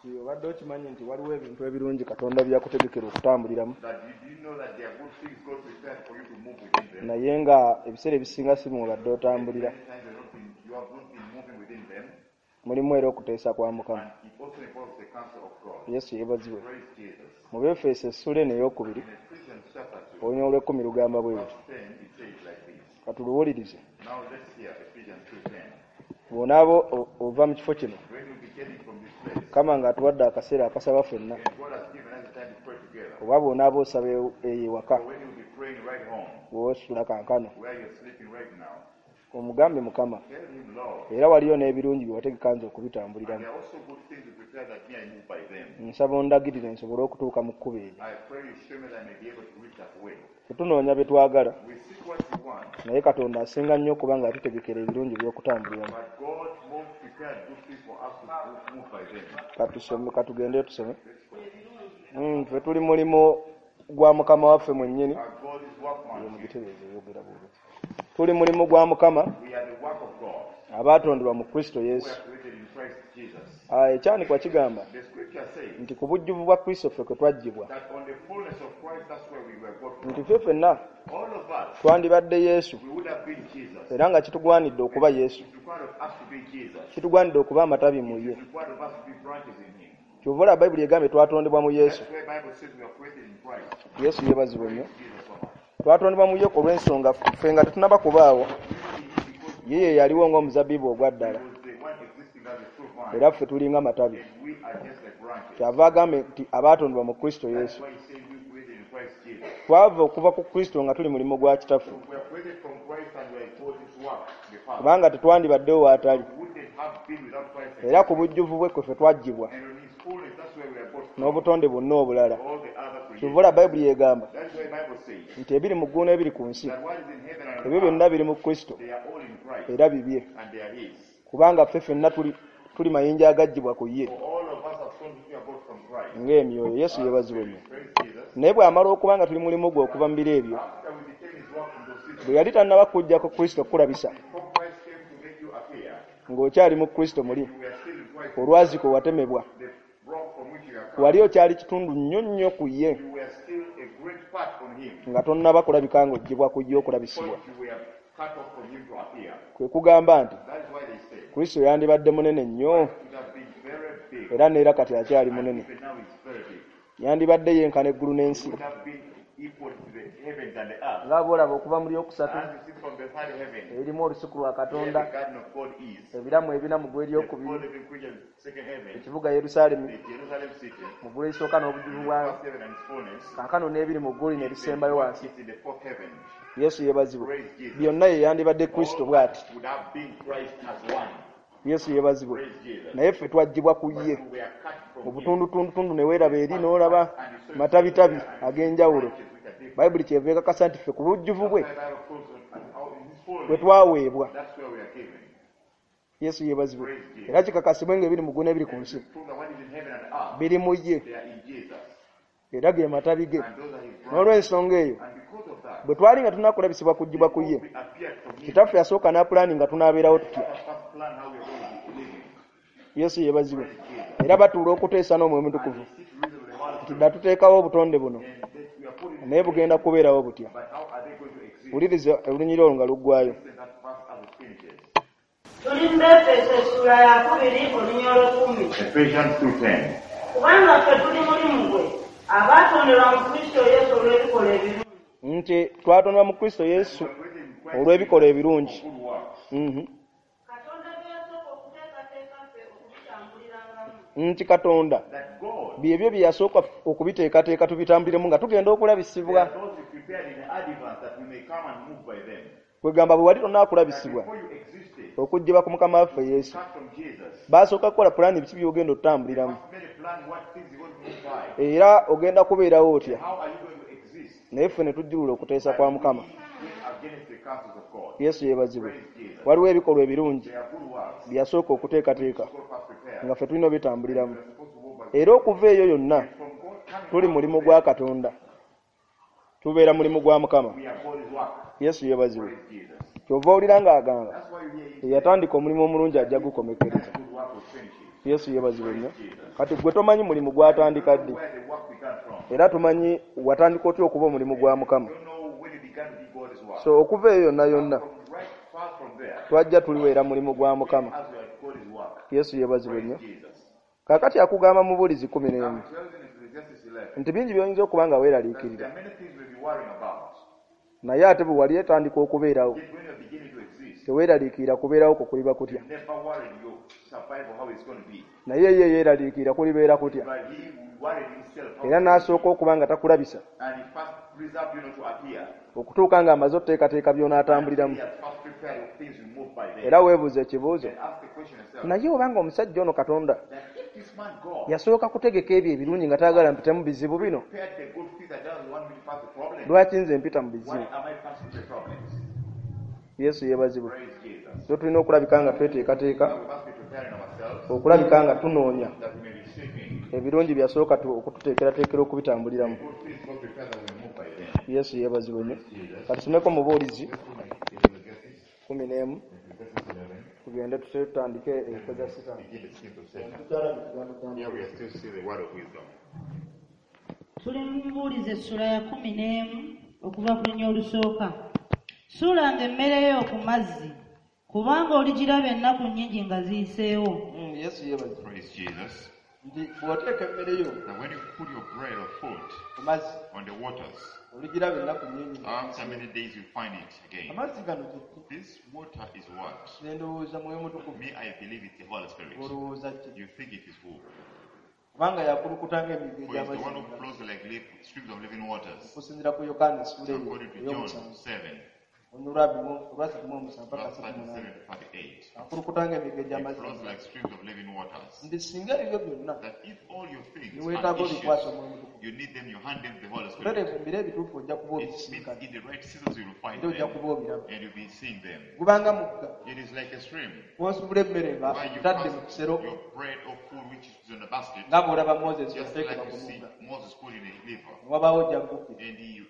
Nti obadde okimanyi nti waliwo ebintu ebirungi Katonda byakutegekera okutambuliramu, That you do you know that there are good things God prepared for you to move within them? Naye nga ebiseera ebisinga si mwobadde otambulira. Many times you have not been moving within them, Mulimu era okuteesa kwa Mukama. And it also involves the counsel of God. Yesu yeebazibwe. Praise Jesus. Mu Befeso essula eno ey'okubiri, In Ephesians chapter 2, olunyiriri olw'ekkumi lugamba bwe verse luti. 10, it says like this. Katuluwulirize. Now let's hear Ephesians 2:10. Bw'onaaba ova mu kifo kino, When you be getting from this place, Mukama ng'atuwadde akaseera akasaba ffenna, and God has given us the time to pray together. Oba bw'onaaba osaba eyo ewaka, So when you be praying right home, bw'osula kankano, where you're sleeping right now, omugambe Mukama, tell him, Lord, era waliyo n'ebirungi bye wategeka nze and okubitambuliramu. there are also good things you prepare that me I move by them. Nsaba ondagirire nsobole okutuuka mu kkubo eryo. I pray you show me that I may be able to reach that way. Tetunoonya bye twagala, We seek what we want, naye Katonda asinga nnyo okuba ng'atutegekera ebirungi by'okutambuliramu. But God more prepared good things for us to move by them. Katusome, katugende tusome. Ffe tuli mulimu gwa Mukama waffe mwennyini. Our God is workmanship. Mugitereeze eyogera bw'oti. Tuli mulimu gwa Mukama We are the work of God. abaatondebwa mu Kristo We Yesu. are created in Christ Jesus. Ah, ekyanikwa kigamba The scripture says nti ku bujjuvu bwa Kristo ffe kwe twaggyibwa. that on the fullness of Christ, that's where we were got Nti from. ffe ffenna All of us, twandibadde Yesu we would have been Jesus. era nga kitugwanidde okuba Yesu. It's required of us to be Jesus. Kitugwanidde okuba amatabi mu ye. It's required of us to be branches in Him. Kyova olaba Bayibuli egambye twatondebwa mu Yesu. That's where the Bible says we are created in Christ. Yesu yeebazibwe nnyo. Jesus so much. Twatondebwa mu ye olw'ensonga ffe nga tetunnaba kubaawo. Ye ye yaliwo ng'omuzabbibu ogwa ddala. He was the one existing as a true vine, Era ffe tulinga matabi. And we are just like branches. Kyava agambe nti abaatondebwa mu Kristo That's Yesu. why he says we created in Christ Jesus. Twava okuva ku Kristo nga tuli mulimu gwa kitaffe. So we are created from Christ and we are called his work, the Father. Kubanga tetwandibaddewo waatali. We wouldn't have been without Christ. Era ku bujjuvu bwe kwe ffe twaggyibwa And on his fullness, that's where we are got from. N'obutonde bwonna obulala. All the other Kyova creation. olaba Bayibuli egamba That's why the Bible says nti ebiri mu ggulu n'ebiri ku nsi that what is in heaven and ebyo on byonna earth, biri mu Kristo they are all in Christ era bibye. And they are his. Kubanga ffe ffenna tuli mayinja agaggyibwa ku ye For all of us are sons which are got from Christ. Ng'emyoyo. Yesu yeebazibwe nnyo. Praise Jesus. Naye bw'amala okuba nga tuli mulimu gwe okuva mu biro ebyo, After we became his work from those seasons, bwe yali tannaba kujjako Kristo kukulabisa before Christ came to make you appear, ng'okyali mu Kristo muli, you were still in Christ, olwazi kwe watemebwa, the rock from which you are cut. wali okyali kitundu nnyo nnyo ku ye You were still a great part on him. Nga tonnaba kulabika ng'oggyibwa ku ye okulabisibwa. Because you were cut off from him to appear. Kwe kugamba nti That is why they say Kristo yandibadde munene nnyo it would have been very big. era neera kati akyali And munene. even now it's very big. Yandibadde yenkana eggulu n'ensi. It would have been equal to the heavens and the earth. Nga bw'olaba okuva mu lyokusatu As you see from the third heaven, erimu olusuku lwa where Katonda, the garden of God is, ebiramu ebina mu ggulu the four eryokubiri, living creatures, second heaven, ekibuga Yerusaalemi the Jerusalem city, mu ggulu erisooka n'obujjuvu the bwayo, first heaven and its fullness, kaakano n'ebiri mu ggulu lino erisembayo wansi. is in the fourth heaven. Yesu yeebazibwe. Praise Jesus. Byonna ye yandibadde Kristo All bw'ati. would have been Christ as one. Yesu yeebazibwe. Praise Jesus. Naye ffe twaggyibwa ku But ye we were cut mu from him. butundutundutundu ne weeraba eri n'olaba matabitabi ag'enjawulo. Branches which are different. Bayibuli kyeva ekakasa nti ffe ku bujjuvu bwe That's why the Bible proves that out in his bwe fullness, twaweebwa. that's where we are given. Yesu yeebazibwe. Era kikakasibwe ng'ebiri mu ggulu n'ebiri ku nsi Prove that what is in heaven and earth, biri mu ye they are in Jesus. era ge matabi ge. And those are his branches. N'olw'ensonga eyo And because of that, bwe twali nga tunakulabisibwa kuggyibwa ku ye, we appeared from him. kitaffe yasooka n'apulaani nga tunaabeerawo tutya. Let us first plan how we are going to be living. Yesu yeebazibwe. Era batuula okuteesa n'Omwoyo Mutukuvu And they sit reason with the Holy nti Spirit. dda tuteekawo obutonde buno And that we are putting naye bugenda kubeerawo butya. But how are they going to exist? Wuliriza olunyiriri olwo nga luggwayo. Listen that verse as it finishes. Tuli mu Befeso essula ya kubiri olunyiriri olw'ekkumi. Ephesians 2:10. Kubanga ffe tuli mulimu gwe abaatonderwa mu Kristo Yesu olw'ebikolwa ebirungi. Nti twatondebwa mu Kristo Yesu olw'ebikolwa ebirungi. Good works. Katonda bye yasooka okuteekateeka ffe okubitambulirangamu. Nti Katonda That God, byebyo bye yasooka okubiteekateeka tubitambuliremu nga tugenda there okulabisibwa. are those he prepared in advance that we may come and move by them. Kwegamba bwe wali That tonaakulabisibwa before you existed, okuggyibwa ku Mukama waffe Yesu, cut from Jesus. baasooka kukola pulaani biki by'ogenda otutambuliramu First made a plan what things you're going to move by. era ogenda kubeerawo otya. How are you going to exist? Naye ffe ne tujjulula okuteesa kwa Mukama. We went against the counsels of God. Yesu yeebazibwe. Praise Jesus. Waliwo ebikolwa ebirungi There are good works. bye yasooka okuteekateeka God first prepared. nga ffe tulina obitambuliramu. We are supposed to walk by Era okuva eyo yonna from God coming tuli out mulimu of gwa them, Katonda, tubeera mulimu gwa Mukama. we are God's work. Yesu yeebazibwe. Praise Jesus. Kyova owulira ng'agamba That's why you hear him eyatandika omulimu omulungi ajja gukomekkereza. good work will finish it. Yesu yeebazibwe nnyo. Kati gwe tomanyi mulimu gwatandika ddi, era tomanyi watandika otya okuba omulimu gwa Mukama. So okuva eyo yonna yonna twajja tuliweera mulimu gwa Mukama. Yesu yeebazibwe nnyo. Kaakati akugamba mu Buulizi 11 nti bingi by'oyinza okuba nga weeraliikirira, naye ate bwe wali etandika okubeerawo teweeraliikirira kubeerawo kwo kuliba kutya, naye ye yeeraliikirira kulibeera kutya, era n'asooka okuba nga takulabisa okutuuka ng'amaze oteekateeka by'onaatambuliramu. Era weebuuza ekibuuzo, naye obanga omusajja ono Katonda yasooka kutegeka ebyo ebirungi nga tayagala mpitemu bizibu bino, lwaki nze mpita mu bizibu? Yesu yeebazibwe. So tulina okulabika nga tweteekateeka, okulabika nga tunoonya ebirungi byasooka okututeekerateekera okubitambuliramu. Yesu yeebazibwe nnyo. Katusomeko Mubuulizi 11 tugende tutandike enkoza Sitaani. Tuli mu Mubuulizi essula ya 11 okuva ku lunya olusooka. Suulanga emmere yo ku mazzi, kubanga oligiraba ennaku nnyingi nga ziyiseewo. Yesu yeebazibwe. Praise Jesus. Nti bw'oteeka emmere yo That when you put your bread or food ku mazzi, on the waters, oligiraba ennaku nnyingi. after many days you find it again. Amazzi gano kiki? This water is what? Nze ndowooza Mwoyo Mutukuvu. Me, I believe it's the Holy Spirit. Olowooza ki? You think it is who? Kubanga yakulukuta ng'emigga For it's the one who egy'amazzi. flows like streams of living waters. Okusinziira ku Yokaana essula eyo According to John ey'omusanvu. 7, Olwasatu mu paka verse asatu mu munaana. 37 to 38. Akulukuta ng'emigga It egy'amazzi. flows like streams of living waters. Nti singa ebyo byonna That if all your things ne weetaaga and obikwasa issues, Omwoyo Mutukuvu, you need them, you hand them to the Holy Spirit. butereevu mu biro ebituufu ojja kuba It means obisisinkana. in the right seasons you will find Era ojja them kuba obiraba. and you'll be seeing them. Gubanga mugga. It is like a stream W'osuubula emmere nga where you otadde mu cast kisero your bread or food which is in a basket, nga bw'olaba Moses just yateekebwa like ku you see mugga. Moses put in a river, Ne wabaawo ojja kugukira. and he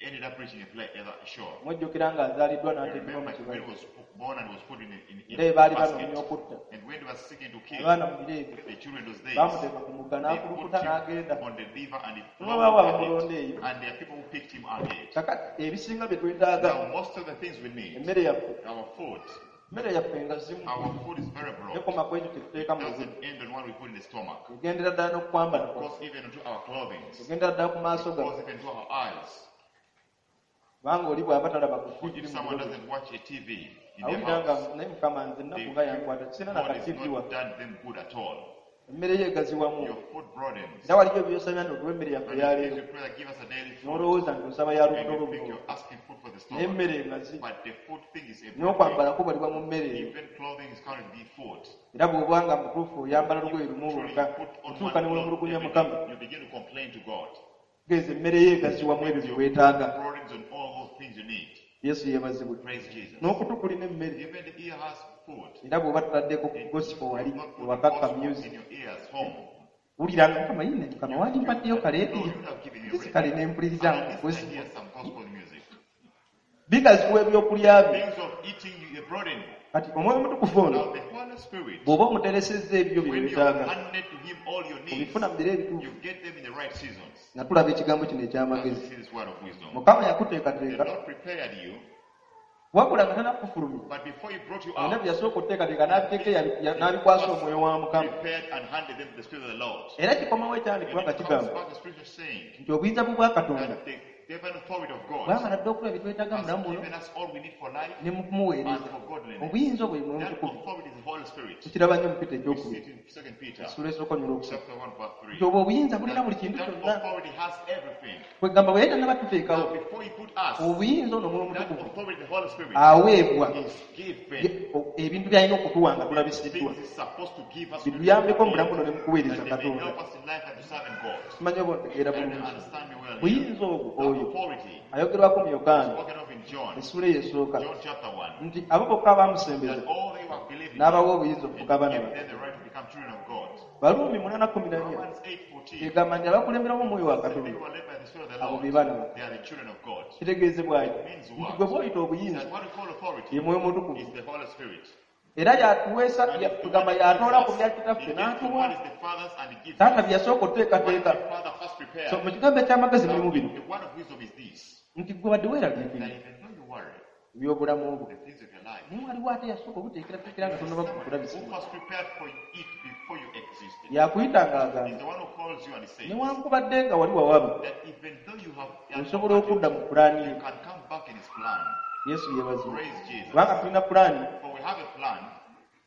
ended up reaching a place at the shore. Mujjukira ng'azaaliddwa You n'ateekebwa mu remember when kibaya. he was born and was put in Era a baali basket, banoonya okutta. and when they were seeking to kill Abaana mu biro ebyo the children those days, baamuteeka ku mugga they n'akulukuta put him n'agenda. on the river and he Ne wabaawo flowed abamulonda ahead. eyo. And there are people who picked him ahead. Kakati ebisinga bye twetaaga Now most of the things we need, emmere yaffe, our food, emmere yaffe nga zimu our food is very broad. tekoma ku ekyo kye tuteeka mu Doesn't lubuto. end on what we put in the stomach. Egendera ddala n'okwambala It kwaffe. goes even into our clothing. Egendera ddala ku maaso It goes gaffe. even to our eyes. Kubanga oli bw'aba talaba ku For TV if mu someone biro bye, doesn't watch a TV in their awulira nga house, naye Mukama nze ennaku they nga yankwata sirina na God ka has TV not wano. done them good at all. Emmere ye egaziwamu. Your food broadens. Era waliyo by'osabya nti otuwa emmere yaffe And ya the things leero you pray that give us a daily food, n'olowooza nti osaba ya and lubuto you think lubuto you're asking food for the naye stomach. emmere engazi But the food thing is a broad n'okwambala kubalibwa mu mmere thing. eyo. Even clothing is counted to be food. Era bw'oba nga mutuufu oyambala lugoye lumu Truly, lwokka you put on otuuka one ne cloth weemulugunya every Mukama day, you begin to complain to God. geeza emmere ye egaziwamu ebyo bye weetaaga. Broadens on all those things you need. Yesu yeebazibwe. Praise Jesus. N'okutu kulina emmere Even the ear has food. era bw'oba tutaddeko gospel wali Not putting ewakakka gospel music in your ears home. wulira nga Mukama yine Mukama wandimpaddeyo No, kaleediyo you would have given me nsi kale radio. ne mpuliriza And nga at least I gospel. hear some gospel music. Bigaziwa ebyokulya byo. Things of eating you broaden. Kati Omwoyo Omutukuvu ono Now the Holy Spirit, bw'oba omuteresezza ebyo bye when you weetaaga handed to him all your needs, obifuna mu biro ebituufu you get them in the right seasons. nga tulaba ekigambo kino As we eky'amagezi. see this word of wisdom. Mukama The yakuteekateeka Lord prepared you, wabula nga tannakufulumya but before he brought you byonna out, bye yasooka okuteekateeka n'abiteeka n'abikwasa Omwoyo wa Mukama. prepared and handed them to the Spirit of the Lord. Era kikomawo And ekyandikibwa nga it comes kigamba back the scripture saying nti obuyinza bwe bwa Katonda that the divine authority of God bwamala dda okuba byetwetaaga mu has bulamu buno given us all we need for life ne mu and kumuweereza. for godliness. Obuyinza obwo ye Mwoyo That Mutukuvu. authority is the Holy Spirit. Tukiraba nnyo mu Peter We see ekyokubiri it in 2 Peter essuula esooka nyola okusatu. chapter 1 verse 3. Nti obwo obuyinza bulina buli kintu That kyonna. authority has everything. Kwegamba bwe yali tannaba tuteekawo Now before he put us, obuyinza ono Omwoyo that Omutukuvu authority, the Holy Spirit, aweebwa is given. ebintu by'alina okutuwa nga tulabisiddwa Things he's supposed to give us bituyambeko mu bulamu buno ne mu kuweereza that they may Katonda. help us in life and to serve in God. Simanyi oba ontegeera And bulungi. understand me well here. Buyinza obwo That oyo authority ayogerwako mu Yokaana spoken of in John, essuula eyo esooka John chapter 1, nti abo bokka abaamusembeza that all they who have believed in him n'abawa obuyinza and okufuuka abaana give ba them the right to become children of God. Baluumi 8:14 Romans 8:14 egamba nti abakulemberamu Omwoyo wa says they Katonda who are led by the Spirit of the abo Lord, be baana ba. they are the children of God. Kitegeezebwa ki? Means Nti what? gwe bw'oyita obuyinza That what we call authority ye Mwoyo Mutukuvu. is the Holy Spirit. Era yatuweesa And he's the tugamba one who yatoola gives ku us. bya He kitaffe gives from n'atuwa what is the Father's and he gives taata us. bye yasooka What oteekateeka the Father first so prepared. mu kigambo eky'amagezi Now, mulimu bino the word of wisdom is this, nti gwe wadde that weeraliikirira even though you worry, ebyobulamu bwo the things of your life, naye waliwo ate yasooka obuteekerateekera nga there is tonnaba someone who kulabisibwa first prepared for it before you existed. yakuyita He's ng'agamba the one who calls you and says newankubadde nga wali wawaba that even though you have osobola okudda mu pulaani ye you can come back in his plan. Yesu yeebazibwe Praise Jesus. kubanga tulina pulaani For we have a plan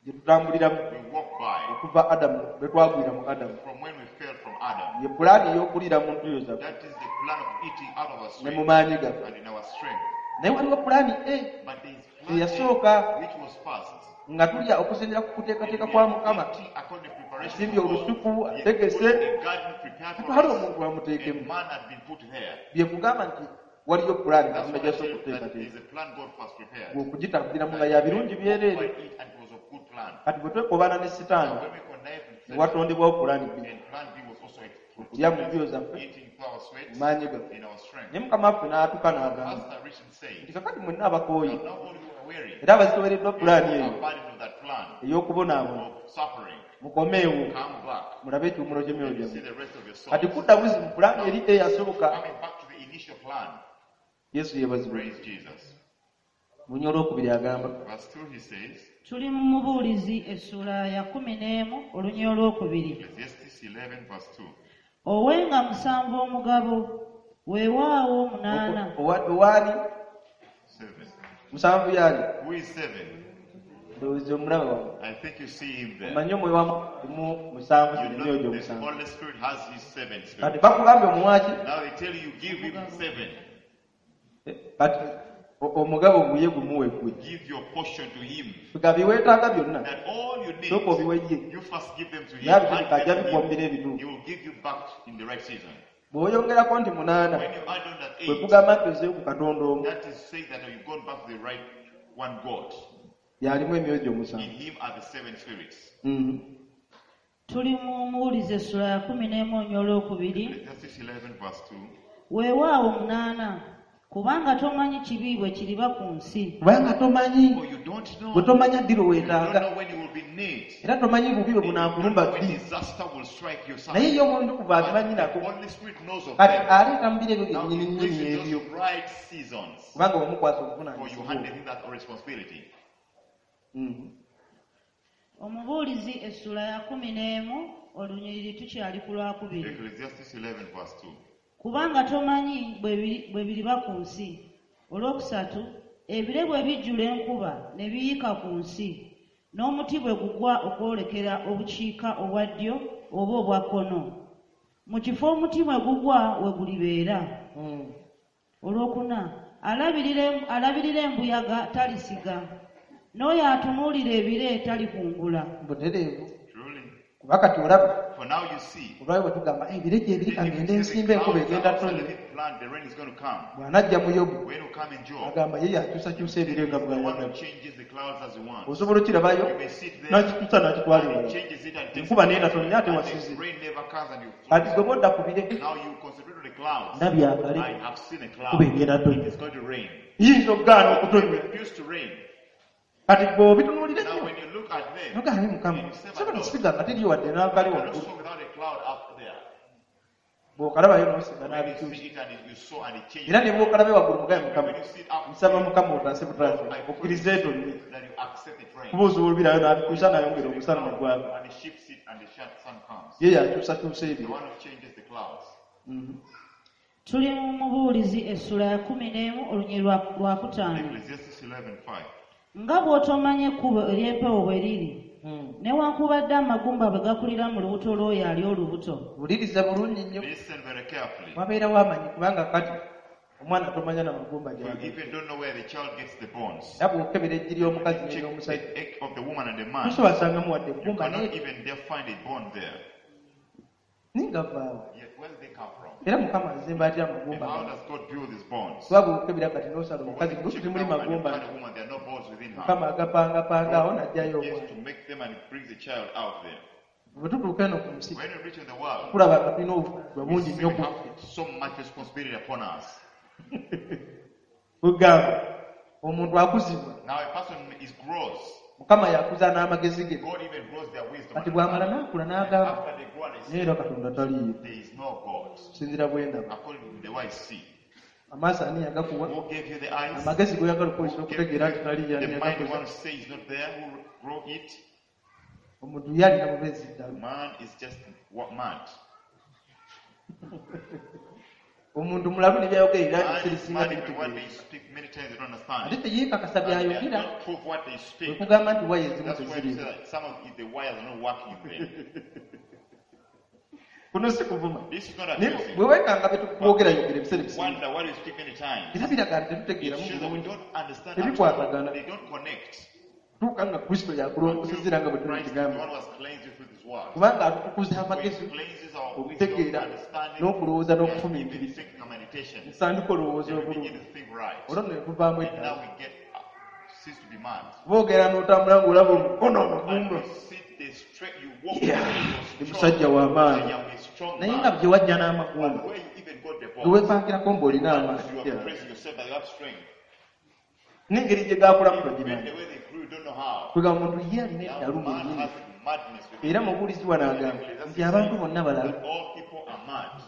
gye tutambuliramu we walk by okuva Adamu lwe twagwira mu Adamu from when we fell from Adam. ye pulaani ey'okuliira mu ntuyo zaffe That is the plan of eating out of our ne mu strength maanyi gaffe and in our strength. naye waliwo pulaani A But there is plan eyasooka A, which was first. nga tulya okusinziira ku kuteekateeka kwa Mukama Eating according to preparation asimbye of God. olusuku He had ategese put a garden prepared for atwale us. omuntu A amuteekemu man had been put there. bye kugamba nti waliyo pulaani That's Katonda what I gy'asooka tell you, that okuteekateeka is a plan God first prepared. ng'okugitambuliramu nga ya birungi By byereere it and it was a good plan. kati bwe twekobaana ne Sitaani Now when we connived with ne Satan, watondebwawo pulaani B and plan B was also okulya mu ntuyo zaffe eating through our sweat mu maanyi gaffe in our strength. naye Mukama waffe n'atuuka n'agamba Pastor Richard said, nti kakati mwenna abakooye now all you are weary, era abazitowereddwa pulaani you eyo are burdened with that plan ey'okubonaabona of suffering. mukomeewo Come back mulabe ekiwumulo ky'emyoyo and see gyammwe the rest of your kati souls. kudda buzi mu pulaani eri eyasooka Coming back to the initial plan. Yesu yeebazibwe Praise Jesus. munyo olwokubiri agamba Verse 2 he says, Tuli mu Mubuulizi essula ya 11 olunya olwokubiri. Ecclesiastes 11 verse 2. Owenga 7 omugabo, weewaawo 8. Owaani 7. 7 yaani Who is 7? ndowooza omulaba wawe I think you see him there. omanyi omwoyo wa mulimu 7 You zino know emyoyo the gy'omusanvu Holy Spirit has his 7 kati spirits. bakugambye omuwaki Now they tell you give him 7. Kati omugabo guye gumuwe gwe Give your portion to him. nga bye weetaaga byonna That all you need, sooka obiwe ye you first give them to him. naye abitegeka Hand ajja them to bikuwa mu him. biro ebituufu He will give you back in the right season. bw'oyongerako nti 8 When you add on that kwe 8, kugamba nti ozeeyo ku Katonda omu that is saying that you've gone back to the right one God. yalimu emyoyo In gy'omusanvu him are the 7 spirits. Tuli mu Mubuulizi essula ya 11 olunya olwokubiri. Ecclesiastes 11 verse 2. Weewaawo 8, kubanga tomanyi kibi bwe kiriba ku nsi. Kubanga tomanyi For you don't know. bwe tomanya ddi lwe You don't weetaaga know when you will be in need. era tomanyi bubi bwe You don't know bunaakulumba when ddi disaster will strike your naye side. ye Omwoyo Omutukuvu But abimanyi the nako Holy Spirit knows of kati them. aleeta mu biro ebyo Now he byennyini brings nnyini in ebyo those right seasons kubanga omukwasa for you obuvunaanyizibwa handed him that responsibility. Omubuulizi essula ya 11 olunyiriri tukyali ku lwakubiri. Ecclesiastes 11 verse 2. Kubanga tomanyi bwe biriba ku nsi. Olwokusatu, ebire bwe bijjula enkuba ne biyiika ku nsi, n'omuti bwe gugwa okwolekera obukiika obwa ddyo oba obwa kkono. Mu kifo omuti mwe gugwa we gulibeera. Olwokuna, alabirira embuyaga talisiga, n'oyo atunuulira ebire talikungula. Butereevu Truly. kuba kati olaba For now you see. olwayo bwe tugamba ebire gye biri If kangende you see nsimba the enkuba clouds egenda are outside, tonnya let it plant, the rain is going to come. bw'anajja mu Yobu When you come in Job, agamba ye yakyusakyusa ebire nga the one who bw'ayagala changes the clouds as he wants. osobola okirabayo You may sit there n'akituusa n'akitwala and ewala he changes it and takes enkuba it. n'etatonnya ate And wasize the rain never comes and you kati gwe bodda ku bire Now you concentrate on the clouds. ndabye akale I have seen a enkuba cloud. egenda tonnya It is going to rain. yinza okugaana okutonnya Refuse to rain. kati gwe obitunuulira Now nnyo when you look at them, nogaane Mukama and you say, sobola "But kusiga nga teriyo wadde n'akale you cannot waggulu sow without a cloud up there. bw'okalabayo n'osiga When you n'abikyusa see it and you sow and it changes. era ne bw'okalabe waggulu mugaye Mukama When you see it up nsaba there, Mukama otaase butaase I pray okkirize etonye that you accept it rain. kuba osobola obirayo n'abikyusa n'ayongera omusana ne gwaka And he shifts it and the sun comes. ye yakyusakyusa The ebiro one who changes the clouds. Tuli mu Mubuulizi essula ya 11 olunyiriri lwa 5. Ecclesiastes 11:5. Nga bw'otomanya ekkubo ery'empewo bwe liri, newankubadde amagumba bwe gakulira mu lubuto lw'oyo ali olubuto. Wuliriza bulungi nnyo Listen very carefully. wabeerawo amanyi kubanga kati omwana tomanya na magumba You gy'aga even don't know where the child gets the bones. era bw'okebera eggi ly'omukazi Check n'ery'omusajja the egg of the woman and the man. tosobola sangamu wadde You eggumba cannot naye even there find a bone there. naye nga vaawo Yet where do they come from? era Mukama azimba atya And amagumba how gano does God build these bones? kuba bw'okebera kati n'osala For when omukazi you lusu check temuli now and you magumba find a woman, there are no bones within her. Mukama agapangapanga awo n'aggyayo Yes, omwana to make them and brings the child out there. bwe tutuuka eno ku nsi When you reach in the world, tulaba nga tulina obuvunaanyizibwa we bungi see nnyo we ku have so much responsibility upon us. kugamba omuntu akuzibwa Now a person is grows. Mukama yakuza n'amagezi ge. God even grows their wisdom. Kati bw'amala n'akula And n'agamba, after they grow and they naye say, era Katonda taliiyo. there is no God. Kusinziira bwe ndaba. According to the way I see. Amaaso ani yagakuwa? Who gave you the eyes? Amagezi g'oyagala okukozesa Who gave okutegeera nti taliiyo you ani the mind you yagakuza? want to say is not there? Who grow it? Omuntu ye alina bubeezi ddala. Man is just what mad. Omuntu mulalu ne byayogera era Man is ebisirisinga mad even what tebitegeera. they speak, many times they don't understand. Ate teyeekakasa And they byayogera. don't prove what they Bwe speak. kugamba nti waya ezimu That's why you say teziriimu. that some of the wires are not working in them. Kuno si kuvuma. This is not Naye abusing. bwe weekanga bye tukwogerayogera ebiseera ebisinga. Wonder why you speak many times. Era biraga nti It tetutegeeramu shows that we bulungi. don't understand at all. Tebikwatagana. They don't connect. Tuuka nga Kristo yakulongosezza nga bwe tuli Christ is the kigambo. one who has cleansed you through this word. Kubanga atutukuza Who amagezi, cleanses our wisdom, okutegeera, understanding, n'okulowooza and even n'okufumiitiriza. thinking and meditation. Nsandika olowooza Then we obulungi. begin to think right. Olwo nno ne tuvaamu And now eddala. we get cease to be mad. Boogera n'otambula ng'olaba omukono And omugumba. you sit the straight, you walk Yeah, you're ndi strong. musajja wa maanyi. I am a strong Naye man. nga gye wajja But n'amagumba, where you even got the gwe bones, weepankirako ng'olina amaanyi. you are praising yourself that you have strength. N'engeri gye gaakulamu Even togimanyi. the way they grew, you don't know how. Kwegamba omuntu ye alina Now eddalu man mwennyini. has madness within Era him. mubuulizi wano agamba nti abantu bonna balalu. That all people are mad.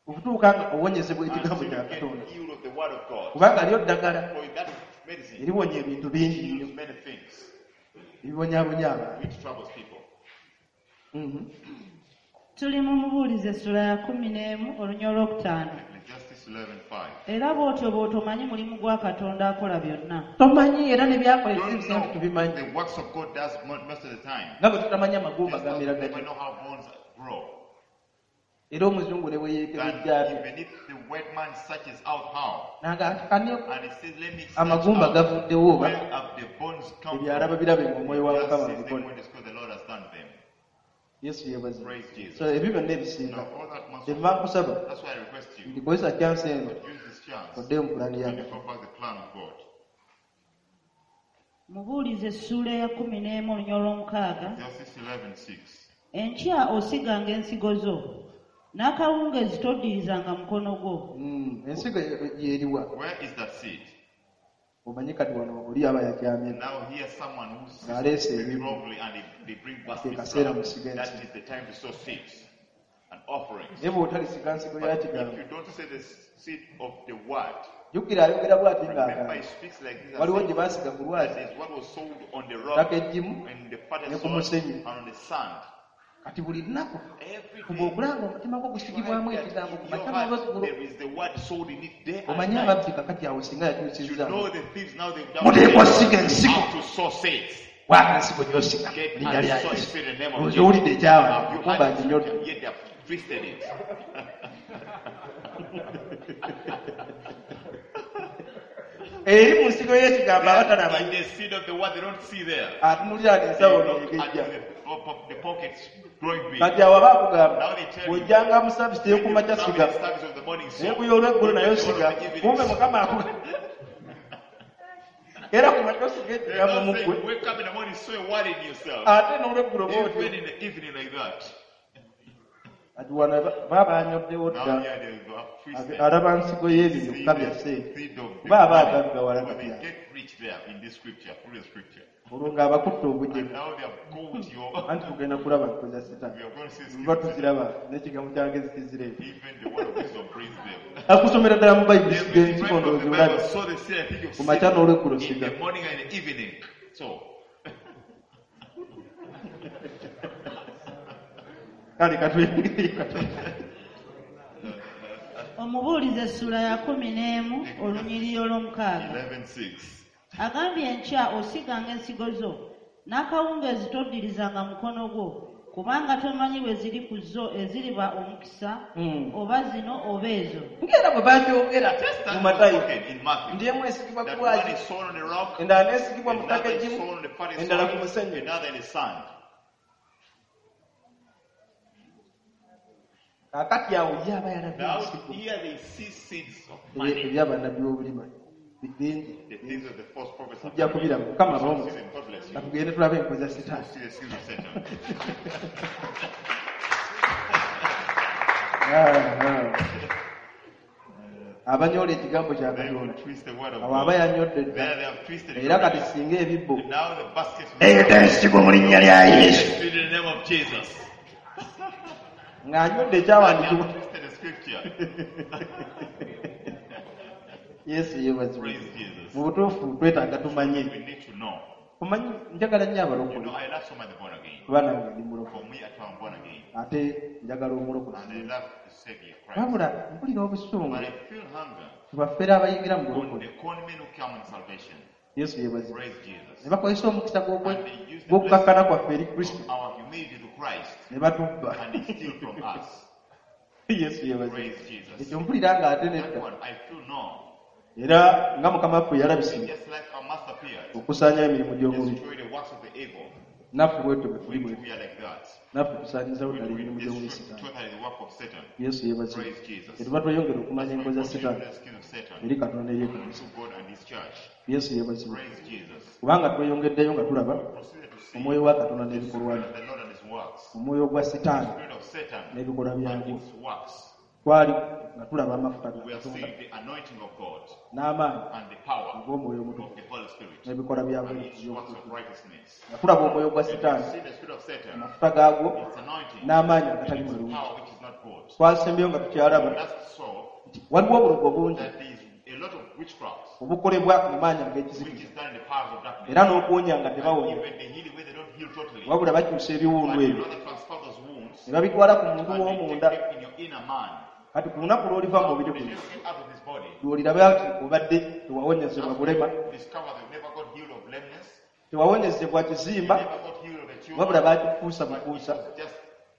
Okutuuka nga owonyezebwa ekigambo Until kya you get Katonda. healed of the word of God. Kubanga lyo ddagala For that medicine eriwonya ebintu bingi nnyo heals many things ebibonyaabonya abantu. which troubles people. Mhm. Tuli mu Mubuulizi essula ya 11 olunya olwokutaano. Ecclesiastes 11:5. Era bw'otyo bw'otomanyi mulimu gwa Katonda akola byonna. Tomanyi era ne byakola Don't ebisinga know tubimanyi. the works of God does most of the time. Nga bwe tutamanyi amagumba Just as gamera we never gatya. know how bones grow. Era omuzungu ne bwe And yeekebejja atya. even if the white man searches out how, N'agamba nti kani and he says, let me search amagumba out gavuddewo oba where have the bones come ebyo alaba from. birabe ng'omwoyo wa Just Mukama sees them abikola. when it's called the Lord has done them. Yesu yeebazibwe. Praise Jesus. So ebyo byonna ebisinga. Now all that must Kyenva nkusaba That's why I request you nti kozesa chance eno to use this chance oddeyo mu pulaani ya and Katonda. go back the plan of God. Mubuulizi essuula eya 11 olunya olw'omukaaga. Ecclesiastes 11:6. Enkya osiganga ensigo zo, n'akawungeezi toddirizanga mukono gwo. Ensigo yeriwa. Where is that seed? Omanyi kati wano oli aba yakyamye. Now here someone who Ng'aleese speaks ebibbo. wrongly and they bring Ke baskets. kaseera round. musiga That ensigo. is the time to sow seeds and offerings. Naye bw'otalisiga nsigo ya But if kigambo. you don't sow the seed of the word, Jjukira ayogera bw'ati remember ng'agamba. he speaks like this and Waliwo says gye baasiga ku that lwazi is what was sold on the rock, ttaka eggimu in the fertile ne ku soil, musenyu. and on the sand. Kati buli lunaku Every fuba day, okulanga omutima gwo gusigibwamu try that ekigambo ku in your makya heart n'olweggulo. there is the word sold in it day and Omanyi night. ababbi kakati awo singa You yakyusizza. know the thieves now they've done Muteekwa siga ensigo. how to sow seeds. Waaka nsigo gy'osiga Get mu linnya and lya sow a Yesu. seed in the name of Olowooza Jesus. owulidde ekyawandiikibwa Have you kumba heard nginyodde. it? Yet they have twisted it. Eri mu nsigo y'ekigambo abatalaba In the seed of the word, they don't see there. atunuulira They ensawo look at neegejja. the pockets growing big. Kati awo aba akugamba Now they tell you, bw'ojjanga mu saavisi when you ey'okumakya come in siga the service of the morning, naye sow. ku y'olweggulo nayo Even the siga one of the evening, kumbe sow. Mukama akuga era ku makya osiga They're ekigambo not mu saying, ggwe wake up in the morning, sow a word in yourself. ate n'olweggulo bw'otyo Even in the evening like that. Kati wano baba banyoddewo Now dda here they go twisted. alaba nsigo y'ebyo See byokka the bya ssente seed of the kuba aba money. agaggawala But kati they awo get rich there in this scripture, through the scripture. olwo ng'abakutte And obujega now they have caught your. anti tugenda kulaba nkoza sitaani We are going to see tuba scripture. tuziraba n'ekigambo kyange zikizireeta Even the word of wisdom brings them. akusomera ddala mu bayibuli They siga will ensigo read from ndowooza the olabe Bible, sow the seed, I think of ku makya seed n'olweggulo in siga the morning and the evening. So, kale katweyongereyo katono Omubuulizi essula ya 11 olunyiriri olw'omukaaga. 11:6. Agambye enkya osiganga ensigo zo, n'akawungeezi toddirizanga mukono gwo, kubanga tomanyi bwe ziri ku zo eziriba omukisa, oba zino oba ezo. Ng'era bwe bakyogera Just mu as was Matayo spoken in Matthew, nti emu esigibwa ku that one lwazi is sown on the rock, endala n'esigibwa mu ttaka another is eggimu sown on the fertile endala ku soil, musenyu another in the sand. Kaakati awo ye aba yalabye Now ensigo here they see seeds of money, ebyabannabbi b'obulima bingi the things of the false prophets. are tujja coming. kubiraba Mukama We shall abawo see them. God bless you. katugende tulabe enkozi za sitaani See the seeds of Satan. Ah, ah. Abanyoola ekigambo kya They will Katonda twist the word of awo aba God. yanyodde dda. There they have twisted it Era kati already. singa ebibbo And now the basket Leeta ensigo mu linnya lya Yesu. in the name of Jesus. Ng'anywedde They ekyawandiikibwa. have twisted the scripture. Yesu yeebazibwe. Praise Jesus. Mu butuufu twetaaga tumanye. We need to know. Omanyi njagala nnyo You abalokole know, I love so much the born again. kuba nange ndi mulokole For me, at I'm born again. ate njagala omulokozi. And I love the Savior Christ. Wabula mpulira obusungu But I feel hunger tubafere abayingira mu on bulokole. the con men who come in salvation. Yesu yeebazibwe. Praise Jesus. Ne bakozesa omukisa And they use the gw'okukakkana blessing kwaffe eri Kristo of our humility to Christ ne batubba. and they steal from us. Yesu yeebazibwe. Praise Jesus. Ekyo mpulira ng'ate That nedda. one, I feel no. Era nga Mukama waffe yalabisibwa Just like our master appeared, okusaanyawo emirimu gy'omubi, destroy the works of the evil. naffe bwetyo bwe tuli We bwe too, we are like that. naffe tusaanyizawo We ddala emirimu we gy'omubi destroy Sitaani. totally the work of Satan. Yesu yeebazibwe. Praise Jesus. Kyetuva tweyongera okumanya That's why enkola we za continue Sitaani the skin of Satan eri Katonda eri ekanisa. to God and his church. Yesu yeebazibwe. Praise Jesus. Kubanga tweyongeddeyo nga tulaba We proceeded to see omwoyo wa Katonda the n'ebikolwa spirit bye, of the Lord and his works. omwoyo gwa The Sitaani spirit of Satan n'ebikolwa and byagwo. its works. Twali nga tulaba amafuta ga We are Katonda seeing the anointing of God n'amaanyi and the power ag'omwoyo of omutukuvu the Holy Spirit n'ebikolwa byagwo and its works of eby'obutukuvu. righteousness. Nga tulaba omwoyo gwa And we Sitaani, see the spirit of Satan, amafuta gaagwo its anointing, n'amaanyi and agatali its malungi. power which is not good. Twasembyeyo nga tukyalaba We last saw nti waliwo obulogo bungi that there is a lot of witchcraft obukolebwa mu maanyi which ag'ekizikiza is done in the powers of darkness. era n'okuwonya nga And tebawonya even the healing where they don't heal totally, wabula bakyusa ebiwundu but they ebyo rather transfer those wounds ne babitwala ku muntu and they w'omunda. take them in your inner man. Kati ku lunaku lw'oliva mu mubiri When guno you get out of this body, lw'oliraba nti obadde tewawonyezebwa that's bulema, when you discover they never got healed of lameness, tewawonyezebwa they kizimba, never got healed of a tumor, wabula baakikuusa but it bukuusa was just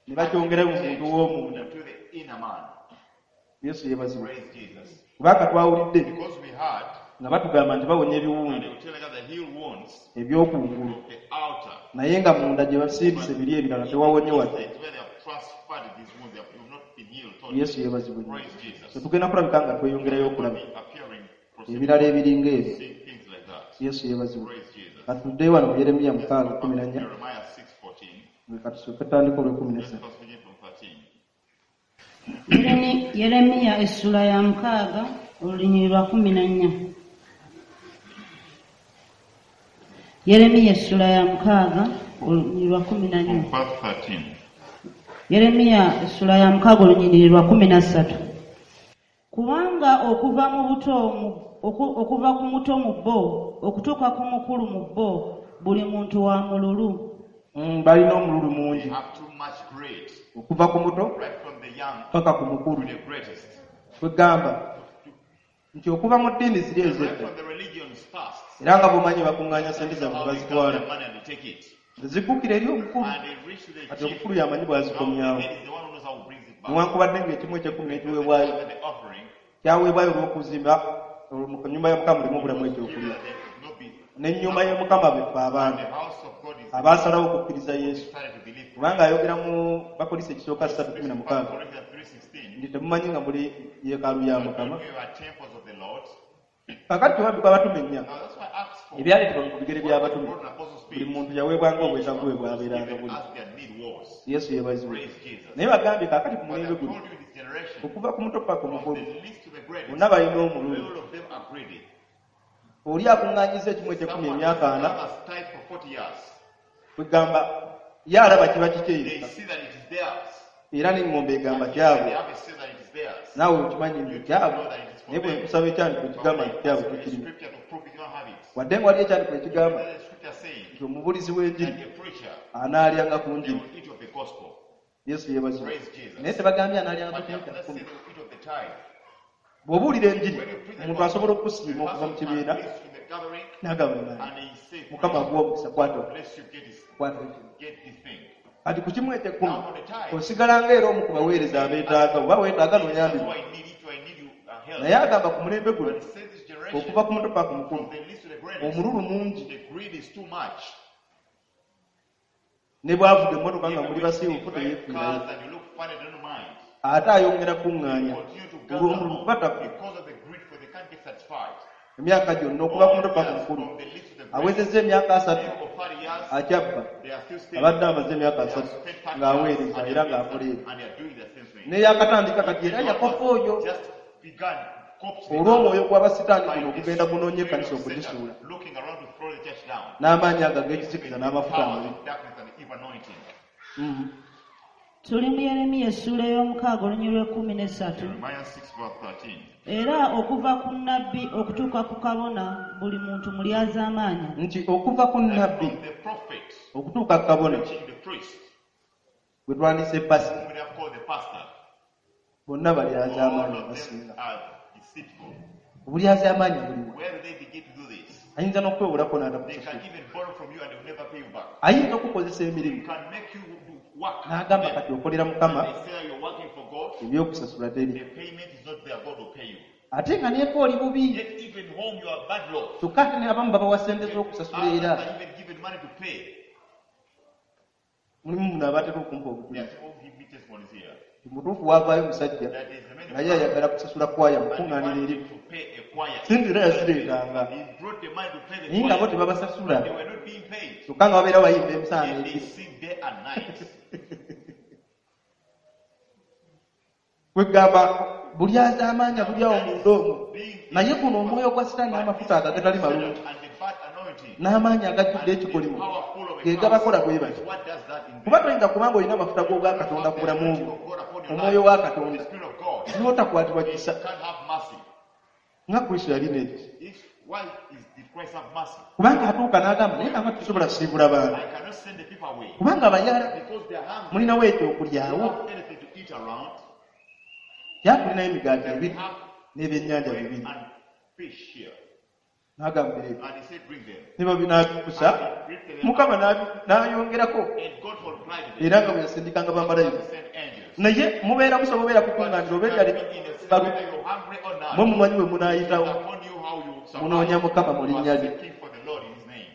ne bakyongerayo mu muntu w'omunda. into the inner man. Yesu yeebazibwe. Praise Jesus. Kubanga twawulidde Because we heard, nga batugamba nti bawonya and ebiwundu they were telling us they heal wounds eby'okungulu of the outer. naye nga munda gye basimbise biri ebirala tewawonye wadde. Inside where they have transferred these wounds, they have not been healed totally. Yesu yeebazibwe nnyo. Praise Jesus. Tetugenda kulabika nga tweyongerayo okulaba Be appearing, proceeding, ebirala ebiringa ebyo. seeing things like that. Yesu yeebazibwe. Praise Jesus. Katuddeyo wano mu Yeremiya Let's go back to 6:14. Jeremiah 6:14. Katusooke tutandike olw'ekumi Let's n'essatu. first begin from 13. Yeremiya essula ya 6 olunyiriri lwa 14. Yeremiya essula ya 6 olunyiriri lwa 14. From verse 13. Yeremiya essula ya 6 olunyiriri lwa 13. Kubanga okuva mu buto okuva ku muto mu bo okutuuka ku mukulu mu bo buli muntu wa mululu. Balina omululu They mungi have too much greed, okuva ku muto right from the young paka ku mukulu. to the greatest. Kwegamba nti okuva mu ddiini ziri Right ez'edda from the religions past, era nga bw'omanyi bakuŋŋaanya ssente zaabwe how ne they bazitwala gather their money and they take it. ziggukira eri omukulu. And they reach to the Kati chief. omukulu y'amanyi Now the bw'azikomyawo head is the one who knows how he brings it back. newankubadde ng'ekimu eky'ekkumi n'ekiweebwayo And the offering, kyaweebwayo olw'okuzimba olwo mu nnyumba ya Mukama mulimu obulamu ekyokulya that there should not be. n'ennyumba ya Mukama befe abaana The house of God is abaasalawo okukkiriza Yesu started to believe. kubanga ayogera mu Bakolinso ekisooka 3:16 Corinthians 3:16. nti temumanyi nga muli yeekaalu ya Mukama. You are temples of the Lord. Kaakati tewabikwa abatume nnya Now that's why Acts 4. ebyaleetebwa ku bigere by'abatume Brought an apostles' buli feet. muntu yaweebwanga obwetaavu bwe bwabeeranga Given buli. as their need was. Yesu yeebazibwe. Praise Jesus. Naye bagambye kaakati ku But mulembe I've guno told you in this generation, okuva ku muto paka from omukulu the least to the greatest, bonna balina omululu. all of them are greedy. Oli akuŋŋaanyiza ekimu eky'ekkumi Someone emyaka ana has tithe for 40 years. kwegamba ye alaba kiba kikye They yekka see that it is theirs. era n'eŋŋombe egamba And kyabwe they have a say that it is theirs. naawe okimanyi nti kyabwe naye bwe nkusaba ekyandiko But ekigamba when nti they kyabwe ask for a tekirimu scripture to prove it, you don't have it. wadde nga waliyo ekyandiko ekigamba Then the scripture saying nti omubulizi w'enjiri that a preacher, anaalyanga ku they njiri. will eat of the gospel. Yesu yeebazibwe. Praise Jesus. Naye tebagambye anaalyanga ku But they kimu have kya not kkumi. said they will eat of the tithe. Bw'obuulira enjiri When you preach the omuntu gospel, asobola the okukusiima okuva mu person can kibiina preach in the gathering n'agamba naye and he say, Mukama akuwa omukisa kwata bless you, get this, kwata ekino. get this thing. Kati ku kimu eky'ekkumi Now for the tithe, osigala ng'era omu ku baweereza abeetaaga oba weetaaga that's n'oyambibwa. why I need it, I need you help. Naye agamba ku mulembe guno But he says this generation, okuva ku muto paka ku mukulu from the least to the greatest, omululu mungi the greed is too much. ne bw'avuga emmotoka nga Even muli when you basiiwuufu drive teyeefiirayo cars and you look funny, they don't mind. ate ayongera kuŋŋaanya Continue to gather olw'omululu more kuba takku because of the greed, for they can't get satisfied. emyaka gyonna okuva ku muto paka All mukulu years, from the least to the greatest, awezezza emyaka 30 you of 30 years, akyabba they are still stealing. abadde amaze emyaka They have 30 spent 30 years ng'aweereza and era they are ng'akola doing ebyo and they are doing the same thing. n'eyakatandika kati era yakofa oyo Just begun coped the Olw'omwoyo earth gw'abasitaani by guno the ogugenda gunoonya spirit ekkanisa of Satan, okugisuula looking around to throw the church down. N'amaanyi ago ag'ekizikiza n'amafuta Powers amabi. of darkness and the evil anointing. Tuli mu Yeremiya essuula ey'omukaaga olunyiriri lw'ekkumi n'essatu. Jeremiah 6 verse 13. Era okuva ku nnabbi okutuuka ku kabona buli muntu mulyazaamaanya. Nti okuva ku nnabbi From the prophet, okutuuka ku kabona preaching the priest, gwe twandise pasita whom we have called the pastor, bonna all balyazaamaanyi of them basinga. are deceitful. Obulyazaamaanyi buliwa? Where do they begin to do this? Ayinza n'okwewolako They n'atakusasula. can even borrow from you and they will never pay you back. Ayinza okukozesa They emirimu can make you do work. n'agamba Them. kati okolera mukama They say you're working for God, ebyokusasula teri the payment is not there, God will pay you. Ate nga neeko oli bubi. Yet even home you are bad law. Kyokka ate ne abamu babawa ssente z'okusasula Others era are even given money to pay. Mulimu muno abatera okumpa There are obujulizi. people who give me testimonies here. Mutuufu waavaayo musajja That is a man naye ayagala kusasula kwaya and he mukuŋŋaaniro wanted eri to pay a choir. Sente era yazireetanga. He brought the money to pay the Naye nga bo choir. tebabasasula. They were not being paid. Kyokka nga babeera bayimba emisana Yet they n'ekiro. sing day and night. Kwegamba bulyazaamaanya buli awo munda omwo Being naye guno omwoyo gwa sitaani n'amafuta ago agatali malungi and the bad anointing n'amaanyi agajjudde and the ekikolimo power full of a ge curse. gabakola bwe batyo. What does that in Kuba them? toyinza kubanga olina amafuta g'obwakatonda ku bulamu bwo Of God upon your omwoyo life, wa the Katonda Spirit of God, n'otakwatibwa kisa you can't have mercy. nga Kristo yalina ekisa. Why did Christ have mercy? Kubanga atuuka n'agamba naye kanga tusobola kusiibula baana I cannot send the people away kubanga abayala because they are hungry. mulinawo They ekyokulyawo don't have anything to eat around. Kyatulinayo emigaati They ebiri have n'ebyennyanja bread bibiri and fish here. N'agambira ebyo And he said, bring them. ne babinaabikusa mukama n'ayongerako And God multiplied them. era nga bwe yasindikanga bamalayika. He sent angels. Naye mubeera musobola obeera kukuŋŋaanira oba eddala But in a sense, balu whether you're hungry or not, mwe mumanyi bwe munaayitawo upon you how you survive. munoonya mukama mu You linnya are lye. seeking for the Lord in His name.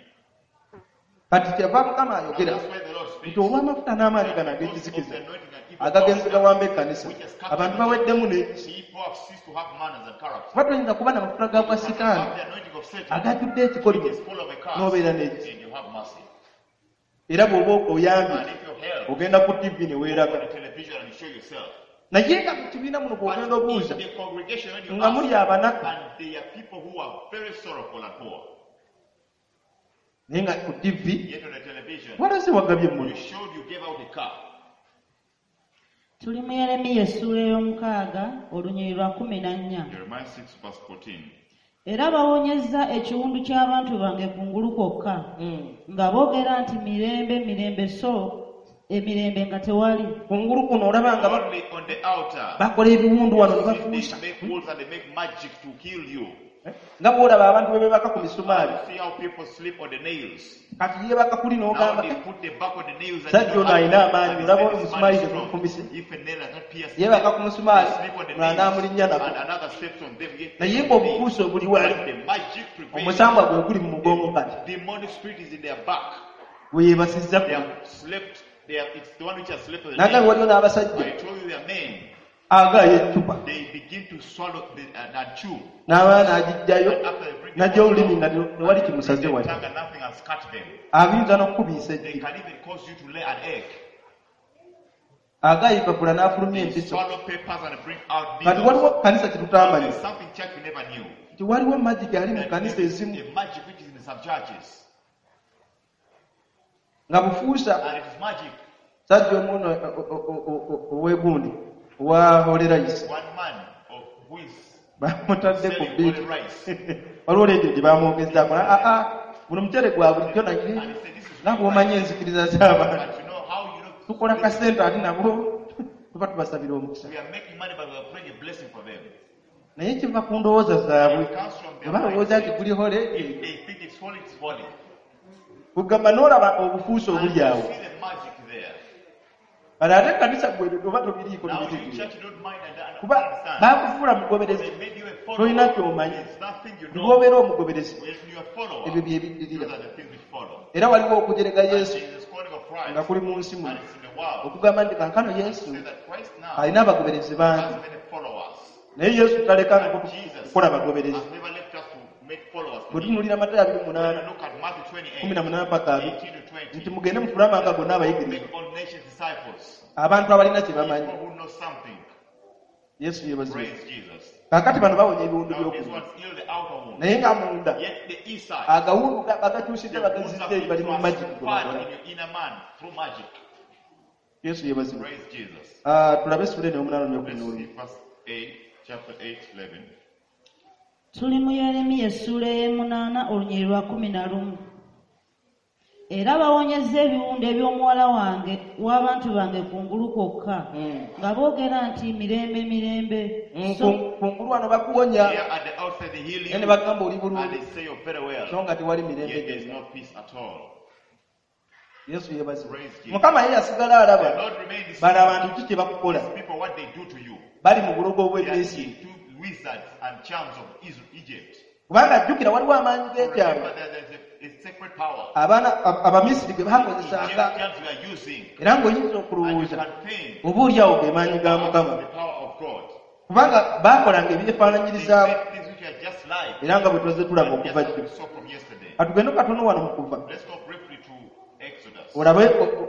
Kati kyava mukama And ayogera that's why the Lord speaks. nti olw'amafuta n'amaanyi gano Because of ag'ekizikiza the anointing and evil agagenze power, gawamba ekkanisa which has captured abantu the baweddemu n'ekisa. People have ceased to have manners and character. Kuba toyinza kuba namafuta ga bwa You sitaani have the anointing of Satan, agajjudde ekikolimo which is full of a curse, n'obeera n'ekisa. and you have mercy. Era bw'oba oyambye And if you help, ogenda ku TV ne go weeraga on the television and you show yourself. Naye nga mu kibiina muno But bw'ogenda obuuza in the congregation, when you nga muli ask, abanaku and they are people who are very sorrowful and poor. Naye nga ku TV Yet on the television, walaze wagabye you emmuli. showed you gave out a car. Tuli mu Yeremiya essuula ey'omukaaga olunyiriri lwa kumi na nnya. Jeremiah 6 verse 14. Era bawonyezza ekiwundu ky'abantu bange kungulu kwokka nga boogera nti mirembe mirembe so emirembe nga tewali. Kungulu kuno olaba nga Only on the outer. bakola ebiwundu wano ne They bafuusa make wolves and they make magic to kill you. Nga bw'olaba abantu bwe beebaka ku misumaali. You see how people sleep on the nails. Kati yeebaka kuli Now n'ogamba they put the back on the nails and Sajja they don't ono alina have- amaanyi, and olaba they say this man omusumaali is strong. tegufumise. If a nail has not pierced Yeebaka them, ku musumaali they sleep on the mulala nails, n'amulinnya nako and another steps on them, yet naye they ng'obukuusa obuli wali But the magic prevails. omusambwa gwe guli mu mugongo kati Demonic spirit is in their back. gwe yeebasizza They ku have slept. It's the one which has slept on the N'agambye nails. waliwo n'abasajja I told you they are men. agaayo eccupa They begin to swallow and chew. n'amala n'agiggyayo And after they bring the n'aggya olulimi bottle nga tewali kimusaze the wali tongue and nothing has cut them. Ayinza n'okukubiisa They eggi can even cause you to lay an egg. Agaayo epapula n'afulumya They empiso swallow papers and bring out Kati needles. waliwo kanisa kye tutamanyi There's something church we never knew. nti waliwo magiki ali mu That kanisa there's ezimu a magic which is in some churches. Nga bufuusa And it is magic. Sajja omuno owegundi owa holy rice One man who is bamutadde ku selling biiti holy rice. Waliwo leediyo gye bamwogezaako aa guno muceere gwa bulijjo naye And he said, this is nga real bw'omanyi rice. enzikiriza z'abantu But you know how you know tukola kasente ate nabo tuba tubasabira omukisa. We are making money, but we are praying a blessing for them. Naye kiva ku ndowooza zaabwe It comes from bwe their balowooza nti mindset. guli hole If they think it's holy, it's holy. Kugamba n'olaba obufuusa And obuli you awo see the magic there. Kale ate ekkanisa gwe oba tobiriiko Now you tobitegeera church don't mind and kuba understand. baakufuula mugoberezi They made you a tolina follower. ky'omanyi There's nothing you know. bw'obeera omugoberezi When you are a follower, ebyo bye biddirira those are the things which follow. Era waliwo okujerega And Yesu there is calling of Christ, nga kuli mu nsi muno and it's in the world. okugamba nti kankano Yesu Say that Christ now alina abagoberezi bangi has many followers. Naye Yesu talekangako And Jesus kukola bagoberezi has never left us to make followers. Bwe When tunuulira Matayo abiri you munaana look at Matthew 28, kumi na munaana paka abiri 18 to 20, nti mugende mufule amawanga gonna abayigirizwa make all nations disciples. abantu abalina kye bamanyi People who know something. Yesu yeebazibwe. Praise Jesus. Kaakati bano bawonya ebiwundu Now these by'okungulu, ones heal the outer wound. naye nga munda Yet the inside, agawundu bagakyusizza, the wounds bagazizza have eri been bali mu magiki gwe transferred bakola. in your inner man through magic. Yesu yeebazibwe. Praise Jesus. Ah, tulabe essula eno ey'omunaana n'olwekumi Let's n'olumu. see verse 8, chapter 8, 11. Tuli mu Yeremiya essuula ey'emunaana olunyiriri lwa 11. Era bawonyezza ebiwundu eby'omuwala wange w'abantu bange kungulu kwokka, nga boogera nti mirembe, mirembe. So Kungulu wano bakuwonya, Here at the outside they heal naye ne you bagamba oli and bulungi, they say you're very well. so nga tewali mirembe Yet there is gyonna. no peace at all. Yesu yeebazibwe. Praise Jesus. Mukama ye yasigala alaba The Lord remains bano abantu ki kye bakukola. These people, what they do to you. Bali mu bulogo They are obw'Emisiri. into wizards and charms of Israel, Egypt. Kubanga jjukira waliwo amaanyi g'ekyama Remember that there's a sacred power. abaana Abamisiri ge baakozesanga, Egyptians were using. era ng'oyinza And you okulowooza can think oba oli awo ge maanyi ga Mukama, the power of God. kubanga baakolanga They ebyefaananyirizaamu, made things which are just like. era nga bwe twazze tulaba Just okuva as jjo. we saw from yesterday. Katugende katono wano mu Kuva, Let's go briefly to Exodus. olabe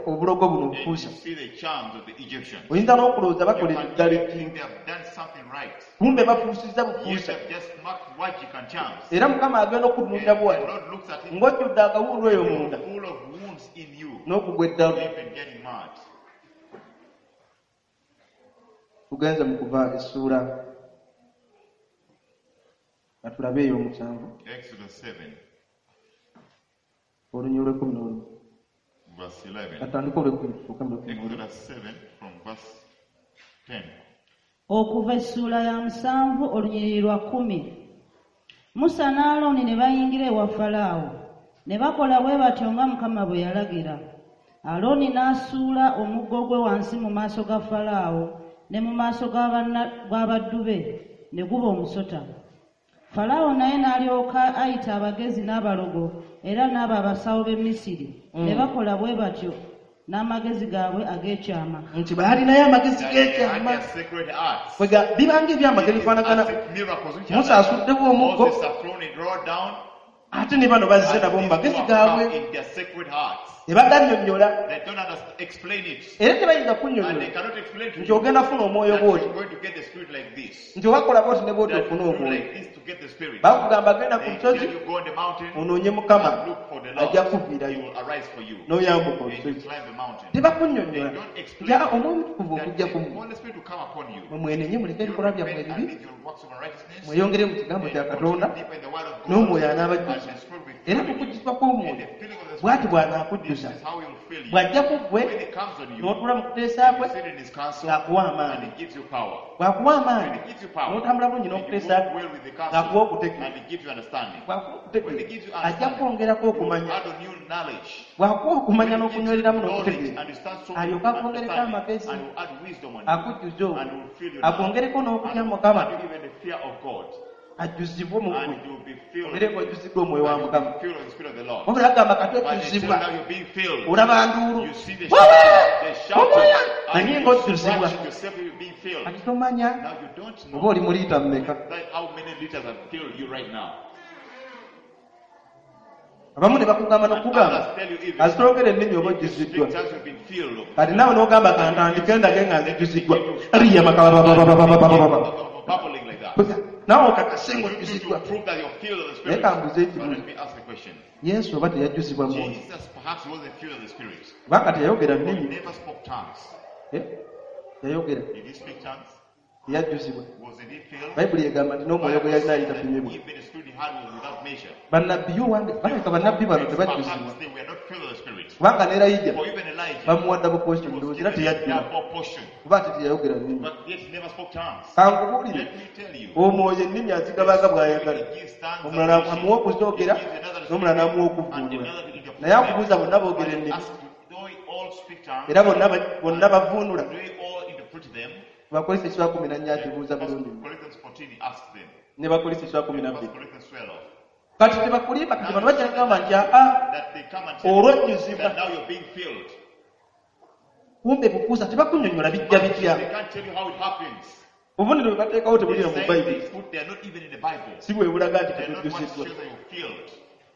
obulogo buno And you obufuusa. see the charms of the Egyptians. Oyinza n'okulowooza You bakolera can eddala even ekintu, think they have done something right. kumbe bafuusizza Yet bufuusa. they've just marked magic and charms. Era Mukama agenda And okutunuulira the bw'ati Lord looks at him ng'ojjudde akawundu eyo munda full of wounds in you. n'okugwa eddalu. You're even getting mad. Tugenze mu Kuva essuula nga tulabe eyo 7, Exodus 7, olunyiriri lw'11. verse 11. Katandike olw'ekumi tutuuke mu lw'11. Exodus 7 from verse 10. Okuva essuula ya 7 olunyiriri lwa 10. Musa ne Alooni ne bayingira ewa Falaawo, ne bakola bwe batyo nga Mukama bwe yalagira. Alooni n'asuula omuggo gwe wansi mu maaso ga Falaawo ne mu maaso g'abaddu be, ne guba omusota. Falaawo naye n'alyoka ayita abagezi n'abalogo era n'abo abasawo b'e Misiri, ne bakola bwe batyo n'amagezi gaabwe ag'ekyama. Nti baalinayo amagezi That they had g'ekyama. their sacred arts. Kwega bibanga ebyamagero It is bifaanagana. as if miracles which are Musa like asuddewo omuggo, Moses have thrown it raw down, ate ne bano bazze and nabo mu these magezi two have gaabwe, come in their sacred hearts. tebagannyonnyola, They don't understand, explain it. era tebayinza And they kunnyonnyola cannot explain to nti you ogenda funa omwoyo that bw'oti, you're going to get the spirit like this. nti obakola bw'oti ne bw'oti That ofune you do omwoyo. like this to get the spirit. Bakugamba genda ku They lusozi tell you go on the mountain onoonye Mukama, and look for the ajja Lord. He kuviirayo will arise for you. n'oyambuka And you olusozi. climb the mountain. Tebakunnyonnyola They don't explain nti "Ah, Omwoyo Omutukuvu that okujja the ku mmwe, Holy Spirit will come upon you. mwe mwenenye muleke You ebikolwa byammwe repent and ebibi, leave your works of unrighteousness. mweyongere mu kigambo And kya continue Katonda, deeper in the word of God. n'Omwoyo And anaabajjuza." the Spirit will Era fill you. kukujjuzibwa And kw'Omwoyo the filling of the bw'ati Spirit, bw'anaakujjuza, this is how he will fill you. bw'ajja ku ggwe When it comes on you, n'otuula mu kuteesa you kwe, sit in his counsel ng'akuwa and amaanyi. he gives you power. Bw'akuwa When amaanyi he gives you power, n'otambula bulungi and you n'okuteesa walk kwe, well with the ng'akuwa counsel okutegeera. and he gives you understanding. Bw'akuwa When he okutegeera gives you ajja understanding, kwongerako he okumanya. will add on new knowledge. Bw'akuwa okumanya When he gives you n'okunywereramu knowledge n'okutegeera, and you start so alyoke akwongereko understanding amagezi, and will add wisdom on you akujjuze and olwo, will fill you now. akwongereko n'okutya And will Mukama, add you even the fear of God. ajjuzibwe mu And ggwe, you will be filled. obeere ng'ojjuziddwa Omwoyo wa And you will Mukama. be filled with the Spirit of the Lord. Wabula agamba kati But they tell ojjuzibwa, now you're being filled. olaba nduulu, You see the Wewe! shouting, the shouting, Omwoyo! and Naye you ng'ojjuzibwa. scratching yourself, you're being filled. Kati tomanya Now you don't oba know oli mu liita mmeka. that how many liters have filled you right now. Abamu ne bakugamba And n'okugamba others tell you even azitologera ennimi oba if you ojjuziddwa. speak tongues, you've been filled. Kati naawe n'ogamba kantandike ndage nga nzijjuziddwa, riyamakabababababababa, Bubbling like that. naawe okakase You ng'ojjuziddwa. to prove that you're filled of the Naye Spirit. kambuze But ekibuuzo, let me ask a question. Yesu oba teyajjuzibwa Mwoyo? Jesus perhaps wasn't filled of the Spirit. Kubanga teyayogera He nnimi. never spoke tongues. Eh? Yayogera? Did he speak tongues? Teyajjuzibwa. Wasn't he filled? Bayibuli egamba nti n'omwoyo gwe yalina alitapimibwa. Even the Spirit he had was without measure. Bannabbi yo wange balabika bannabbi bano tebajjuzibwa, Perhaps they were not filled with the Spirit. kubanga ne Erayija For even Elijah, bamuwa double portion, he was ndowooza era given teyajjula, double portion, kuba ate teyayogera nnimi. but yet he never spoke tongues. Kankubuulire, Let me tell you, omwoyo ennimi azigabanga bw'ayagala. he gives tongues Omulala as he amuwa wishes. okuzoogera, He gives another n'omulala spirit, n'amuwa and okuvvuunula. another to interpret Naye akubuuza them. bonna boogera But he ennimi, asks, do they all speak tongues? era bonna bavvuunula? Do they all interpret them? Bakolisa ekiswa 14 akibuuza First bulungi nnyo. Corinthians 14, he asks them. Ne Bakolisa ekiswa First 12. Corinthians 12. Kati tebakulimba, kati bano bajja kugamba nti aa That they come and tell you olwojjuzibwa, that now you're being filled. kumbe bukuusa, tebakunnyonnyola bijja bitya. They can't tell you how it happens. Obubonero bwe bateekawo tebulira The mu signs Bayibuli, they put, they are not even in the Bible. si bwe bulaga nti They are not what tetujjuziddwa. shows that you're filled.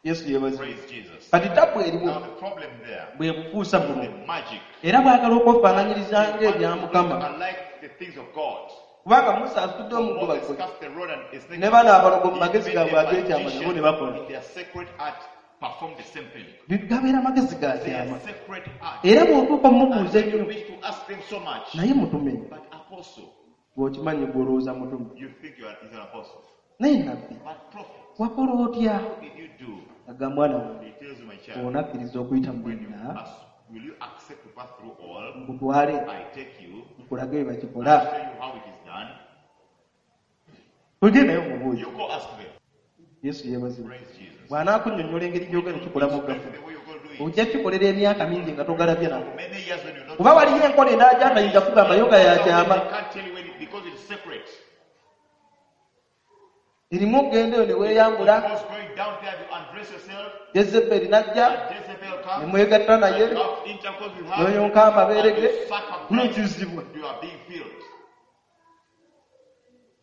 Yesu yeebazibwe. Praise Jesus. Kati tabu eriwo Now the problem there, bwe bukuusa buno, the magic. era bwagala okwefaananyiriza They ng'ebya want to Mukama, look alike the things of God. Kubanga Musa asitudde omuggo Moses bakole cast the rod and a snake. Ne bano abalogo mu magezi Even gaabwe the ag'ekyama nabo ne bakola. magicians in their sacred art perform the same thing. Gabeera magezi ga Their kyama. sacred art. Era bw'otuuka And omubuuza when you ennyo, wish to ask them so much, naye mutume, but apostle, bw'okimanyi gw'olowooza mutume, you think you are is an apostle. naye nabbi, But prophet, wakola otya? how did you do? Agamba mwana wange, He tells you, my child, onakkiriza okuyita mu when you byonna, ask, will you accept to pass through all? nkutwale I take you, nkulage bwe I bakikola. show you how it is done. Ogendayo mubuuze. You go ask them. Yesu yeebazibwe. Praise Jesus. Bw'anaakunnyonnyola engeri gy'ogenda okukikolamu Explain gafu, the way you're going to do it. ojja kikolera emyaka mingi nga togalabye nako. For many years when you're not Kuba waliyo enkola endala gy'atayinza kugamba yo nga ya kyama. They can't tell you when it, because it's secret. Erimu okugenda eyo ne weeyambula, Because going down there, you undress yourself, Jezeberi n'ajja and Jezebel ne comes, mwegatta naye, and you have intercourse with her, n'oyonka amabeere and ge, you suck her breast, n'ojjuzibwa. you are being filled.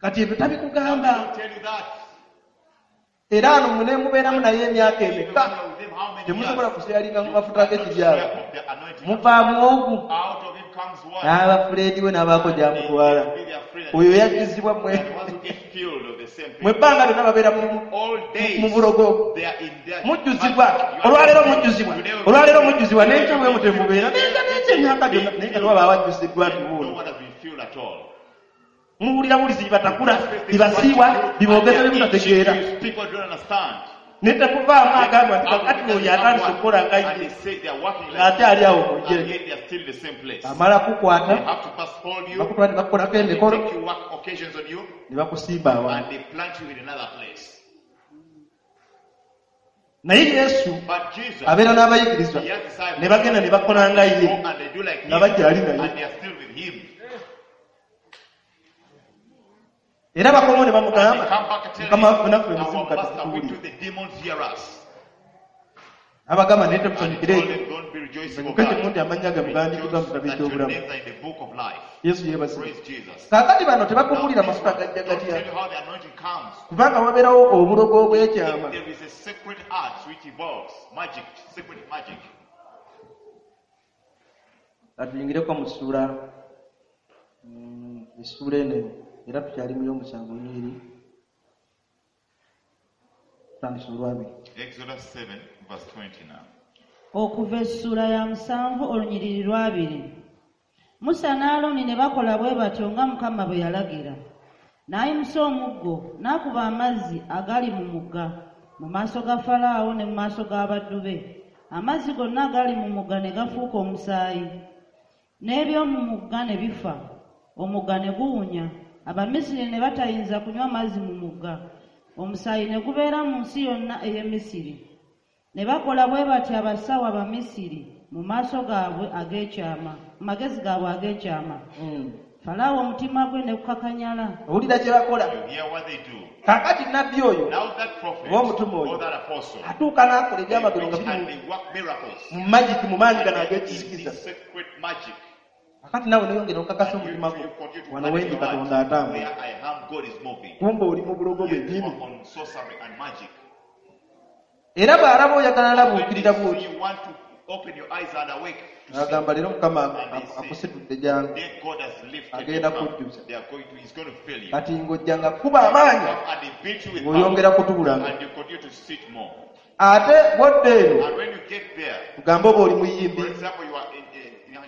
Kati ebyo Now they tabikugamba. don't tell you that. Era ano mune mubeeramu naye emyaka Even emeka, when you are with them, how many temusobola years? kuseyalinga mu You mafuta cannot g'ekibyalo. share of the anointing. Muvaamu ogu Out of him comes one. n'aba fuleedi we n'abaako gy'amutwala. They will be their friend. Oyo yajjuzibwa mmwe. And the ones who get filled of the same Mu thing. ebbanga lyonna babeera mu All days mu bulogo. they are in their Mujjuzibwa, magic. You are olwaleero not- mujjuzibwa, Today will- olwaleero mujjuzibwa, n'enkya bwe mutyo mubeera, n'enkya n'enkya emyaka gyonna, naye nga tewaba abajjuziddwa nti No wuuno. one has been filled at all. Muwulira bulizi bibatakula, bibasiiwa, biboogeza bye mutategeera. You speak what you don't understand. Ne tekuvaamu agamba nti kakati oyo atandise okukola nga And ye, they say they are working like ng'akyali awo mu and njere. yet they are still in the same place. Amala They kukwata, have to pass hold you, bakutwala ne bakukolako they emikolo, take you work occasions on you, ne bakusimba and awantu. they plant you in another place. Naye Yesu But Jesus, abeera n'abayigirizwa he has disciples. ne bagenda ne bakola nga They ye, go and they do like him, nga bakyali naye. and they are still with him. Era bakomawo ne And they bamugamba, come back and tell Mukama waffe him, naffe emizimu our kati master, we tutuwulira. do the demons hear us. Abagamba naye And he temusanyukire told ekyo. them, don't be rejoicing of Musanyuke kimu that. nti amannya gammwe gawandiikiddwa mu Rejoice kitabo that your eky'obulamu. names are in the book of life. Yesu yeebazibwe. Praise Jesus. Kaakati bano Now, tebakubuulira this mafuta one, gajja don't gatya, tell you how the anointing comes. kubanga wabeerawo obulogo obw'ekyama. If there is a sacred art which evolves, magic, sacred magic. Katuyingireko mu ssuula, essuula eno era tukyali mu y'omusanvu olunyiriri, tutandise olwabiri. Exodus 7, verse 20 now. Okuva essuula ya 7 olunyiriri lwabiri. Musa ne Alooni ne bakola bwe batyo nga Mukama bwe yalagira. N'ayimusa omuggo n'akuba amazzi agali mu mugga mu maaso ga Falaawo ne mu maaso g'abaddu be. Amazzi gonna agali mu mugga ne gafuuka omusaayi. N'eby'omu mugga ne bifa, omugga ne guwunya. Abamisiri ne batayinza kunywa mazzi mu mugga. Omusaayi ne gubeera mu nsi yonna ey'e Misiri. Ne bakola bwe batyo abasawo Abamisiri mu maaso gaabwe ag'ekyama, mu magezi gaabwe ag'ekyama. Falaawo omutima gwe ne gukakanyala. Owulira kye bakola. You hear what they do. Kaakati nabbi oyo Now that prophet oba omutume oyo or that apostle, atuuka n'akola they ebyamagero nga preach biri and they work miracles. mu magiki mu maanyi gano In ag'ekizikiza. this sacred magic. Kakati naawe neyongera okakasa And you, omutima gwo you continue to wano panic wendi your heart. Katonda atambula. Where I am, God is moving. Kumbe oli mu bulogo You bwennyini. are on sorcery and magic. Era bw'alaba oyagala When alabuukirira they bw'oti see you want to open your eyes and awake to see, agamba leero Mukama And they say, akusitudde jangu then God has lifted you agenda up. kujjuza. They are going to, he's going to fill you. Kati ng'ojja nga kuba amaanyi And they beat you with ng'oyongera power. kutuulanga. And you continue to sit more. Ate bw'odda eno And when you get there, tugambe oba oli muyimbi for example, you are in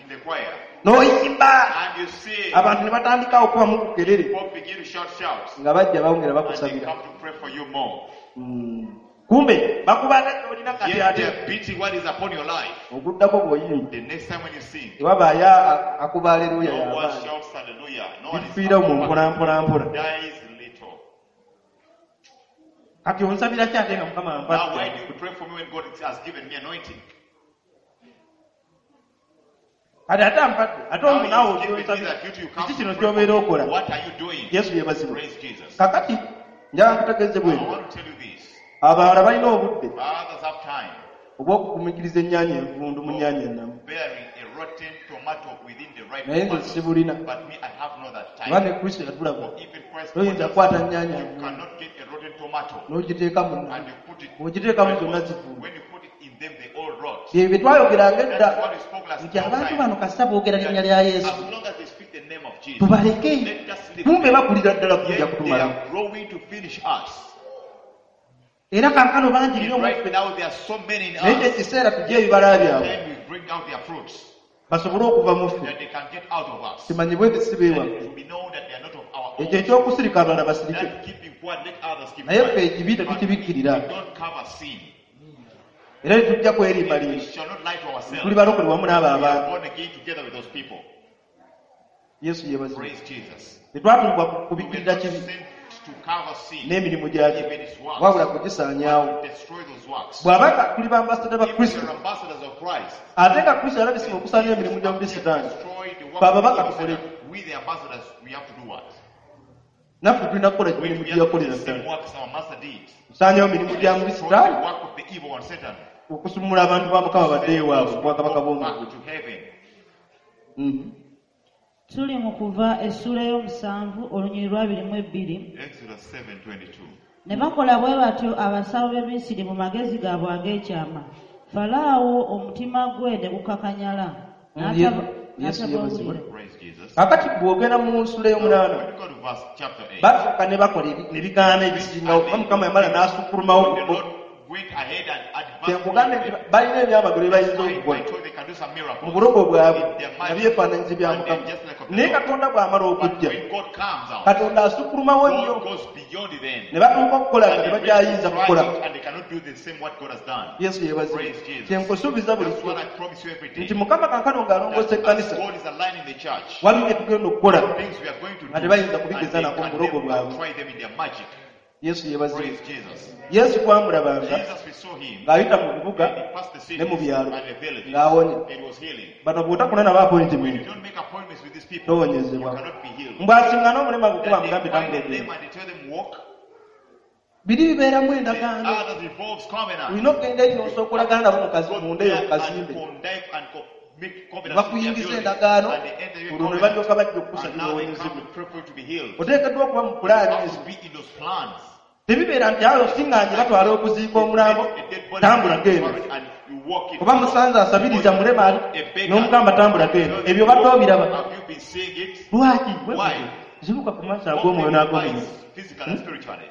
the choir, n'oyimba and you see abantu ne batandika okubamu kukerere people begin to shout shouts, nga bajja bawongera and they bakusabira. come to pray for you more. Kumbe bakuba olina kati Yet ate they are beating what is upon your life. oguddako bw'oyimba The next time when you sing, tewabaayo akuba aleluya no one y'amaanyi shouts hallelujah. No one is bifiira mu mpola mpola mpola. dies little. Kati onsabira ki ate nga Mukama Now, why ampadde? do you pray for me when God has given me anointing? Kati ate ampadde ate Now omu he naawe has given me okyonsabira that duty, you come kiki to kino pray for ky'obeera me. okola? What are you doing? Yesu yeebazibwe. Praise Jesus. Kakati njagala nkutegeeze I bwe want to tell you this. abalala balina obudde Others have time obw'okugumiikiriza ennyaanya envundu mu nnyaanya ennamu. bearing a rotten tomato within the ripe Naye nze tomato. sibulina. But me, I have not that Kuba time. ne Kristo yatulaba For even Christ toyinza told us, kukwata nnyaanya you nvundu cannot get a rotten tomato n'ogiteeka mu nnamu. and you put it Bw'ogiteekamu zonna zivunda. When you put it in them, they all rot. Bye bye twayogeranga edda That's what we spoke last nti abantu time. bano kasita boogera linnya lya Yesu As long as they speak the name of Jesus, tubaleke let us leave still Kumbe there. bakulira ddala kujja Yet they kutumalamu. are growing to finish us. Era kaakano bangi nnyo And mu right ffe, now there are so many in naye us. kyekiseera tujje ebibala byabwe Time we bring out their fruits basobole okuva mu ffe, that they can get out of us. kimanyibwe nti si That beewaffe. it will be known that they are not of our own. Ekyo ekyokusirika abalala basirike, That keeping quiet, let others keep naye ffe quiet. ekibi But we tetukibikkirira don't cover sin. era tetujja We kwerimbalimba. shall not lie to ourselves. Tuli balokole wamu n'abo We are abantu. born again together with those people. Yesu yeebazibwe. Praise Jesus. Tetwatumbwa We were kubikkirira not kibi sent to cover sin, n'emirimu gyakyo, even its works, wabula kugisaanyaawo. but to destroy those works. Bw'aba nga tuli bambasada ba If we Kristo, are ambassadors of Christ, ate nga Kristo yalabisibwa okusaanya emirimu gy'omubi Sitaani, destroy the work Fe of the ababaka evil tukole Satan. We the ambassadors, we have to do what? Naffe tulina kukola We, emirimu we gye have to do yakolera the same Sitaani. work as our master did. Kusaanyawo mirimu gya mubi Destroy Sitaani, the work of the evil one, Satan. okusumula abantu ba Mukama badde ewaabwe mu bwakabaka Go bw'omu back ggulu. to heaven. Tuli mu Kuva essuula ey'omusanvu olunyiriri lwa 22. Exodus 7:22. Ne bakola bwe batyo abasawo b'e Misiri mu magezi gaabwe ag'ekyama. Falaawo omutima gwe ne gukakanyala. Yesu yeebazibwe. N'atabawulira. Praise Jesus. Kakati bw'ogenda mu nsula ey'omunaana, When you go to verse chapter 8, basooka ne bakola ne bigaana ebisingawo, kuba Mukama yamala n'asukulumawo the ku bo. Lord went ahead and advanced. Kyenkugambye nti balina ebyamagero bye bayinza I okukola told they can do some miracles. mu bulogo bwabwe In their nga magic. byefaananyizi bya And Mukama, they're just like of the naye Lord. Katonda bw'amala But okujja, when God comes out, Katonda asukulumawo nnyo God goes beyond them. ne batuuka okukola nga And they tebakyayinza try kukola. it and they cannot do the same what God has done. Yesu yeebazibwe. Praise Jesus. Kyenkusuubiza That's bulijjo what I promise you every day. nti Mukama kaakano ng'alongoosa That as ekkanisa, God is aligning the church, waliwo bye tugenda okukola things we are going to do, nga tebayinza and kubigeza they nako mu can bulogo never bwabwe. try them in their magic. Yesu yeebazibwe. Praise Jesus. Yesu twamulabanga Jesus, we saw him. ng'ayita mu bibuga And he passed the cities ne mu byalo and the villages. ng'awonya. And he was healing. Bano bw'otakuna nabo When you appointment, don't make appointments with these people, you towonyezebwa. cannot be healed. Mbw'asiŋŋana omulema gukuba That they mugambe find tambula them ogende. and they tell them walk. Biri bibeeramu The endagaano. others involves covenant. Olina okugenda eri n'osooka okolagana nabo mu Go munda eyo there mu kazimbe. and connive and make Ne covenants with their bakuyingiza building. endagaano, And they enter your olwo ne covenant. balyoka bajja And okukusabira now they come owonyezebwe. to pray for you to be healed. Oteekeddwa okuba mu You pulaani have ezo. to be in those plans. Tebibeera nti ayo siŋŋaanye batwala okuziika omulambo, A dead body tambula is genda. buried and you walk it. Oba musanze asabiriza mulema ali A beggar. n'omugamba tambula genda. Ebyo badde obiraba. Have you been seeing it? Lwaki? Why? Zibuka ku maaso Open ag'omwoyo your n'ag'omubiri. eyes, physical and spiritually.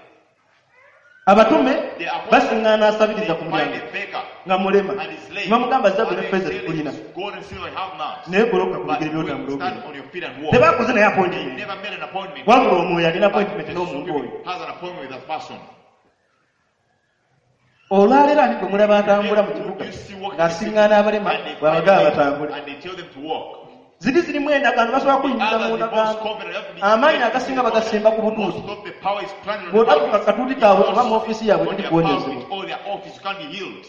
Abatume The apostles, basiŋŋaana asabiriza they ku find mulyango a beggar nga mulema, and his lame. ne bamugamba zaabu And ne they ffeeza tell him, tekulina, Gold and silver I have not. naye goloka ku But bigere when by'otambula you stand ogenda. on your feet and walk. Tebakoze naye They appointment, never made an appointment. wabula omwoyo alina But appointment the n'omuntu oyo. spirit has an appointment with that person. Olwaleero ani gwe mulaba atambula mu kibuga You see walking ng'asiŋŋaana abalema and they find bw'abagamba them batambule? and they tell them to walk. Ziri zirimu endagaano, basobola kuyingiza mu Others involves ndagaano. covenant. You have to be- Amaanyi agasinga bagasimba ku butuuti. Most of the power is planted on the Bw'otakuka pulpit. katuuti kaabwe oba mu ofiisi yaabwe On teri their kuwonyezebwa. pulpit or their office, you can't be healed.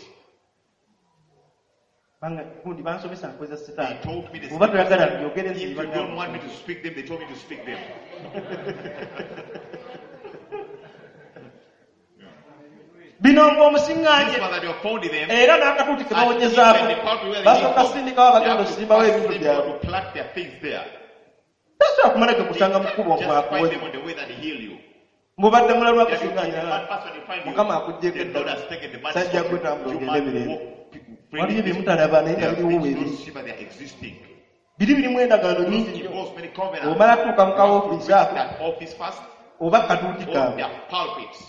Banga gundi bansomesa nkweza They Sitaani. told me the Bw'oba toyagala mbyogere If you nziba. don't want me to speak them, they told me to speak them. Bino ng'omusiŋŋaanye This one that you have found in them, era n'akatuuti ke and even bawonyezaako the pulpit where they basooka came from, sindikawo they abagenda have to okusimbawo first ebintu send byabwe. people to plant their things there. Tasobola kumala ge kusanga mu kkubo Just find ng'akuwonya. them on the way that they heal you. Mubadde mulalu That you- akusiŋŋaanya. the bad person they find you, Mukama akuggyeko the Lord eddala. has taken the bad Sajja from you. kwetambula You ogende must mirembe. walk freely. Waliyo bye mutalaba naye nga There are biriwo things you weebiri. don't see, but they are existing. Biri birimu endagaano Those nnyingi nnyo. involves many covenants. Bw'omala tuuka mu You have to kawofiisi reach ako that office first oba katuuti or kaabwe. their pulpits.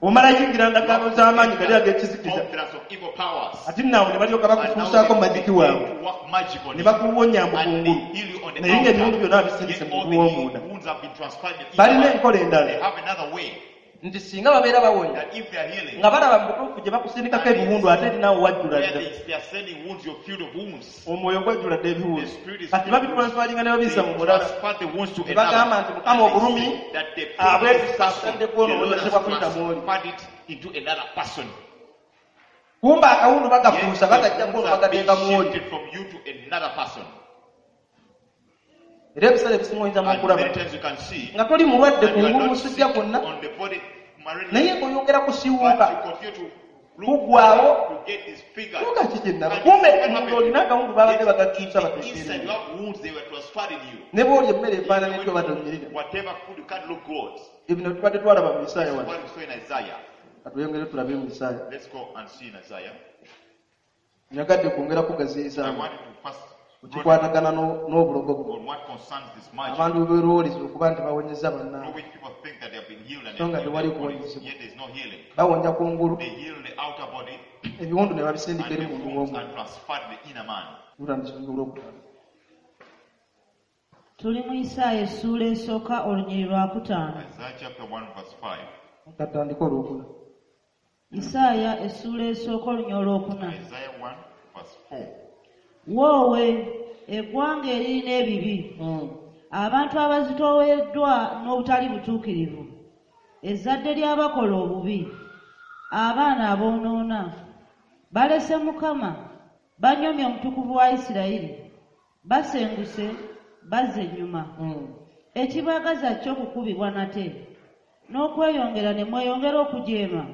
Omala yingira ndagaano z'amaanyi gali ag'ekizikiza. Covenants of evil powers. Ate naawe ne balyoka And now bakufuusaako they magiki begin waabwe to work magic on ne you. bakuwonya mu And kungulu, they heal you on the naye ng'ebiwundu outer. byonna babisindise Yet mu all mugulu the w'omunda. wounds have been transferred in the Balina inner enkola man. endala They have another way nti singa babeera bawonya that if they are healing, nga balaba mu butuufu gye bakusindikako ebiwundu ate erinaawo wajjula where dda they are sending wounds, you're filled of wounds. omwoyo gwajjula dda The ebiwundu spirit is kati filled with wounds. babitulanswalinga ne babiyisa They mu mulala transfer the wounds to Ne bagamba another. nti Mukama And they obulumi say that the pain abwetusa of this person, atadde the kwona Lord has owonyezebwa kuyita mw'oli. transferred it into another person. Kumba akawundu Yet bagafuusa the bagajja wounds kwono have been bagateeka mw'oli. shifted from you to another person. Era ebiseera ebisinga oyinza And n'okulaba many times you can see nga toli mulwadde that you are kungulu not musujja sick gwonna, on the body malaria, naye ng'oyongera kusiwuuka but you continue to look kuggwaawo to get disfigured. Tuuka ki kye nnaba And kumbe what munda happened? olina akawundu babadde Yet bagakyusa in the inside bateekeere you have wounds, they were transferred in you. ne bw'olya emmere efaanana Even etyo when batonyirira. Whatever food you can't look good. Ebino tubadde twalaba mu Isaaya wano. What we saw in Isaiah. Katweyongere tulabe mu Isaaya. Let's go and see in Isaiah. Nyagadde kwongera I kugaziyizaamu wanted to first ku kikwatagana n'obulogo buno on what concerns this magic, abantu bwe beerowooleza okuba nti bawonyeza through bannaabwe which people think that they have been healed and So nga they've tewali healed their bodies, kuwonyezebwa. yet there is no healing. Bawonya kungulu They heal the outer body ebiwundu ne and babisindika eri the munda wounds w'omuntu are transferred to the inner man. lutandisa olwokutaano. Tuli mu Isaaya essuula esooka olunyiriri lwakutaano. Isaiah chapter 1 verse 5. Katandika olwokuna. Isaaya essuula esooka olunyiriri olwokuna. Isaiah 1 verse 4. Woowe eggwanga eririna ebibi, abantu abazitooweddwa n'obutali butuukirivu, ezzadde ly'abakola obubi, abaana aboonoona, balese Mukama, banyoomye Omutukuvu wa Isirayiri, basenguse, bazza ennyuma. Ekibaagaza kyo kukubibwa nate, n'okweyongera ne mweyongera okujeema.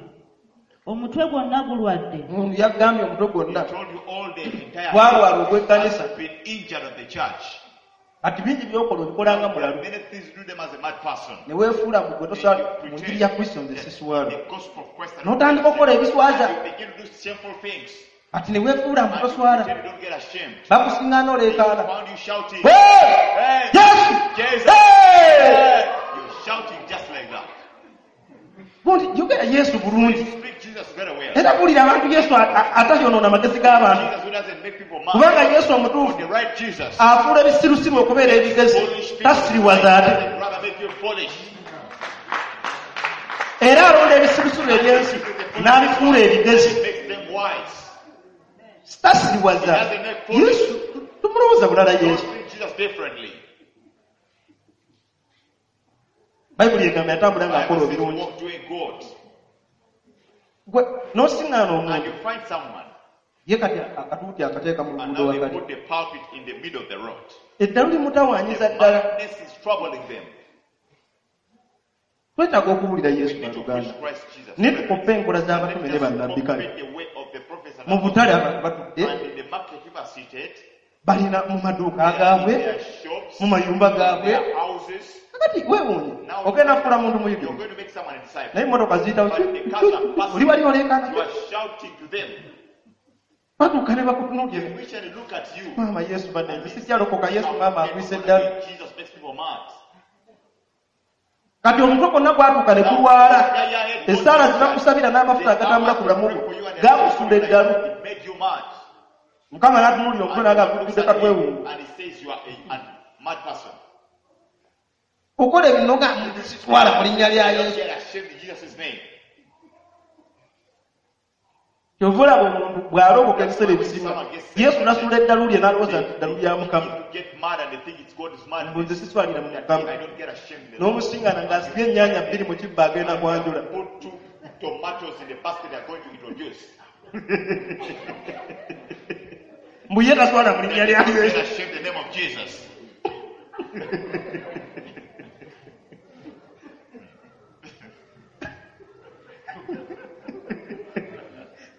Omutwe gwonna gulwadde, Yagambye omutwe gwonna He told you all the entire gwalwala ogw'ekkanisa. has been injured of the church. Kati bingi by'okola obikola nga mulalu Many things do them as a mad person. ne weefuula mbu gwe toswala mu njiri ya Kristo nze The siswala gospel of Christ. N'otandika okukola ebiswaza. You begin to do shameful things. Kati ne weefuula mbu And you toswala pretend you don't get ashamed. bakusiŋŋaana They oleekaana found you shouting. Hey! Hey! Yesu! Jesus! Hey! Hey! You're shouting just like that. Gundi yogera Yesu bulungi Speak Jesus very well. era buulira abantu Yesu atayonoona amagezi g'abantu Jesus who doesn't make people mad. kubanga Yesu omutuufu The right Jesus. afuula ebisirusiru okubeera ebigezi Foolish people. tasiriwaza ate Doesn't rather make you foolish. era alonda ebisirusiru ebyensi n'abifuula ebigezi He makes them wise. tasiriwaza Yesu tumulowooza bulala Don't Yesu treat Jesus differently. Bayibuli egamba yatambula ng'akola Bible says obirungi walk doing good. Gwe n'osiŋŋaana And omuntu you find someone, ye kati akatuuti akateeka mu and luguudo now they wakati put the pulpit in the middle of the road. eddalu limutawaanyiza The ddala madness is troubling them. twetaaga okuwulira We Yesu need to baluganda preach Christ Jesus. naye tukoppe enkola Let z'abatume ne us bannabbi kale copy the way of the prophets and mu butale apostles. abantu batudde And in the market people are seated, balina mu maduuka they are in gaabwe their shops, mu mayumba gaabwe their houses. kakati weewuunye ogenda kufuula muntu You're muyigirize going to make someone a disciple. naye emmotoka ziyitawo But the cars are passing. oli wali oleekaana You are shouting to them. batuuka ne bakutunuulira They wish and look at you. maama Yesu banne nze sijjalokoka Yesu maama agwisa eddalu Jesus makes people mad. kati omutwe gwonna gwatuuka ne gulwala essaala ze bakusabira n'amafuta agatambula ku bulamu bwo gakusuula eddalu It made you mad. Mukama n'atunuulira omutwe n'agamba And he gukudde katwewuunye and he says you are a mad person. okola ebintu nga sitwala mu linnya lya You don't Yesu get ashamed in Jesus' name. kyova olaba omuntu bw'alokoka ebiseera ebisinga Yesu n'asuula eddalu lye n'alowooza nti eddalu lya Mukama People get mad and they think it's God's mbu nze madness. siswalira mu That Mukama I don't get ashamed in the Lord. n'omusiŋŋana ng'asibye ennyaanya bbiri mu kibbo agenda kwanjula Put two tomatoes in the basket they are going to introduce. mbu ye taswala mu linnya lya Get Yesu ashamed in the name of Jesus.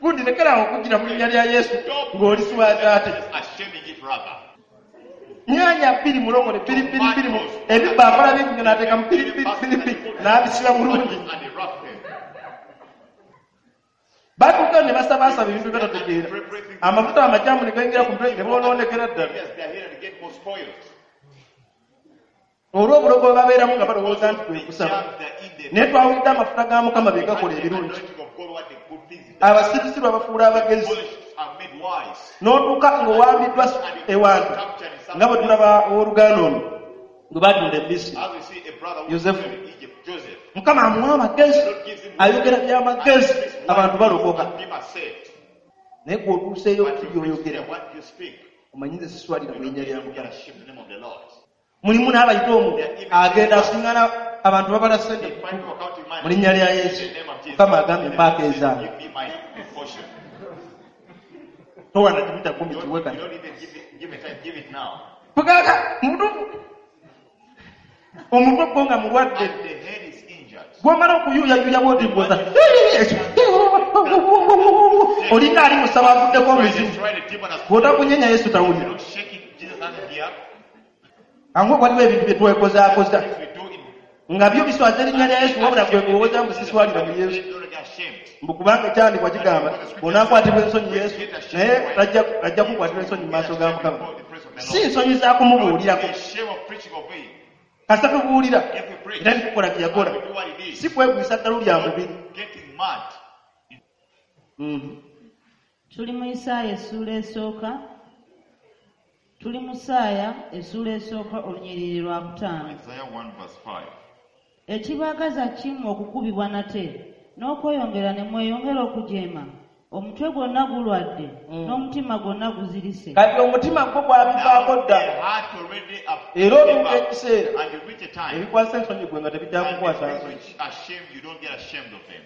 gundi lekeraawo okugira mu linnya lya Yesu ng'oliswaza ate Just ashaming it rather. nyaanya bbiri mulongole bbiri bbiri bbiri ebibbo akola bingi nnyo n'ateekamu bbiri bbiri bbiri bbiri n'abisiba bulungi And they wrap them. batuuka ne basabaasaba ebintu byebatategeera amafuta amakyamu ne gayingira ku mutwe ne boonoonekera ddala Yes, they are here to get more spoiled. olw'obulogo bwe babeeramu nga balowooza nti kwe The kusaba jam they're in there. naye twawulidde amafuta ga Mukama be gakola The ebirungi anointing of God, what the good things it does. abasirusiru abafuula abagezi Foolish are made wise. n'otuuka ng'owambiddwa ewantu nga bwe tulaba owooluganda ono gwe batunda e Misiri As we see a brother who Joseph. was in Egypt, Joseph. Mukama amuwa amagezi God gives him ayogera by'amagezi And speaks abantu wise balokoka and people are saved. naye gw'otuuseeyo But you preach byoyogera there what you speak. omanyi nze siswalira mu You linnya don't lya get Mukama ashamed in the name of the Lord. mulimu n'abayita omwo agenda asiŋŋana abantu babala ssente They find people counting money. mu linnya lya Yesu In the name of Jesus. Mukama agambye mpaako ezange Give me my portion. towana kimita kumi You kiwe don't, kati you don't even give it time, give it now. bugaka mubutuufu omutwe gwo nga mulwadde And the head is injured. gwomala okuyuuyayuuya bwoti gwoza olinga ali musaba avuddeko Try omuzimu the, try the demon has bw'otakunyenya Yesu You tawulira don't shake it, Jesus doesn't hear. angu waliwo ebintu bye twekozaakoza Things we do in nga byo biswaza erinnya lya Yesu wabula gwe gwowooza mbu siswalira mu Yesu Don't get ashamed. mbu kubanga ekyandikwa kigamba onaakwatibwa ensonyi Yesu naye ajja kukwatirwa ensonyi mu maaso ga Mukama Before the presence of the the Si Lord. nsonyi za Don't kumubuulirako. be ashamed of preaching of him. Kasita tubuulira If we preach, era netukola bye yakola, and we do what he did, si kwegwisa ddalu lya mubiri. not getting mad. Tuli mu Isaaya essuula esooka. Tuli mu Isaaya essuula esooka olunyiriri lwa 5. Isaiah 1 verse 5. Ekibaagaza kimmwe okukubibwa nate n'okweyongera ne mweyongera okujeema. Omutwe gwonna gulwadde n'omutima gwonna guzirise. Kati omutima gwo gwabivaako Now dda. the heart already up, Era otuuka ekiseera and you reach a time ebikwasa ensonyi gwe nga and tebijja the kukwasa things nsonyi. which are shame, you don't get ashamed of them.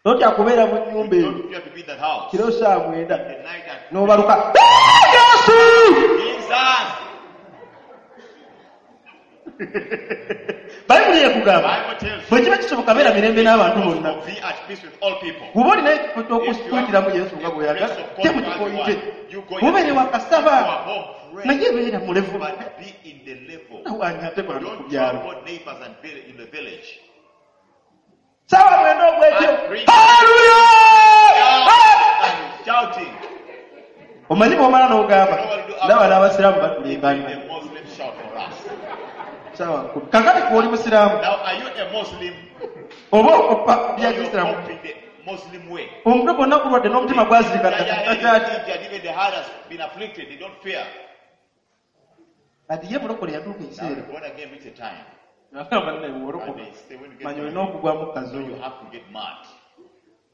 Totya kubeera mu nnyumba You eyo don't fear to be in that house. kiro saa 9 The night at n'obaluka Yesu! Jesus! Bayibuli ekugamba Bible tells bwe you kiba kisoboka beera mirembe n'abantu bonna. be at peace with all people. Bw'oba olina ekifo If you ky'okuyitiramu have Yesu nga a bw'oyagala place of te God mu as kifo you oyite want, you go bubeere yourself. wakasaba You are home, pray, naye beera mulevu but be in the level. awanya ate bantu ku Don't byalo. trouble neighbors and in the village. Saawa 9 ogw'ekiro And preach. haleluya. And shouting. Omanyi bw'omala n'ogamba ndaba n'abasiraamu Even batulimbanya the Muslims shout for us. saawa 10. Kakati gwe oli musiraamu Now, are you a Muslim oba okoppa or bya you're kisiraamu? copying the Muslim way? Omutwe gwonna gulwadde n'omutima gwazirika The ddala. injured, even the heart has been afflicted, they don't fear. Kati ye mulokole yatuuka Now, ekiseera born again reach a time. agamba nnaye And wolokoka they say, when you get manya born olina again, okugwamu you kazoolo. have to get mad.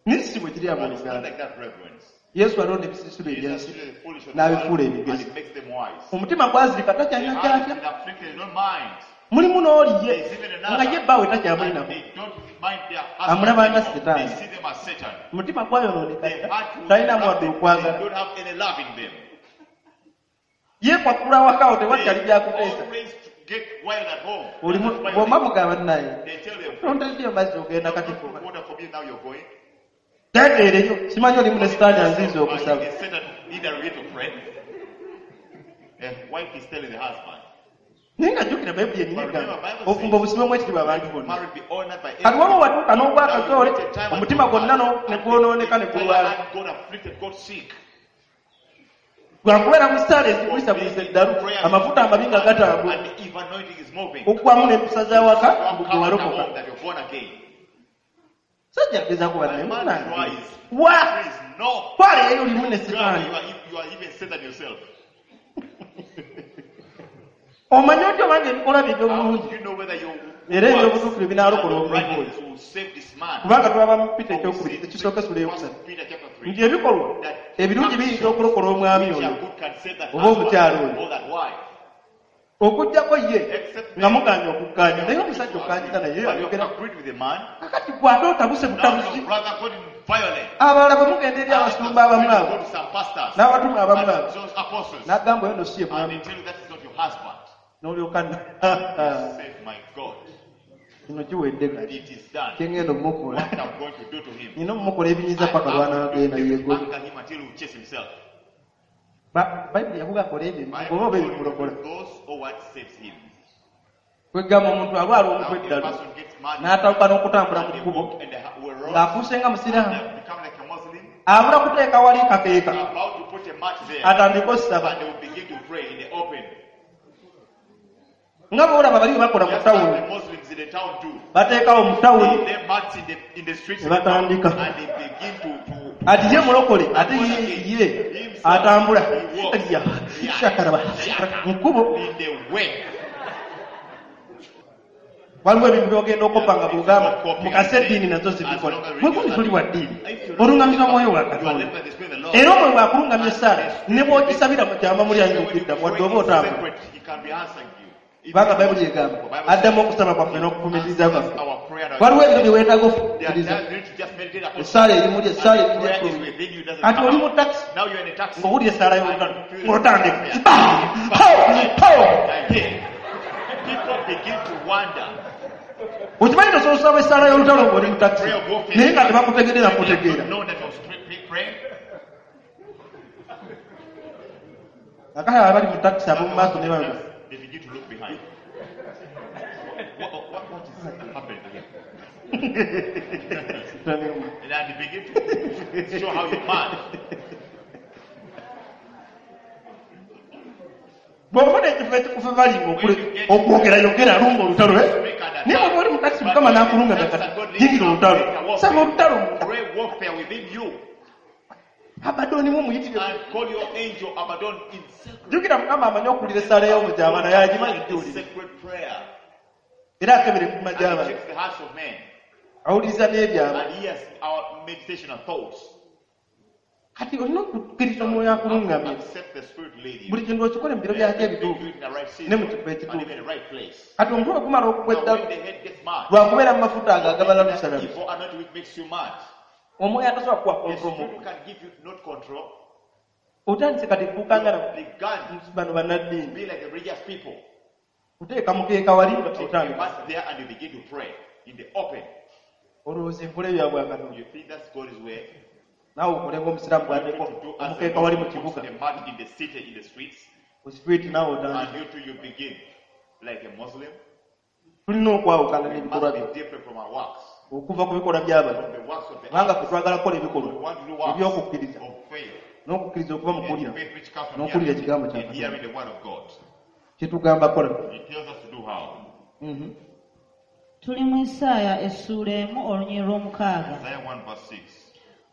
Naye si bwe kiri But it's not abooluganda. like that, brethren. Yesu alonda ebisiisiro Jesus ebyensi treated the foolish of the n'abifuula world and ebigezi. he makes them wise. Omutima gwazirika The takyalina heart has kyatya. been afflicted, they don't mind. Mulimu n'oli ye There's even nga another. ye bbaawe And takyamulinako. they don't mind their Amulaba husband nga anymore. Setaani. They see them as Satan. Omutima gwayonooneka Their dda heart was talinamu wadde corrupted. They okwagala. don't have any love in them. Yeekwakula awakaawo tewakyali They byakuteesa. always get wild at home. Olimu That's why bw'omba mugamba naye They tell them, tontaddeyo mazzi ogenda "Don't kati put water for me now, you're going." tendeereyo simanyi olimu ne sitaani anziiza Are okusaba. you the Satan either way to pray? The wife is telling the husband, Naye nga jjukira Bayibuli yennyini egamba obufumbo busibwemu ekitiibwa abantu bonna. marriage be honored by Kati waba everyone. watuuka n'ogwa Now you akazoole reach a time and omutima your gwonna heart- ne gwonooneka ne the entire gulwala. heart got afflicted, got sick. Lwakubeera mu ssaala ezigwisagwisa eddalu amafuta amabi nga gatambula And the evil anointing is moving. okuggwamu n'empisa z'awaka You mbu gwe come out walokoka. home that you're born again. Sajja agezaako bannaye And man munnange. tries. Wa Prays, no. twala eyo olimu ne You are, sitaani. you are even Satan yourself. Omanyi otya obanga ebikolwa bye How eby'obulungi do you know whether your era works eby'obutuukirivu binaalokola and omuntu oyo? righteousness will save this man? Kubanga tulaba mu Peter For we ekyokubiri see ekisooka essula eyokusatu 1 Peter chapter 3, nti ebikolwa that ebirungi biyinza okulokola omwami which oyo are good can save that oba omukyala husband oyo or that wife. okuggyako ye Except nga muganye okukkaanya naye omusajja okkanyiza naye But you ayogera have agreed with the man. kakati gwe ate otabuse Now butabusi your brother got violent. abalala bwe mugenda eri abasumba abamu Go abo to some pastors n'abatume abamu and abo those apostles, n'agamba oyo no si ye and mwami they tell you that is not your husband. n'olyoka Save my God. kino kiwedde kati It is done. kyengenda omukola What I'm going to do to him. nina omumukola ebinyiza I paka have to lwanaagenda do yegobe. anger him until he will chase himself. Bayibuli yakuga kola ebyo Bible oba oba told ebimulokola. you those or what saves him. Kwegamba omuntu alwala Now omutwe a eddalu person gets mad n'atawuka n'okutambula and mu they kkubo walk in the road ng'afuuse nga and musiraamu they have become like a Muslim. abula kuteeka wali kakeeka They're about to put a mat there atandike osaba and they will begin to pray in the open. nga bw'olaba bali bwe bakola mu Just like tawuni the Muslims in the town do. bateekawo mu tawuni They lay mats in the streets ne batandika and they begin to ati ye mulokole ate ye ye atambula Ya, shakaraba mu kkubo in the way. waliwo ebintu byogenda okoppa nga bwogamba mukase eddiini nazo zibikola mwekundi toli wa ddiini olungamizwa mwoyo wa You are Katonda led by the Spirit of the Lord. era omwoyo bw'akulungamya essaala ne bw'ogisabira mu kyama muli ayinza When you okuddamu wadde pray oba in otambula secret, he can be answering you. If kubanga you- Bayibuli egamba The Bible addamu says, okusaba kwaffe n'okufumiitiriza kwaffe our prayer and our- waliwo ebiro bye weetaaga There are okufumiitiriza times you need to just meditate upon essaala eri muli essaala And eri the prayer is muli within you, doesn't kati come oli mu out. takisi Now you're in a taxi. ng'owulira essaala y'olutalo ng'otandika People begin to wonder. okimanyi tosobola osaba essaala y'olutalo ng'oli mu takisi Prayer of warfare. naye nga tebakutegeerera They kutegeera don't know that you're praying. akati abali mu takisi ab'omu maaso ne baba They begin to look behind. What is happening here? And they begin to show how you're mad. Bw'ofuna ekifo ekikufevalinga okwogera yogera lumba olutalo eh? Speak and Naye attack. bw'oba oli mukati But mukama when n'akulunga the times kati that God leads yingira you, olutalo make a saba warfare. olutalo munda Pray warfare within you Abadoni mumuyitire and call your angel Abaddon in secret. Jjukira mukama amanyi okuwulira essaala y'omujaama naye agimanyi giwulire Secret prayer. era akebera emitima And he gy'abantu checks the hearts of men. awuliriza n'ebyama And he hears our meditation and thoughts. Kati olina okukkiriza omwoyo akulungamye Accept the Spirit lead you. Buli kintu okikole mu biro byakyo Everything ebituufu do it in the right ne mu season kifo and ekituufu even the right place. Kati omutwe gumala okugwa Now eddalu when the head gets mad, lwakubeera mu mafuta ago agabala that lusalalu evil anointing which makes you mad. Omwoyo atasobola kuwa The control mu Spirit can give you not control. Otandise kati kuukanga You began bano to bannaddiini be like the religious people. Oteeka mukeeka wali nga Take a otandika mat there and you begin to pray in the open. Olowooza enkola eyo yabwa Katonda You think that's God's way? Naawe okole ng'omusiraamu bw'ateeka To do as the omukeeka wali mu Muslim puts kibuga a mat in the city, in the streets, ku street naawe otandika and you too you begin like a Muslim. Tulina okwawukana We n'ebikolwa must byo be different from our works, okuva ku bikolwa by'abantu from the works of the kubanga others. ffe twagala kukola ebikolwa We want to do works eby'okukkiriza of faith. n'okukkiriza okuva mu And kuwulira faith which comes from n'okuwulira hearing, ekigambo kya and Katonda hearing the word of God. Kyetugamba kola He tells us to do how? Tuli mu Isaaya essuula 1 olunyiriri lw'omukaaga. Isaiah 1 verse 6.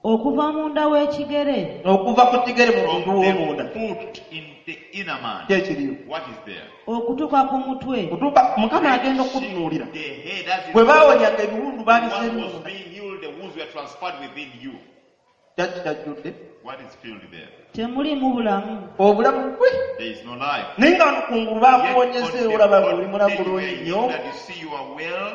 Okuva munda w'ekigere Okuva ku kigere mu From muntu w'omunda the foot in the inner man. Ki ekiriyo What is there? Okutuuka ku mutwe Kutuuka mukama agenda okutunuulira The head as it bwe baawonyanga ebiwundu The baabise one was munda being healed, the wounds were transferred within you. Kyaki kyajjudde What is filled there? Temulimu bulamu Obulamu gwe There is no life. Naye nga wano kungulu Yet on baakuwonyeza the olaba ng'oli mulamu day you were bulungi healed nnyo and you see you are well.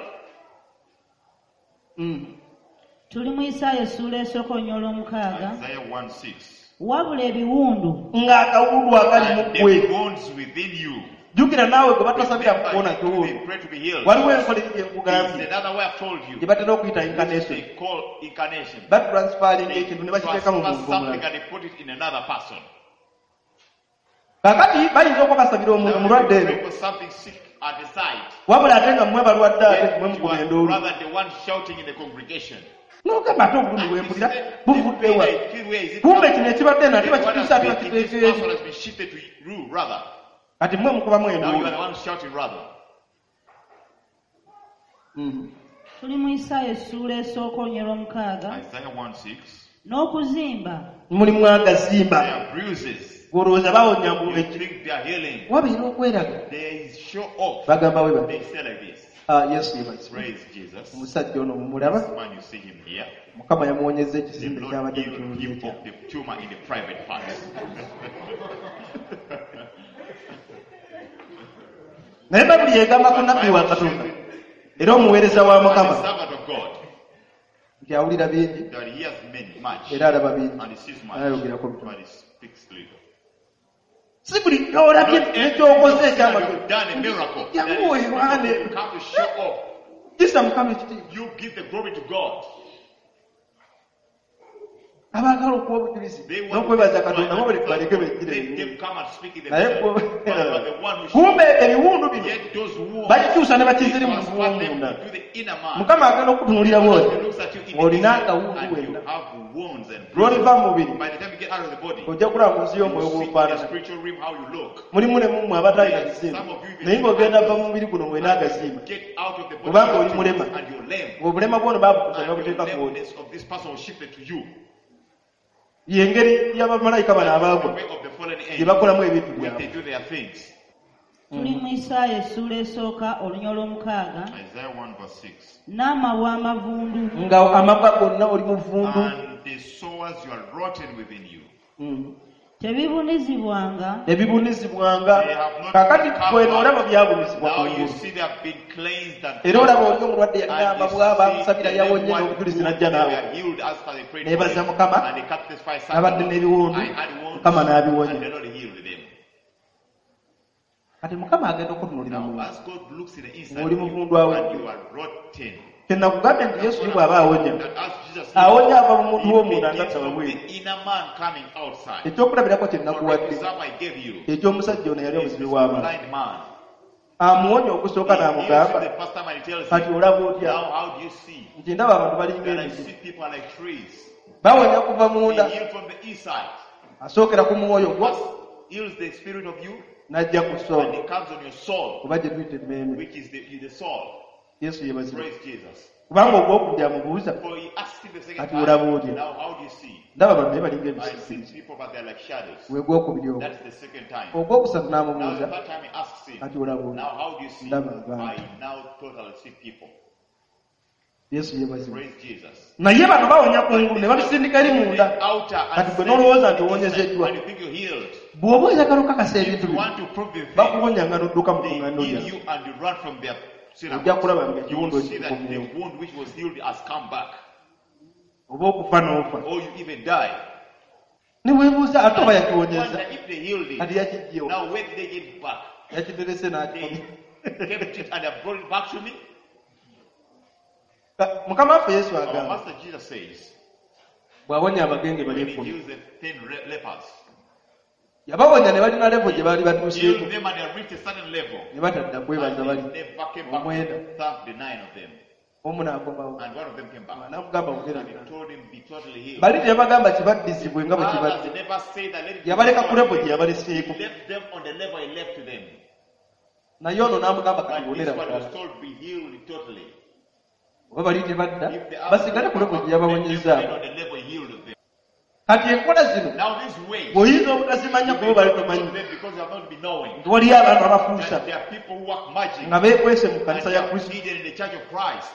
Tuli mu Isaaya essuula esooka olunyiriri lw'omukaaga Isaiah 1 6. Wabula ebiwundu Ng'akawundu akali mu And ggwe the wounds within you. Jjukira naawe gwe batasabira Remember, kuwona you kiwundu they pray to be healed. Waliwo enkola eri gye There is nkugambye another way I've told you. gye batera okuyita Which incarnation they call incarnation. Batransfaringa They ekintu ne bakiteeka mu transfer muntu something omulala and they put it in another person. Kakati bayinza okuba basabira omuntu Now, omulwadde you eno pray for something sick at the side. Wabula ate nga mmwe balwadde ate Yet mmwe you mukuba are enduulu rather the one shouting in the congregation. N'ogamba ate obulumi And bwe you mpulira say, buvudde the pain wa I feel, where is it Kumbe coming kino ekibadde eno ate The one bakituusa has ate been, this bakiteeka person eri has been shifted to you rather. Kati mmwe mukubamu Now you are enduulu the one shouting rather. Tuli mu Isaaya essuula esooka olunyiriri lw'omukaaga Isaiah 1 6. N'okuzimba Mulimu agazimba There are bruises. Gw'olowooza bawonya mbu You eki think they are healing. Wabeera okweraga There is show off. Bagamba we bati They say like this. "Ah, Yesu yeebazibwe Praise Jesus. Omusajja ono mumulaba This man, you see him here. Mukama yamuwonyezza The ekizimbe Lord kyabadde healed mu him kitundu of the tumor in the private parts. Naye Bayibuli yegamba ku nabbi wa Katonda era omuweereza wa As a Mukama servant of God, nti awulira bingi that he hears many, much, era alaba bingi and he sees much, ayogerako bitono but he speaks little. Si buli kyolabye Not nekyokoze everything that ekyamagero you've done a miracle. That Jangu is weewaane. you come to show off. Kisa Mukama ekitiibwa You give the glory to God. Abaagala okuwa obujulizi They want n'okwebaza to Katonda bo baleke Let beggire them come and speak in the naye miracle. But you are the one who kumbe shows. ebiwundu bino Yet those wounds, bakikyusa ne they bakiziri mu transfer them munda to the inner man. Mukama agenda okutunuulira bwoti He looks at you in the ng'olina inner akawundu and you wenna have wounds and lw'oliva mu mubiri By the time you get out of the body, ojja kulaba mu nsi you y'omwoyo see in the gw'ofaanana spiritual realm how you look. Mulimu ne mummwe abatalina bizimba naye ng'ogenda va mu mubiri guno ng'olina agazimba Get out of the body Kubanga oli mulema and you're lame. Ng'obulema bwono baabukuza ne And your babuteeka ku oli lameness of this person was shifted to you. Yengeri y'abamalayika bano The abaagwa way of the fallen gye angels, bakolamu ebintu when byabwe they do their things. Tuli mu Isaaya essuula esooka olunyiriri lw'omukaaga Isaiah 1 verse 6. N'amabwa amavundu nga amabwa gonna oli muvundu And the sores you are rotten within you. Tebibunizibwanga Tebibunizibwanga They have not Kakati been gweno covered. olaba byabunizibwa Now you kungulu see they have been cleansed and era olaba oli omulwadde yalina And you amabwa see baamusabira the yawonye one n'obujulizi who n'ajja they naawe were healed as per they prayed for Neebaza them. Mukama And they cut this fire nabadde n'ebiwundu I had wounds, Mukama n'abiwonya and the Lord healed them. Kati Mukama agenda okutunuulira Now, mu as God looks in the inside Ng'oli of you, muvundu awo. and you are rotten. Kyenakugambye nti Yesu ye bw'aba awonya That as Jesus awonya ava mu muntu he w'omunda nga begins taba from bweru the inner man coming outside. Ekyokulabirako kye For nakuwadde example I gave you, eky'omusajja ono yali is omuzibe this w'amaaso blind man. Amuwonya okusooka He heals him n'amugamba the first time and he tells kati him, olaba otya now how do you see? Nti ndaba abantu balinga That I emiti see people are like trees. Bawonya kuva munda They heal from the inside. Asookera ku mwoyo gwo First heals the spirit of you, N'ajja ku And soul he comes on your soul, oba gye tuyita emmeeme. which is the soul. Yesu yeebazibwe. Praise Jesus. Kubanga ogwokubiri amubuuza For he asked him the second Kati olaba time, otya? now how do you see? Ndaba bano naye balinga I see ebisiikirize. people, but they're like shadows. We gwokubiri ogwo. That's the second time. Ogwokusatu Now the n'amubuuza third time he asks him, kati olaba otya? now how do you see? Ndaba abantu. I now totally see people. Yesu yeebazibwe. Praise Jesus. Naye bano bawonya kungulu ne babisindika eri munda. The outer and Kati gwe send n'olowooza it nti owonyezeddwa. inside, and you think you're healed. Bw'oba oyagala okakasa If ebintu you bino want to prove the thing, bakuwonya nga n'odduka mu they kuŋŋaano heal lyabwe. you and you run from their Ojja kulaba synagogue. nga You will ekiwundu see that the ekikomyewo. wound which was healed has come back. Oba okufa n'ofa. Or you even die. Ne weebuuza ate oba yakiwonyeza. Wonder if they healed Kati it. yakiggyewo. Now where did they get it back? Yakiterese n'akikomya. They kept it and have brought it back to me. Mukama waffe Yesu Our agamba Master Jesus says, bw'awonya abagenge bali when he ekkumi heals the 10 lepers, yabawonya ne balina levo gye baali batuuseeko healed them and they reached a certain level. ne batadda kwebaza And bali they never came back omwenda to thank the 9 of them. omu n'akomawo And one of them came back. n'amugamba wogera And he told him, be totally healed. bali teyabagamba kibaddizibwe nga bwe Others kibadde never say that let it be yabaleka ku levo restored. gye yabaleseeko He left them on the level he left them. naye ono n'amugamba kati But wonera this one was ddala told, be healed totally. oba bali tebadda If the others basigale ku levo gye yabawonyezaamu on the level he healed them. kati enkola zino Now these ways, bw'oyinza obutazimanya you kuba may bali not tomanyi know them because you have not been knowing. nti waliyo abantu abafuusa That there are people who work magic nga beekwese mu and kkanisa they ya are Kristo hidden in the church of Christ.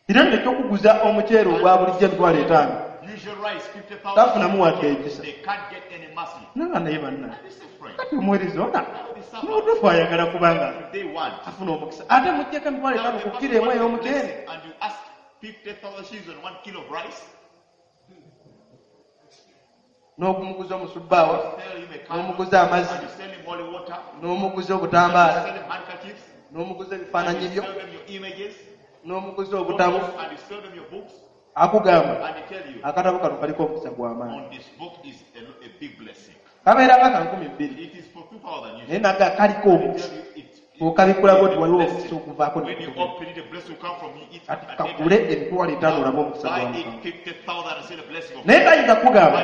era nno ekyokuguza omuceere ogwa bulijjo 50,000 Usual rice, 50,000. tafunamu wadde ekisa They can't get any mercy. nanga naye banna And this is friend. kati omuweereza ona Now this servant, mubutuufu ayagala kubanga they want. afuna omukisa ate muggyeko emitwalo Now etaano the ku person kiro emu wants a ey'omuceere blessing and you ask 50,000 shillings on 1 kilo of rice, n'okumuguza omusubbaawa you sell him a candle, n'omuguza amazzi and you sell him holy water, n'omuguza and you obutambaala sell him handkerchiefs, n'omuguza and ebifaananyi you byo sell them your images, n'omuguza obutabo and you sell them your books, akugamba and they tell you, akatabo kano kaliko omukisa gw'amaanyi on this book is a big blessing. kabeera nga ka 2,000 It is for 2,000 naye usually. naga kaliko They omukisa tell you it- bw'okabikulako it nti is a waliwo blessing. omukisa okuvaako When you ne open it, a blessing will come from it. kati And kakule then 50,000 olabe omukisa gwa buy it Mukama 50,000 and see the blessing of naye God. tayinza kugamba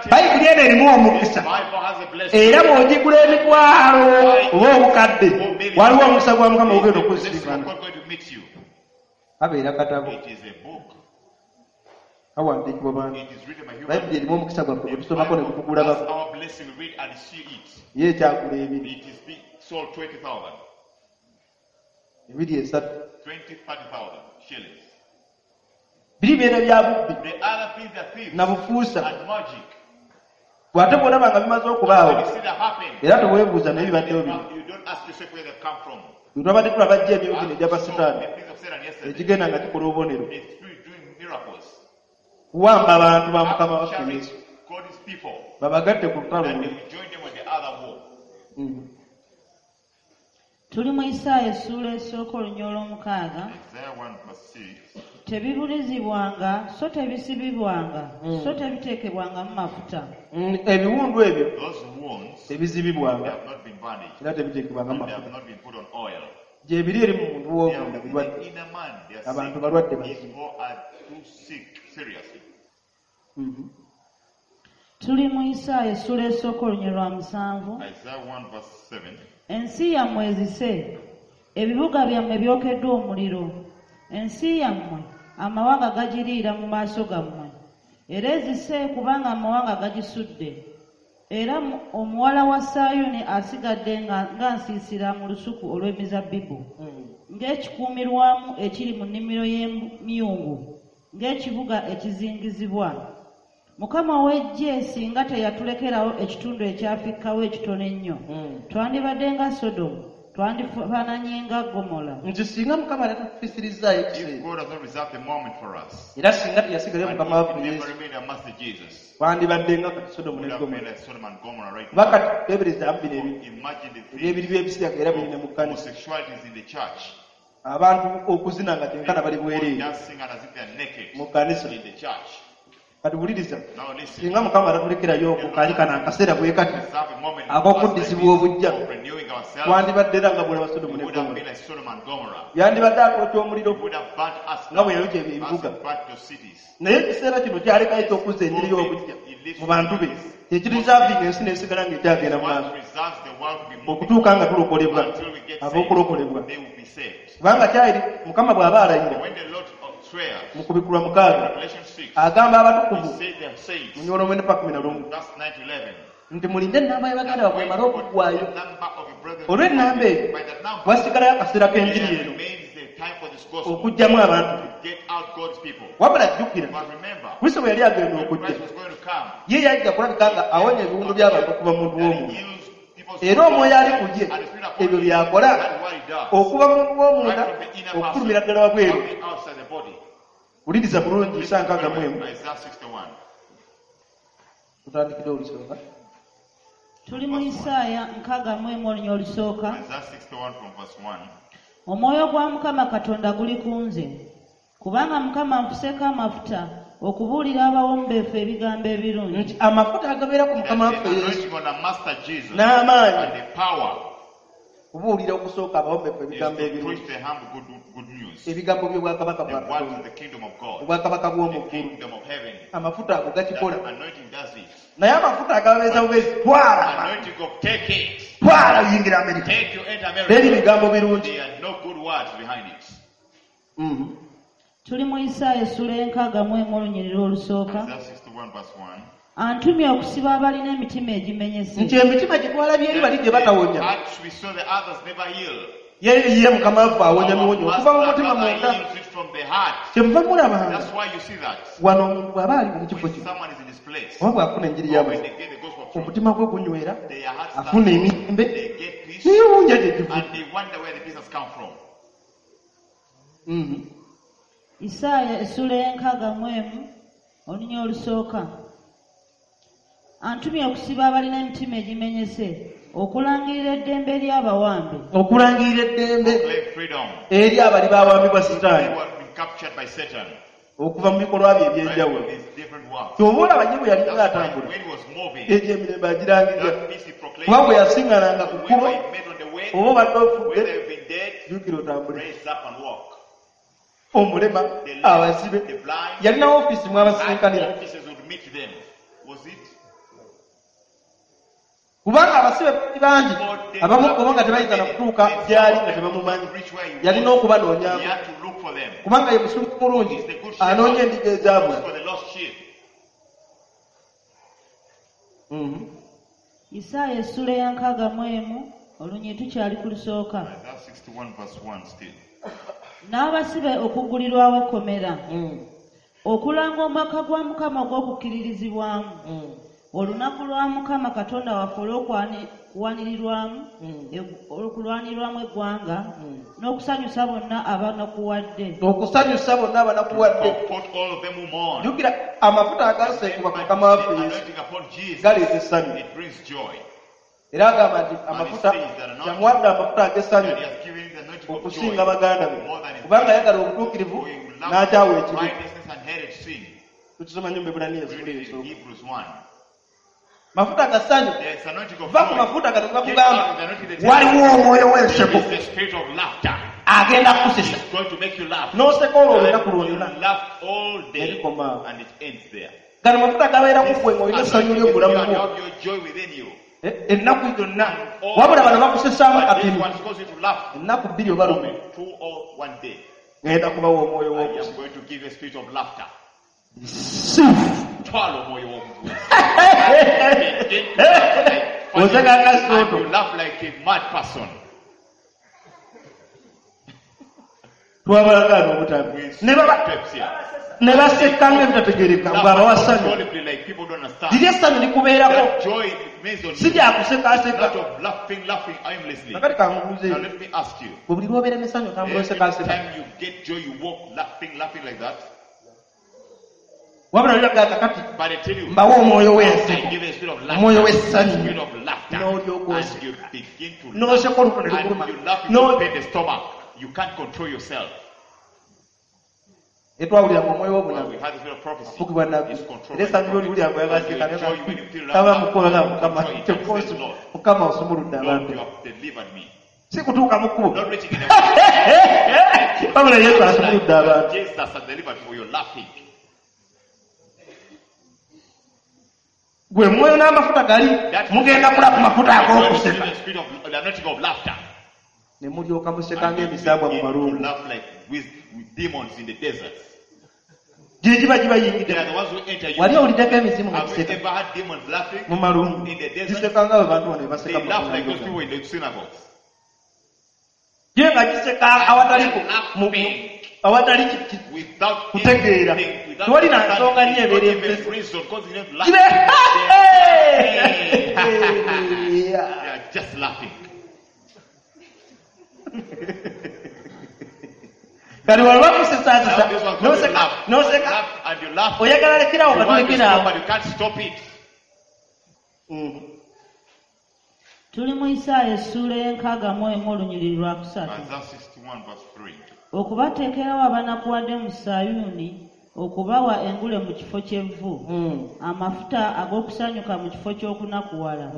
bayibuli eno erimu omukisa This Bible has a blessing. era bw'ogigula emitwalo oba obukadde Or millions. waliwo omukisa gwa Mukama Is ogenda the blessing of okusiibana God going to meet you? kabeera katabo It is a book. kawandiikibwa bantu It is written by human. bayibuli erimu omukisa gwaffe gwe The tusomako ne Bible, gutugulabako that's our blessing. We read and see it. ye ekyagula ebiri It is being sold 20,000, ebiri esatu 20, 30,000 shillings. biri bibeera bya bubbi The other things are thieves na bufuusa and magic. bw'ate bw'olaba nga bimaze okubaawo When you see that happen, era teweebuuza naye bibaddewo bino you don't ask yourself where they've come from. bwe twabadde tulaba jjo emyoyo gino As egya we saw basitaani the things of Satan yesterday, egigenda nga gikola obubonero the spirit doing miracles, kuwamba abantu ba Mukama waffe capturing Yesu God's people, babagatte ku lutalo that they luli will join them on the other war. Tuli mu Isaaya essuula esooka olunya olw'omukaaga. Isaiah 1 verse 6. Tebibulizibwanga so tebisibibwanga so tebiteekebwangamu mafuta. Ebiwundu ebyo Those wounds, they tebizibibwanga have not been bandaged, era tebiteekebwanga and they have mafuta not been put on oil. gye biri eri mu muntu They w'omunda are in birwadde the inner man. They are Abantu sick. balwadde bazibu. People are too sick, seriously. Tuli mu Isaaya essuula esooka olunya lwa musanvu. Isaiah 1 verse 7. Ensi yammwe ezise, ebibuga byammwe byokeddwa omuliro. Ensi yammwe amawanga gagiriira mu maaso gammwe. Era ezise kubanga amawanga gagisudde. Era omuwala wa Sayuuni asigadde nga nsiisira mu lusuku olw'emizabbibu, ng'ekikuumirwamu ekiri mu nnimiro y'emyungu, ng'ekibuga ekizingizibwa. Mukama ow'eggye singa teyatulekerawo ekitundu ekyafikkawo ekitono ennyo, twandibadde nga Sodomu, twandifaananye nga Ggomola. Nti singa Mukama tatufiisirizaayo If ekiseera God has not reserved a moment for us, era singa teyasigalayo and Mukama if waffe he never Yesu remained our Master Jesus, twandibadde nga kati Sodomu we ne would have been Ggomola like Sodom and Gomorrah right kuba now. kati teeberezaamu bino ebintu Imagine the things ebyebiri by'ebisiyaga era biri ne mu kkanisa homosexuality is in the church. abantu okuzina nga tenkana bali People bwereere dancing and as if they are naked mu kkanisa in the church. kati wuliriza Now listen. singa Mukama tatulekerayo ku kaali kano akaseera bwe kati Reserve a moment ak'okuddizibwa for us obujja like this, of renewing ourselves. twandibadde era nga bwolaba Sodomu We ne would have Ggomola been like Sodom and Gomorrah. yandibadde akwokya omuliro We would have burnt us nga bwe down yayokya as ebibuga he burnt those cities. naye ekiseera kino kyalekayo ekyokuzza enjiri y'obujja He lives mu bantu be with Kyekirizavinga ensi n'esigala ng'ekyagenda Is mu what maaso preserves the world to be moving okutuuka nga tulokolebwa until we get saved. ab'okulokolebwa They will be saved. Kubanga kyali mukama bw'aba alayira When the Lord swears, mu kubikulwa 6 Revelation 6, agamba he abatukuvu said they are saints. mu nyola 9:11 Verse 9 to 11. Nti mulinde ennamba y'abaganda bammwe emale okuggwaayo The number of your brethren. Olw'ennamba eyo By that number, wasigalayo akaseera k'enjiri there eno remains the time for this gospel okuggyamu abantu be to get out God's people. Wabula jjukira But remember, Kristo bwe yali agenda when okujja Christ was going to come, ye yajja kulabika nga awonya ebiwundu by'abantu okuva mu muntu that he w'omunda heals people's era omwoyo ali ku ye and the Spirit upon ebyo him, by'akola that is what he does. okuva mu muntu w'omunda Right from the inner person, okufulumira ddala wabweru on the outside the body. Wuliriza bulungi isa 61 Isaiah 61. Tutandikire olusooka. Tuli mu Isaaya 61 olunya olusooka. Isaiah 61 from verse 1. Omwoyo gwa Mukama Katonda guli ku nze, kubanga Mukama nfuseeko amafuta okubuulira abawombeefu ebigambo ebirungi. Nti amafuta agabeera ku mukama That waffe the Yesu anointing on the Master Jesus n'amaanyi and the power kubuulira okusooka abawombeefu is ebigambo to ebirungi preach the humble good news. Ebigambo by'obwakabaka The bwa word Katonda of the kingdom of God, obwakabaka the bw'omu ggulu kingdom of heaven. Amafuta ago gakikola That anointing does it. Naye amafuta agababeeza bubeezi twala Anointing of take it. Twala oyingira Amerika. Take you enter Teri America. bigambo birungi. There are no good words behind it. Tuli mu Isaaya essula 61 olunyiriri olusooka. Isaiah 61 verse 1. Antumye okusiba abalina emitima egimenyese Nti emitima gye twalabye eri bali gye batawonya Hearts we saw the others never heal. Ye ye mukama waffe awonya Our miwonyo okuva mu master mutima rather munda heals it from the heart. Kyemuva mulabanga That's why you see that. Wano omuntu bw'aba ali mu kifo When kino someone is in this place, oba bw'afuna enjiri or when y'amazima they get the gospel of truth, omutima gwe gunywera their hearts afuna start, emirembe they get peace, neyewuunya gye givu and they wonder where the peace has come from. Isaaya essula 61 olunya olusooka. Antumye okusiba abalina emitima egimenyese, okulangirira eddembe eri abawambe, Okulangirira eddembe Claim freedom. eri abali bawambibwa They Sitaani who have been captured by Satan, okuva mu bikolwa bye right, ebyenjawulo from his different works. Kyova olaba ye bwe yalinga That's why atambula when he was moving, egyo emirembe agirangirira that peace he proclaimed, kuba bwe yasiŋŋananga ku kkubo whoever he met on the way, oba obadde ofudde whether you've been dead, jjukira otambule raise up and walk. Omulema The lame, abazibe the blind, yalina ofiisi mwabasisinkanira and officers would meet them. Was it? Kubanga abasibe bangi abamu kubo nga tebayinza na kutuuka gyali nga tebamumanyi Reach where he yalina was. He okubanoonyaako had to look for them. kubanga ye musumba mulungi He's the good shepherd. anoonya endiga ezaabula Looks for the lost sheep. Isaaya essula eya 61 olunyi tukyali ku lusooka. Isaiah 61 verse 1 still. N'abasibe okuggulirwawo ekkomera, okulanga omwaka gwa Mukama ogw'okukkiririzibwamu, olunaku lwa Mukama Katonda waffe olw'okuwanirirwamu olw'okulwanirwamu eggwanga, n'okusanyusa bonna abanakuwadde. Okusanyusa bonna abanakuwadde. Comfort all of them who mourn. Jjukira amafuta agaseekebwa ku mukama The waffe Yesu anointing upon Jesus, galeeta essanyu it brings joy. Era agamba nti amafuta yamuwadde amafuta ag'essanyu That he has given the anointing of joy okusinga baganda be more than his kubanga ayagala obutuukirivu For he loved n'akyawa ekibi. righteousness and hated sin. Tukisoma nnyo mu Ebbulaniya Read essula it in esooka. Hebrews 1. Mafuta ga ssanyu There is anointing of va ku joy. mafuta gano Get out gakugamba of the anointing that Waliwo omwoyo w'enseko is the spirit of laughter. agenda kukusesa It's going to make you laugh. N'oseka olwo olunaku And you lwonna laugh all day Nerikoma awo. and it ends there. Gano mafuta gabeera ku This ggwe ng'olina essanyu anointing lyo is mu bulamu you and bwo have your joy within you. Eh, ennaku zonna All- wabula bano bakusesaamu But this katono one causes you to laugh ennaku bbiri oba lumu two or one day. Ŋŋenda kubawa omwoyo I w'okuseka am going to give a spirit of laughter. Sifu. Twala omwoyo w'omuntu. Oseka nga Soto. And you laugh like a mad person. Twabalagaana obutambi ne baba Steps here. Ne baseka nga ebitategeereka ng'abawa Laugh ssanyu uncontrollably like people don't understand. Liri essanyu likubeerako That joy remains on si you. lyakusekaaseka Not of laughing, laughing aimlessly. Kakati kankubuuze Now let me ask you. bwe buli lwobeera n'essanyu otambula Every osekaaseka time you get joy, you walk laughing, laughing like that. Wabula liraga kakati But I tell you, mbawe omwoyo I w'enseko give a spirit of omwoyo laughter, w'essanyu spirit of laughter, N'olyoka and oseka. you begin to laugh. N'oseka oluto ne lukuluma And you laugh, you No- pain the stomach. You can't control yourself. Etwawulira mu omwoyo Well, w'obunabi we had the spirit of prophecy. afugibwa nabbi It's controlled era by essanyu the lyoliwulira prophet. And your joy when you feel kaba laughter, mukola you mukama control it and say, Lord, mukama osumuludde Lord, abantu you have delivered me. si kutuuka mu kkubo Not reaching in the wabula Yesu asumuludde abantu Jesus has delivered for your laughing. Gwe mwoyo n'amafuta gali That mugenda kula ku mafuta God will give ag'okuseka you the spirit of the anointing of laughter. ne mulyoka museka And you ng'emisambwa mu begin to malungu laugh like with demons in the deserts. gye giba They gibayingidde are the ones who enter you. Wali owuliddeko emizimu nga Have you giseka ever had demons laughing? mu malungu In the desert? giseka nga bwe bantu bano They baseka mu laugh like those malungu. people in the synagogues. Ye nga giseka awatali awatali Without kutegeera anything, without tewali na nsonga understanding, nnyo ebeera not even empesi reason, causing them to laugh. Kibe- They are just laughing. Kati wano bakusesaasesa Now this one comes, you noseka laugh, noseka laugh, and you laugh. Oyagala lekerawo You nga want to tulekeraawo stop, but you can't stop it. Tuli mu Isaaya essuula y'61 olunyiriri lwa 3. Isaiah 61 verse 3. Okubateekerawo abanakuwadde mu Sayuuni, okubawa engule mu kifo ky'evvu, amafuta ag'okusanyuka mu kifo ky'okunakuwala,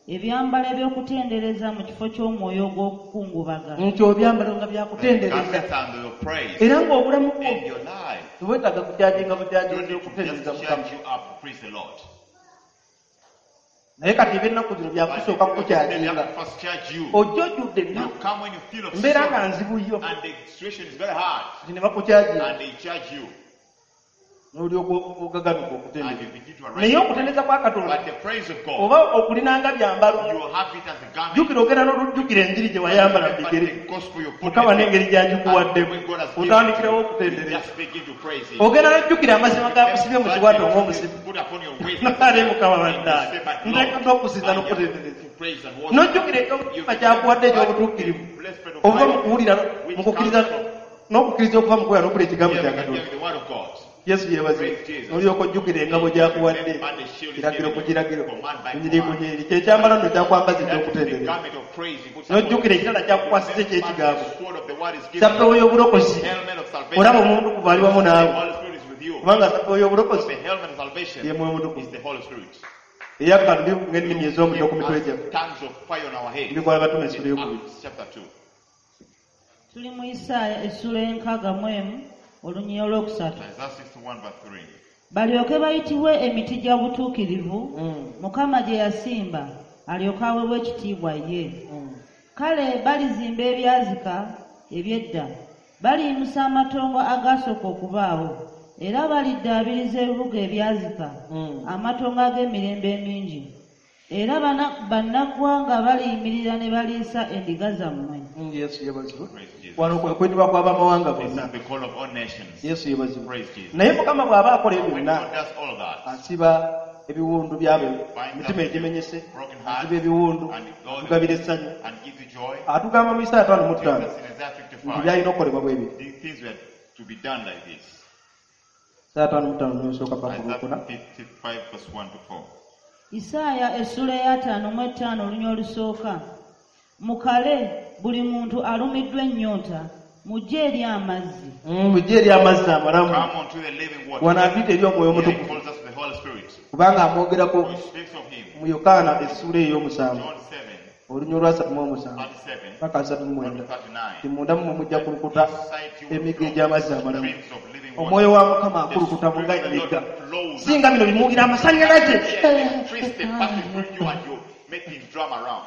ebyambalo eby'okutendereza mu kifo ky'omwoyo ogw'okukungubaga. Nti obyambalo nga byakutendereza Garments and your praise era ng'obulamu bwo in your life. tewetaaga kukyajinga You don't bukyajinzi need to okutendereza just Mukama charge you up to praise the Lord. Naye kati ebyennaku zino But byakusooka they kukukyajinga have to first charge you. Ojja ojjudde You ennaku come when you feel of embeera nga sorrow nzibu yo and the situation is very hard nti ne bakukyajinga and they charge you n'olyoka ogaganuka and okutendereza you begin to naye arise. okutendereza kwa Katonda But the praise of God, oba okulinanga byambalo you have it as a garment. Jjukira ogenda n'olujjukira enjiri gye wayambala mu But bigere the gospel you put Mukama in n'engeri gy'agikuwaddemu and when God has given otandikirawo you, you okutendereza just begin to praise Him. Ogenda n'ojjukira amazima gakusibye mu kiwato ng'omusibe Put upon your waist. Nale Mukama And you bannange say, "But Lord, nteekeddwa okusinza I am n'okutendereza to praise and worship." N'ojjukira ekyomutima kyakuwadde eky'obutuukirivu obuva mu kuwulira mu kukkiriza n'okukkiriza okuva mu kuwulira n'okula ekigambo Here kya we can Katonda hear the word of God. Yesu yeebazibwe n'olyoka ojjukira engabo gy'akuwadde kiragiro ku kiragiro kunyiri ku nyiriri kyekyambalo nno kyakwambaza That is the eky'okutendereza garment of praise he puts upon n'ojjukira you. ekirala kyakukwasiza eky'ekigambo The sword of the word is given. Sappewo y'obulokozi Helmet of salvation. olaba omuntu kuva ali wamu The naawe Holy Spirit is with you. kubanga sappewo y'obulokozi The helmet of salvation ye Mwoyo Mutukuvu is the Holy Spirit. Eyakka ng'ennimi ez'omuliro ku mitwe Us gyaffe tongues of fire on our head. Ebikola Batume essula In ey'okubiri Acts chapter 2. Tuli mu Isaaya essuula y'61 olunyiriri olwokusatu. Isaiah 61 verse 3. Balyoke bayitibwe emiti gya butuukirivu Mukama gye yasimba alyoke aweebwe ekitiibwa ye. Kale balizimba ebyazika eby'edda, baliyimusa amatongo agaasooka okubaawo, era baliddaabiriza ebibuga ebyazika, amatongo ag'emirembe emingi. Era bannaggwanga baliyimirira ne baliisa endiga zammwe. Yesu yeebazibwe Praise Jesus. Wano kwe kwetibwa kw'abamawanga This bonna is the call of all nations. Yesu yeebazibwe Praise Jesus. Naye Mukama bw'aba akola ebyo When byonna God does all that, asiba ebiwundu byabo binds emitima up egimenyese broken heart asiba ebiwundu and God atugabira essanyu and gives you joy. Atugamba mu Isaaya 55 Jesus in Isaiah nti 55, byalina okukolebwa bwe biri these things were to be done like this. Isaaya 55 nosooka paka Isaiah olwokuna 55 verse 1 to 4. Isaaya essuula y'55 olunya olusooka. Mukale buli muntu alumiddwa ennyonta, mujje eri amazzi. Mujje eri amazzi amalamu Come unto the living water. Wano atuyita eri Omwoyo Here he Omutukuvu calls us to the Holy Spirit. kubanga amwogerako Who speaks of him. mu Yokaana essuula ey'omusanvu John 7, olunya olwa 37 37 paka 39 to 39. Ti munda mmwe mujja kulukuta Inside you will emigga flow egy'amazzi amalamu streams of living water. Omwoyo wa Mukama The akulukuta Spirit nga of the Lord emigga flows. Singa bino bimuwulira amasannyalaze Electricity passing through you and you making drum around.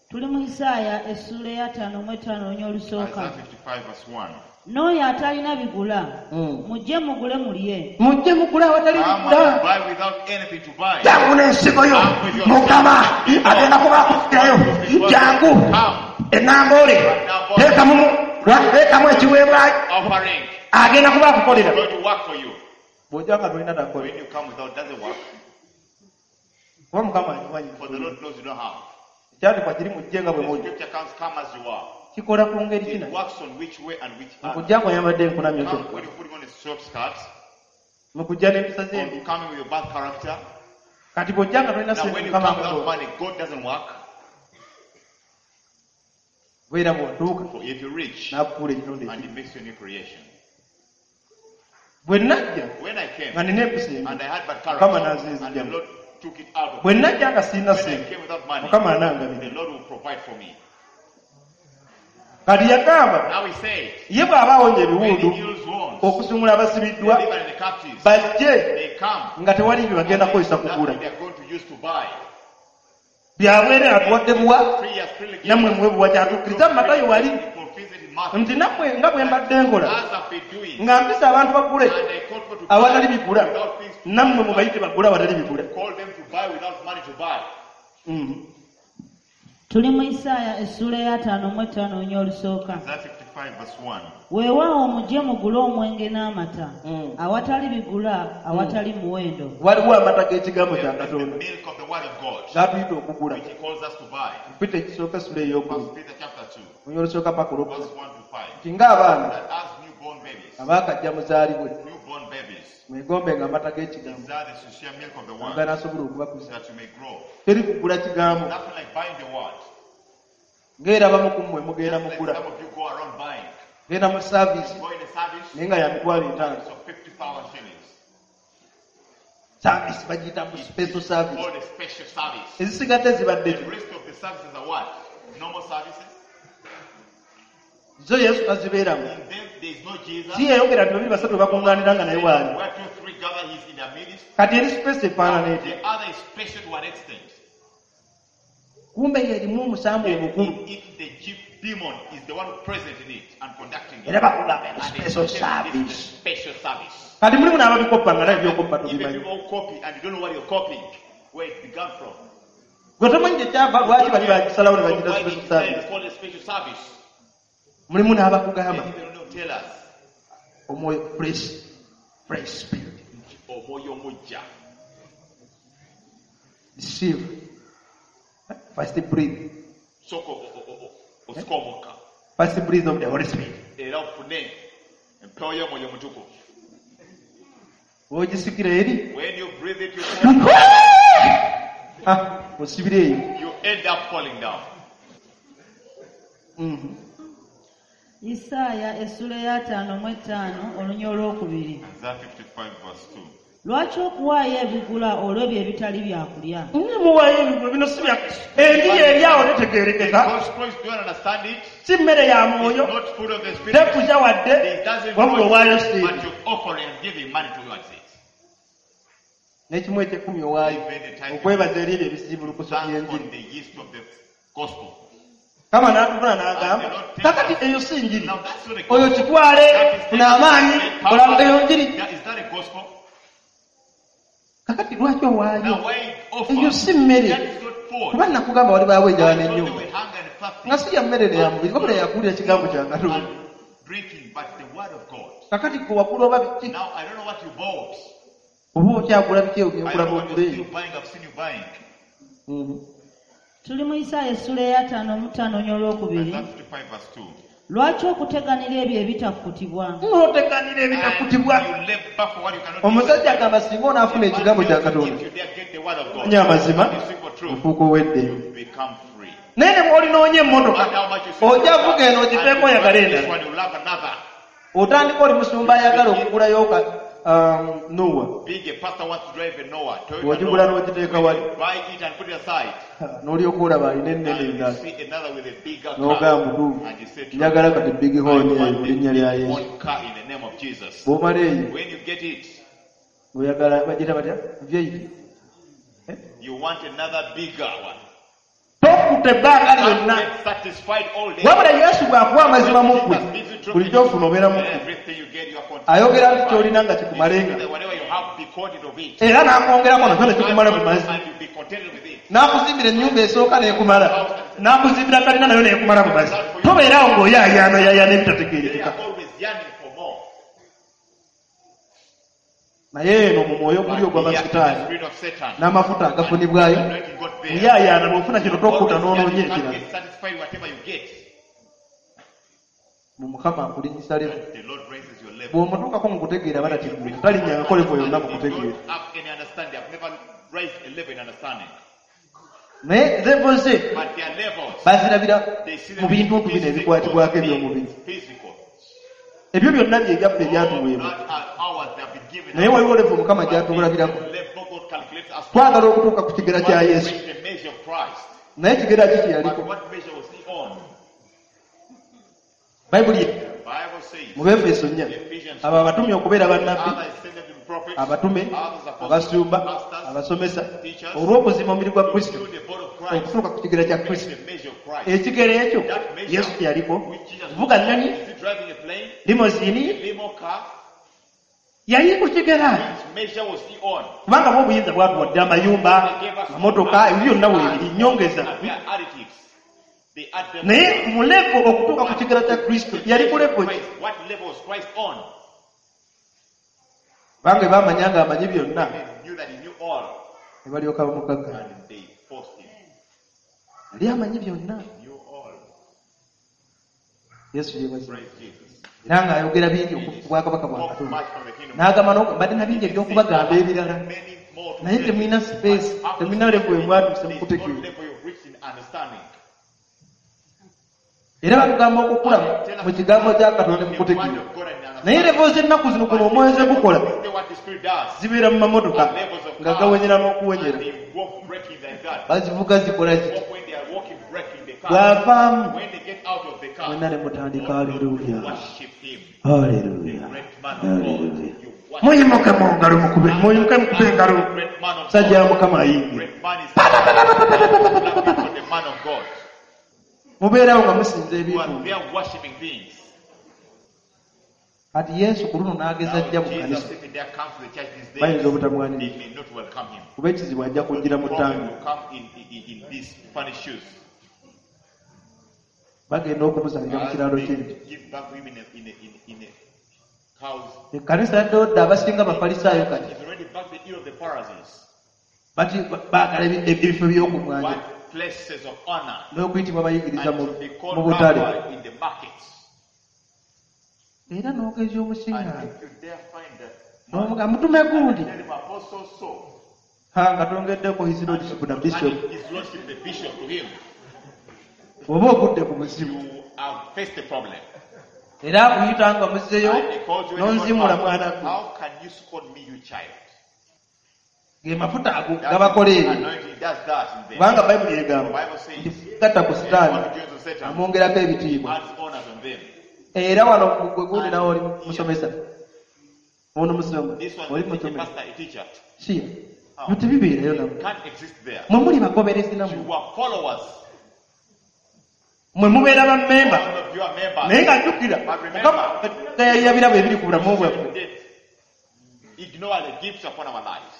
Tuli mu Isaaya essuula y'55 olunya olusooka. Isaiah 55 verse 1. N'oyo atalina bigula, mujje mugule mulye. Mujje mugule awatali Come bigula and buy without anything to buy. Jangu n'ensigo yo Mukama agenda kuba akufukirayo jangu enamboole teekamu ekiweebwayo Offering. agenda kuba akukolera It's going to work for you. Bw'ojja nga tolina takola When you come without, doesn't work. Kuba Mukama akimanyi For the Lord knows you don't have. Ekyandikwa kiri mujje nga bwe The muli scripture comes, come as you are. Kikola ku ngeri kina It works on which way and which other. Mukujja ng'oyambadde enkunamyo Come kyokka when you're putting on a short skirt, mukujja n'empisa zembi or coming with your bad character. Kati bw'ojja nga tolina Now sente when you Mukama come without akukola money, God doesn't work. Beera bw'otuuka For if you reach n'akufuula ekitonde and ekibi He makes you a new creation. Bwe najja When I came nga nina empisa embi and I had bad Mukama character, and the n'anzinzigyamu Lord took it out of Bwe me. najja nga sirina When I sente came without money, Mukama the anangabira Lord will provide for me. Kati yagamba Now he said, ye bw'aba awonya when he ebiwundu heals wounds, okusumula abasibiddwa delivering the captives, bajje they come. nga tewali bye bagenda kukozesa kugula Nothing they are going to use to buy. Byabwere atuwadde buwa Free has freely given. nammwe muwe buwa kyatukkiriza mu Matayo wali He fulfills it in Matthew. nti nammwe nga bwe mbadde nkola As I've been doing, nga mpisa abantu bagule and I called for to awatali buy bigula without things to nammwe mubayite bagule awatali bigula. call them to buy without money to buy. Tuli mu Isaaya essuula ey'ataano mu etaano olunya olusooka. Isaiah 55 verse 1. Weewaawo mujje mugule omwenge n'amata awatali bigula awatali muwendo. Waliwo amata g'ekigambo kya There is the Katonda milk of the word of God, g'atuyita okugula. which he calls us to buy. Peter ekisooka essula ey'okubiri First Peter chapter 2, olunya olusooka paka olwokusatu verse 1 to 5. nti ng'abaana That as newborn babies, abaakajja muzaalibwe newborn babies, mwegombe nga amata g'ekigambo desire the sincere milk of the word, ganaasobola okubakuza. that you may grow. Teri kugula kigambo Nothing like buying the word. ng'era abamu ku mmwe mugenda Just like mugula some of you go around buying. genda mu saaviisi Go in a service, naye nga ya 50,000. it's of 50,000 shillings. Saaviisi bagiyita mu special service. Called a special service. Ezisigadde zibadde The rest of the services are what? Normal services. zo Yesu tazibeeramu. In them there is no Jesus. Si yeyogera nti babiri basatu bakuŋŋaanira nga naye waali. Where two, three gather, he's in their midst. Kati eri space efaanana etya? The other is special to an extent. Kumbe yerimu omusambu omukulu. In it, the chief demon is the one present in it and conducting it. Era bakugamba eno And they special tell this is service. the special service. Kati mulimu n'ababikoppa nga naye byokoppa Even tobimanyi. people who copy and you don't know what you're copying, where it began from. Gwe tomanyi gye kyava lwaki bali bagisalawo ne bagita Why they special decided service. to call it special service. Mulimu They n'abakugamba even don't tell us. omwoyo fresh spirit Omwoyo omujja. receive first breathe Sooka osike omukka. first breathe of the Holy Spirit. Era ofune empewo y'omwoyo omutukuvu. Bw'ogisikira eri When you breathe it, you fall, Ah, osibira eyo. you end up falling down. Isaaya essuula ey'ataano mu etaano olunya olwokubiri. Isaiah 55 verse 2. Lwaki okuwaayo ebigula olw'ebyo ebitali byakulya? Muwaayo ebigula bino si bya enjiri eri awo tetegeerekeka. Because Christ don't understand it. Si mmere ya It's mwoyo not food of the spirit. tekuza wadde It doesn't wabula grow, owaayo but sente you're offering and giving money towards it. n'ekimu ekyekumi owaayo Even the tithe okwebaza eri ebyo ebisiibulukuso Thanks by'enjiri. on the yeast of the gospel. Kama n'atuvuna n'agamba kakati eyo si njiri Now that's not a oyo gospel. kitwale That is- funa amaanyi kola eyo njiri. Is that a gospel? Kakati lwaki owaayo Now why offer? eyo si mmere That is not food. kuba nakugamba walibaawo enjala I thought they n'ennyumba were hunger and fasting nga si ya mmere ne ya mubiri wabula yakuwulira ekigambo kya Katonda. and drinking, but the word of God. Kakati gwe wakula oba biki Now I don't know what you bought. oba okyagula biki I ebyo don't know byenkula what you're bwogula still eyo. buying. I've seen you buying. Tuli mu Isaaya essuula ey'ataano mu ttaano olunya olwokubiri. Isaiah 55 verse 2. Lwaki okuteganira ebyo ebitakkutibwa? N'oteganira ebitakutibwa. And you labor for what you cannot Omusajja agamba singa onaafuna ekigambo kya Katonda If you dare get the word of God, onya amazima you seek for truth, ofuuka owedde. you become free. Naye ne bw'olinoonya emmotoka But how much you seek ojja for vuga eno and ogiveeko you oyagale want this endala. one, you love another. Otandika oli musumba ayagala okugulayo ka Noah Being a pastor wants to drive a Noah, Toyota bw'ogigula Noah. n'ogiteeka wali Buy it and put it aside. n'olyoka olaba alina ennene And you endala see another with a bigger n'ogamba car. mutuufu And you say, njagala kati big I horn eyo want mu the linnya lya big Yesu. horn car in the name of Jesus. Bw'omala eyo When you get it, oyagala bagira batya V8 you want another bigger one. Tokutta ebbanga Can't lyonna get satisfied all day. wabula Yesu bw'akuwa amazima mu ggwe Jesus gives you truth buli ky'ofuna obeera mu ggwe. Everything you get, you are content. Ayogera nti ky'olina nga kikumalenga Whatever you have, be content of it. era n'akwongerako nakyo ne kikumala bumazi And you be contented with it. n'akuzimbira ennyumba esooka n'ekumala n'akuzimbira kalina nayo n'ekumala bumazi tobeerawo ng'oyaayaana yaayaana They ebitategeerekeka. are always yearning for more. Naye eno mu mwoyo But guli here in the ogw'amasitaani spirit of Satan, n'amafuta agafunibwayo anointing got there. muyaayaana bw'ofuna kino tokkuta Always n'onoonya yearning, you can't ekirala. get satisfied whatever you get. Mu Mukama akulinnyisa level. The Lord raises your level. Bw'omutuukako mu kutegeera batategeera talinnyangako level yonna mu They kutegeera. don't have any understanding. I've never raised a level in understanding. Naye level ze But their levels, bazirabira they see mu them bintu in bino physical ebikwatibwako eby'omubiri. things, physical. Ebyo byonna bye byaffe ebyatuweebwa. Not are ours, they have been given Naye us. waliwo level Mukama But gy'atulabirako. this level God calculates us to. Twagala okutuuka ku kigera kya Want to Yesu. reach the measure of Christ. Naye kigera ki kye But yaliko? what measure was he on? Bayibuli Bible says, mu Befeso 4 Ephesians abo abatumye okubeera bannabbi, others send them to be prophets, abatume, others apostles, abasumba, pastors, abasomesa, teachers, olw'okuzimba omubiri gwa to Kristo build the body of Christ, okutuuka ku kigera kya to Kristo. the measure of Christ. Ekigero ekyo That measure Yesu kye yaliko. which Jesus Vuga nnyonyi, is he driving a plane, limousine, a limo car? yali ku kigera. Which measure was he on? Kubanga bwe obuyinza bwatuwadde amayumba, They gave us amamotoka, ebyo byonna weebiri, nnyongeza. And they are additives. They add them. Naye mu levo okutuuka ku kigera kya Kristo yali ku levo ki? Christ, what level was Christ on? Kubanga bwe baamanya ng'amanyi byonna, They knew that he knew all, ne balyoka bamukagga. and they forced him. Yali amanyi byonna. He knew all. Yesu yeebazibwe. Praise Jesus. Era ng'ayogera bingi ku bwakabaka bwa Spoke Katonda. much from the kingdom. N'agamba mbadde na bingi eby'okubagamba ebirala. Many more to Naye tell. temulina space, But after temulina level we mwatuuse there is no mukutegeera. level you've reached in understanding. Era batugamba okukula mu kigambo kya Katonda The word mukutegeera. of God and understanding. Naye level z'ennaku zino kuno omwoyo ze gukola But what the Spirit does. zibeera mu mamotoka Levels of nga cars, gawenyera n'okuwenyera. and they walk breaking like that. Bazivuga zikola ziti. Walk when they are walking breaking the car. Bw'avaamu When they get out of the car, mwenna ne mutandika haleluya. worship him. Haleluya. Great man of God. Haleluya. You worship Muyimuke mu ngalo mukube, muyimuke mukube engalo. Great man of Musajja wa God. Mukama ayingira. Great man is clapping for the man of God. Mubeerawo nga musinza You are ebintu. there worshiping things. Kati Yesu ku luno n'ageza Now ajja mu Jesus, kkanisa. if he dare come to the church these days, Bayinza they obutamwaniriza. may not welcome him. Kuba ekizibu ajja kujjira mu The problem ttangi. will come in these funny shoes. Bagenda okumuzaalira mu As kiraalo they ky'ente. give birth to him in a cows. Ekkanisa yaddeyo dda abasinga Bafalisaayo kati. He's already back the ear of the Pharisees. Bati baagala ebifo by'okumwanja What places of honor n'okuyitibwa bayigiriza and mu to be mu called butale. rabbi in the markets. Era n'ogeza And omusiŋŋaana. if you dare find that man, N'omuga mutume gundi. tell him apostle so, Ha nga tongeddeko his lordship na bishop. and his lordship the bishop to him, Oba ogudde ku buzibu. you have faced a problem. Era akuyita nga muzzeyo And he called you and he n'onzimula got mwana back. gwe. How can you scorn me, you child? Ge mafuta ago That gabakola ebyo. anointing does that in them. Kubanga Bayibuli egamba The Bible says, nti gatta ku Sitaani anyone who joins with Satan amwongerako ebitiibwa. adds honors on them. Era wano gwe gundi nawe oli musomesa. Ono musoma. This one Oli is a musomesa. pastor, a teacher. Siya. Byo tebibeerayo nammwe. Can't exist there. Mwe muli bagoberezi nammwe. You are followers. Mwe mubeera bammemba. All of you are members. Naye nga jjukira But remember, Mukama yayira birabo ebiri ku bulamu bwaffe. Death. Ignore the gifts upon our lives.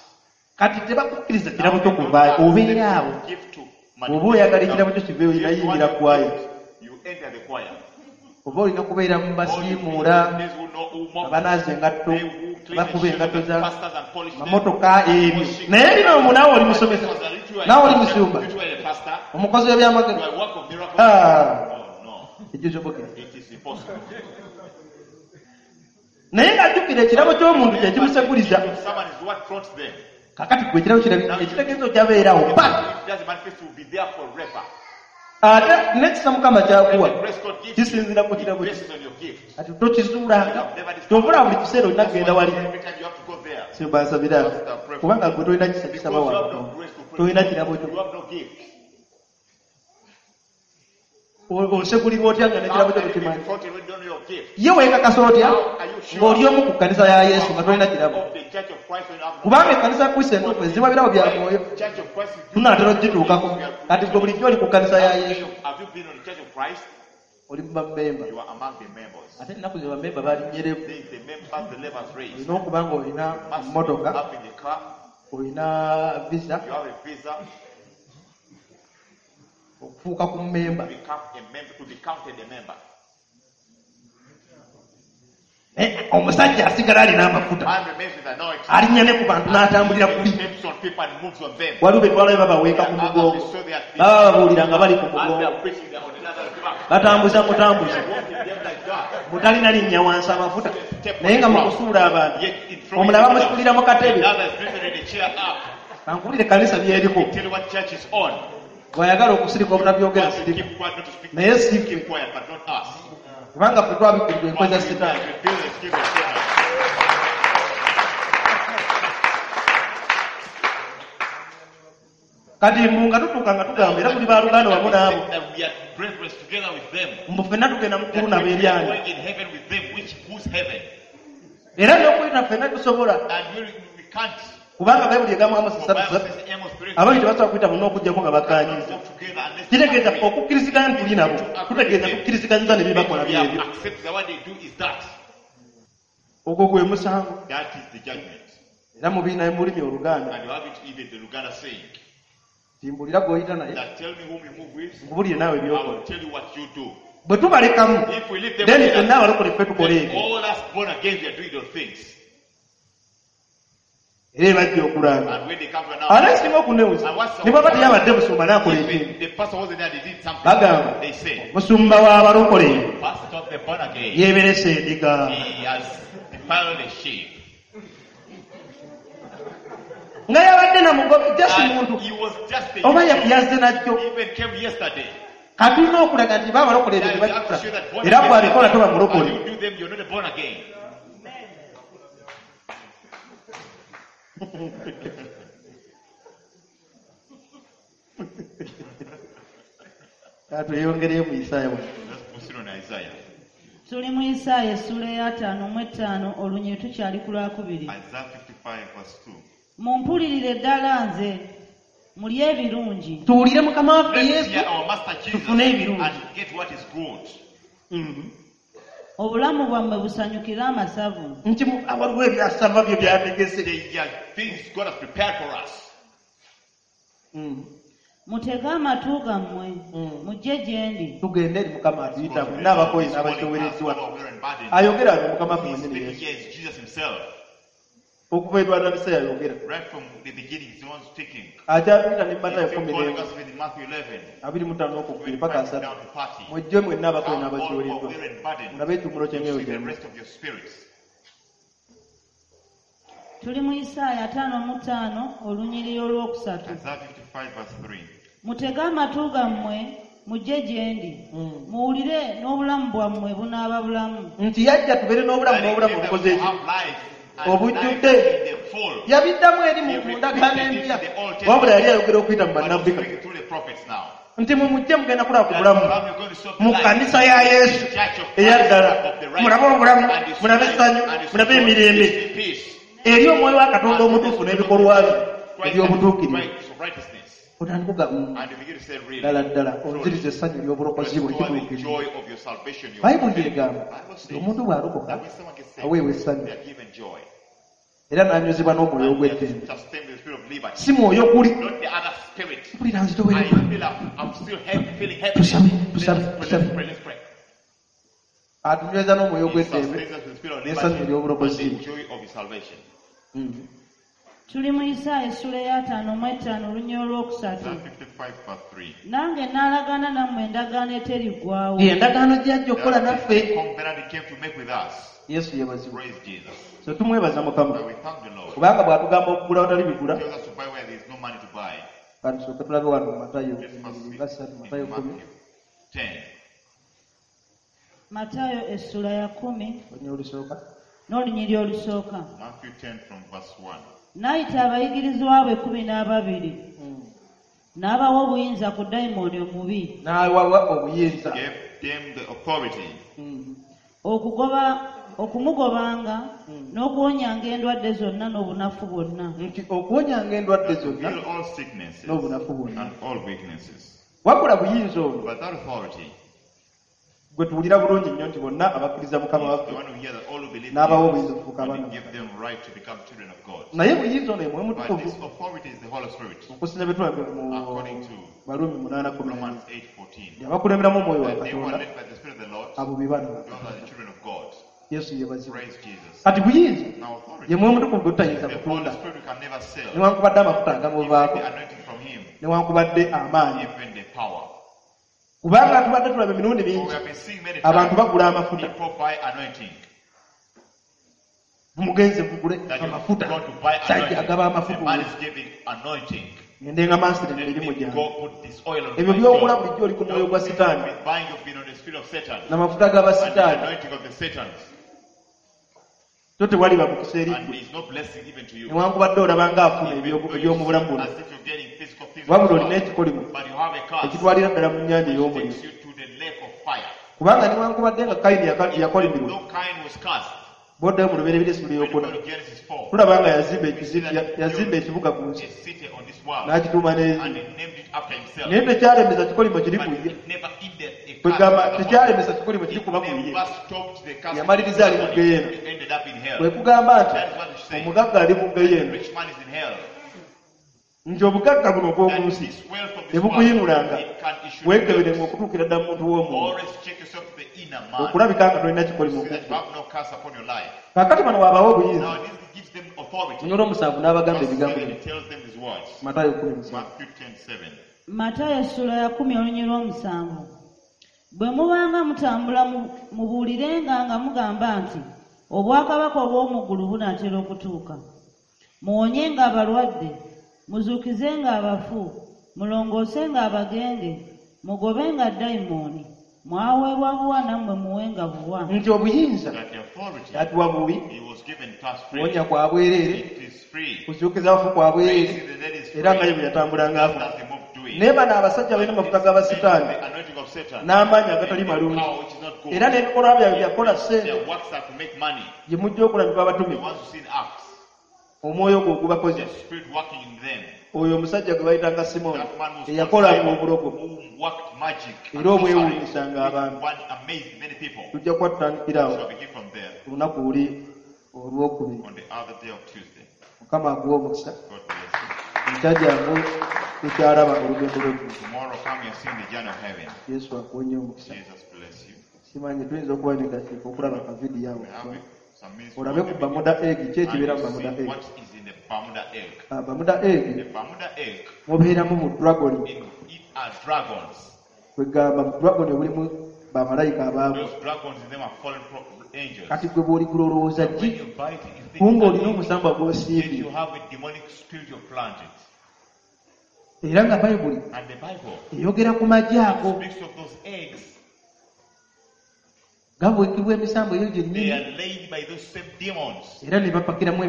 Kati tebakukkiriza kirabo kyo kuvaayo obeera awo. Gift to Bw'oba oyagala ekirabo kyo kiveeyo If you olina want yingira your kwaya. gift, You enter the choir. Oba olina kubeera mu All you basiimuula, these who know who mop, abanaaza engatto, they who clean the abakuba shoes of engatto the za pastors and polish them. mamotoka ebyo. Naye bino omwo naawe oli musomesa, naawe oli musumba, You are a pastor. omukozi You w'ebyamagero. are a work of miracles. Ah. Oh no, Ekisobokera. it is impossible. Naye ng'ajjukira ekirabo ky'omuntu kye kimusekuliza. If someone is what fronts them, Kaakati gwe ekirabo ekitegeeza okyabeerawo pa. if it doesn't manifest, will be there forever. Ate n'ekisa Mukama ky'akuwa The grace God gives you, kisinziira ku kirabo it kye. bases on your gift. Kati tokizuulanga. Kyova buli kiseera olina kugenda wali. Every time you have to go there. Simba nsabira kubanga gwe tolina kisa Because kisaba you have wano. no grace to pray. Tolina kirabo kyo. You have no gift. Osekulirwa otya nga n'ekirabo How kyo can you be tokimanyi? fronted when you don't know your gift? Ye weekakasa otya ng'oli omu ku kkanisa ya Yesu nga tolina kirabo. Of the Church of Christ when you have no Kubanga ekkanisa ya Kristo entuufu ezibwa birabo bya mwoyo. Church of Christ is Tunaatera okugituukako. Kati gwe bulijjo oli ku kkanisa ya Yesu. Have you been on the Church of Christ? Oli mu bammemba. You are among the members. Ate ennaku zino bammemba balinnyeremu. There is the members, the levers raised. Olina okuba ng'olina Must be emmotoka, up in the car. olina visa You have a visa okufuuka ku mmemba. to become a member, to be counted a member. Naye omusajja asigala alina amafuta. Man remains with anointing. Alinnya ne ku bantu n'atambulira He kuli. steps on people and moves on them. Waliwo be twalayo babaweeka ku mugongo. Baba babuulira nga bali ku As they mugongo. are preaching, they are on another's back. Batambuza mutambuze. Walking them like that. Mutalina linnya wansi amafuta. Naye nga mu kusuula abantu. Yet in throwing Omulala the bamusuulira mu katebe. Another is driven in the chair up. Kankuwulire ekkanisa byeriko. Tell you what church is on. Bw'ayagala okusirika obutabyogera Want to sirika. keep quiet, not to speak. Naye si ffe. Keep quiet, but not us. Kubanga ffe twabikkulirwa enkwe za Sitaani. Reveal the scheme of Satan. Kati mbu nga tutuuka nga tugamba era tuli baluganda wamu We n'abo said that we are brethren together with them. mbu ffenna tugenda mu That ggulu we nabo are eryanyi going in heaven with them, which whose heaven? Era n'okuyita ffenna tusobola And we can't. Kubanga Bayibuli egamba Amosi For ssatu Bible ssatu says Amos 3, ababiri tebasobola kuyita bonna okuggyako nga cannot bakkaanyiza walk together unless we Kitegeeza agree. okukkiriziganya nti tuli nabo tutegeeza kukkiriziganyiza ne byebakola We have byebyo accepted that what they do is that. Ogwo gwe musango That is the judgment. Era mubiina mu lulimi oluganda And you have it even the Luganda saying timbulira gw'oyita naye that tell me whom you move with, nkubulire naawe I byokola will tell you what you do. Bwe tubalekamu If we leave them then with ffenna us, abalokole ffe tukola then ebyo all us born again, we are doing those things. Era ebajja okulanga And when they come to ate announce, ekisinga okunewuza ne bwaba teyabadde musumba n'akola ekintu if the pastor wasn't there, they did something. Bagamba They say, musumba w'abalokole Pastor of the born again, yeeberese endiga he has defiled the sheep. Nga yabadde namugobe just And muntu he was just a oba youth. yazze najjo He even came yesterday. Kati tulina okulaga nti baabalokole ebyo Now you have to tebakikola show that born era again, bw'abikola toba and mulokole you do them, you're not born again. Tweyongereyo mu Isaaya wano. Let's proceed on Isaiah. Tuli mu Isaaya essuula ey'ataano mu etaano olunyiri tukyali ku lwakubiri. Isaiah 55 verse 2. Mumpulirire ddala nze mulye ebirungi Tuwulire mukama waffe Let's Yesu hear our Master Jesus tufune ebirungi. and get what is good. Obulamu bwammwe busanyukire amasavu Nti waliwo ebyasava byo byategese There are things God has prepared for us. Mutege amatu gammwe mujje gye ndi Tugende eri mukama atuyita God mwenna abakoyi is calling us, n'abakyowereddwa all who are weary and burdened. Ayogera wano mukama waffe He's mwennyini speaking Yesu here is Jesus himself. Okuva etwatandise yayogera Right from the beginning, he's the one speaking. Akyatuyita ne He's Matayo still kumi calling n'emu us in Matthew 11, abiri mu ttaano okukubiri paka 25 asatu down to 30. Mujje mwenna abakoyi Come all who are n'abakyowereddwa weary and burdened, mulabe ekiwummulo ky'emyoyo to see the gyammwe rest of your spirits. Tuli mu Isaaya ataano mu ttaano olunyiriri olwokusatu Isaiah 55 verse 3. Mutege amatu gammwe mujje gye ndi muwulire n'obulamu bwammwe bunaaba bulamu Nti yajja tubeere n'obulamu That he n'obulamu came that obukoze we eki have life and obujjudde life in the full. Yabiddamu eri mu mu ndagaano empya wabula yali ayogera okuyita mu But he's bannabbi speaking through the prophets now. Nti mwe mujje mugenda kulaba ku bulamu That come, you're going to serve the mu life. kkanisa ya Yesu Church of Christ eyaddala of the right mulabe obulamu and his mulabe life essanyu and his mulabe joy, emirembe his peace. Eri omwoyo wa Katonda omutuufu n'ebikolwa bye Christ eby'obutuukirivu and righteous of righteousness. Otandika And you begin to say, really, ddala ddala onziriza essanyu ly'obulokozi bwe restore the kituukirivu joy of your salvation. You Bayibuli egamba Bible nti says omuntu bw'alokoka that when someone gets saved, aweebwa essanyu they are given joy. Era n'anywezebwa n'omwoyo And they are ogw'eddembe sustained with the spirit of liberty. Si mwoyo guli Not the other spirit. mpulira I nzitowereddwa feel I'm still heavy, feeling heavy. Tusabe, Let's tusabe, pray, tusabe. let's pray, let's pray. Atunyweza n'omwoyo He ogw'eddembe sustains us with the spirit of n'essanyu liberty and ery'obulokozi the joy of his salvation. Tuli mu Isaaya essula ey'ataano mu etaano olunyiriri olwokusatu Isaiah 55 verse 3. Nange naalagaana nammwe endagaano eteriggwaawo Ye endagaano gyajja okukola That is naffe the covenant he came to make with us. Yesu yebazibwe Praise Jesus. So tumwebaza mukama But we thank the Lord. kubanga bw'atugamba okugula watali bigula He tells us to buy where there is no money to buy. Katusooke tulabe wano mu Matayo Let's first see nga ssatu Matayo in kumi Matthew 10. Matayo essula ya kumi olunyiriri olusooka n'olunyiriri olusooka Matthew 10 from verse 1. N'ayita abayigirizwa be kumi n'ababiri n'abawa obuyinza ku dayimooni omubi N'awawa obuyinza Gave them the authority okugoba okumugobanga n'okuwonyanga endwadde zonna n'obunafu bwonna Nti okuwonyanga endwadde to zonna heal all sicknesses n'obunafu bwonna and all weaknesses. Wabula buyinza ono But that authority gwe tuwulira bulungi nnyo nti bonna abakkiriza mukama is waffe the one who hears that all who believe n'abawa in obuyinza okufuuka and abaana he give them right to become children of God. Naye buyinza ono ye Mwoyo But Mutukuvu this authority is the Holy Spirit. Okusinza bye tulabye mu According to Baluumi munaana kumi na Romans nnya. 8:14. Abakulemberamu omwoyo wa That they who are Katonda led by the Spirit of the Lord, abo be baana ba those are the children of God. Yesu yebazibwe Praise Jesus. Kati buyinza Now authority. ye Mwoyo Mutukuvu gwe tutayinza The Holy kutunda Spirit we can never sell. Newankubadde amafuta Even agamuvaako the anointing from him, newankubadde amaanyi even the power. Kubanga tubadde tulaba emirundi For we mingi have been seeing many abantu times bagula amafuta people buy anointing. Mugenze mugule That you've amafuta gone to buy sajja anointing. agaba The amafuta man is giving anointing. Ngende nga mansire Let emirimu me gyange go put this oil on Ebyo my by'okola job. bulijjo oli ku mwoyo gwa sitaani With buying you've been on the spirit of Satan. N'amafuta g'aba And the sitaani anointing of the Satans. So tewaliba mukisa eri And ggwe there is no blessing even to you. Newankubadde olaba ng'afuna Even though you eby'omu bulamu see buno as if you're getting physical things things Wabula of olina this world. ekikolimo But you have a curse ekitwalira ddala mu nnyanja which ey'omuliro. takes you to the lake of fire. Kubanga newankubadde nga Kayini yakolimirwa, Though Cain was cursed, bw'oddayo mu Lubereberye essula when you go ey'okuna, to Genesis 4, tulaba nga yazimba we see ekizi- that ya- he yazimba built ekibuga ku nsi a city on this world n'agituuma and n'erinnya. he named it after himself. Naye tekyalemesa kikolimo kiri But ku ye. it never ended a curse Kwegamba upon him. tekyalemesa kikolimo kiri It kuba ku ye. never stopped the curse. Yamaliriza ali mu ggeyeena. He ended up in hell. Kwe kugamba nti That is what he's saying. omugagga ali mu The ggeyeena, rich man is in hell. nti obugagga buno obw'oku That nsi this wealth of this tebukuyinulanga, world, it can issue weekeberenga okutuukira ddala mu muntu w'omwoyo Always check yourself to the inner man. okulabika nga tolina kikolimo See that you ku ggwe. have no curse upon your life. Kaakati bano waabawa obuyinza. Now this gives them authority. Munyolo omusanvu n'abagamba Verse ebigambo 7 bino. tells them these words. Matayo 17. Matthew 10:7. Matayo essula ya 10:7. Bwe mubanga mutambula mubuulirenga nga mugamba nti obwakabaka obw'omu ggulu bunaatera okutuuka. Muwonyenga abalwadde, muzuukizenga abafu, mulongoosenga abagenge, mugobenga dayimooni. Mwaweebwa buwa nammwe muwenga buwa. Nti obuyinza That the authority yatuwa buwi, he was given to us free. kuwonya kwa bwereere, It is free. kuzuukiza abafu kwa bwereere, Raising the dead is era nga ye free. bwe yatambulanga afa. That's the move doing. Naye bano abasajja balina amafuta g'abasitaani The anointing of Satan. n'amaanyi agatali And the malungi, power which is not good. era n'ebikolwa byabwe byakukola ssente Their works are to make money. gye mujja okulabibwa abatume, The ones who sin acts. omwoyo gwo ogubakoze. The spirit working in them. Oyo omusajja gwe bayitanga Simooni That man was eyakolanga called Simon, obulogo who worked magic and era obwewuunyisanga sorcery, abantu. which one amazed many people. Tujja kuba tutandikirawo Shall begin from there ku lunaku luli olwokubiri. on the other day of Tuesday. Mukama akuwe omukisa. God bless you. Enkya jangu tukyalaba olugendo lw'eggulu. Tomorrow come and sing the journey of heaven. Yesu akuwe nnyo omukisa. Jesus bless you. Simanyi tuyinza okuba n'eddakiika okulaba akavidiyo awo We have some minutes. olabe ku Bermuda egg, ki And ekibeera mu you Bermuda see egg. what is in the Bermuda egg. Ah, Bermuda egg The Bermuda egg, mubeeramu mu dragon, in it are dragons. kwegamba mu dragon obulimu bamalayika abaagwa. Those dragons in them are fallen angels. Kati gwe bw'oligula olowooza When ki you bite it, you think kumbe it's an olina egg. omusambwa Yet gw'osiibye. you have a demonic spirit you planted. Era nga Bayibuli And the Bible eyogera ku magi ago speaks of those eggs. gabuukibwa emisambo eyo They gyennyini are laid by those same demons. era ne bapakiramu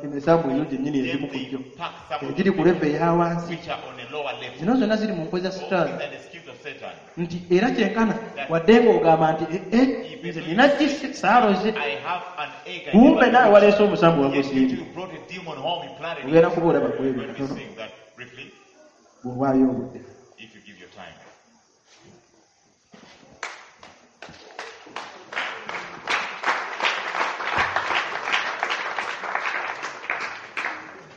emisambo eyo gyennyini Then egimu ku they gyo pack some of egiri those ku level eya wansi. which are on a lower level. Zino zonna ziri mu nkwe za All Sitaani. these are the schemes of Satan. Nti era kyenkana wadde ng'ogamba nti "Eh, eh, nze nina gisi saaloze, I have an egg. I kumbe never naawe used. waleese omusambo Yet you wagusiibye. too brought a demon home, you planted Ogenda it. kuba olaba ku We're ebyo going to be katono seeing that briefly bw'owaayo obudde. if you give your time.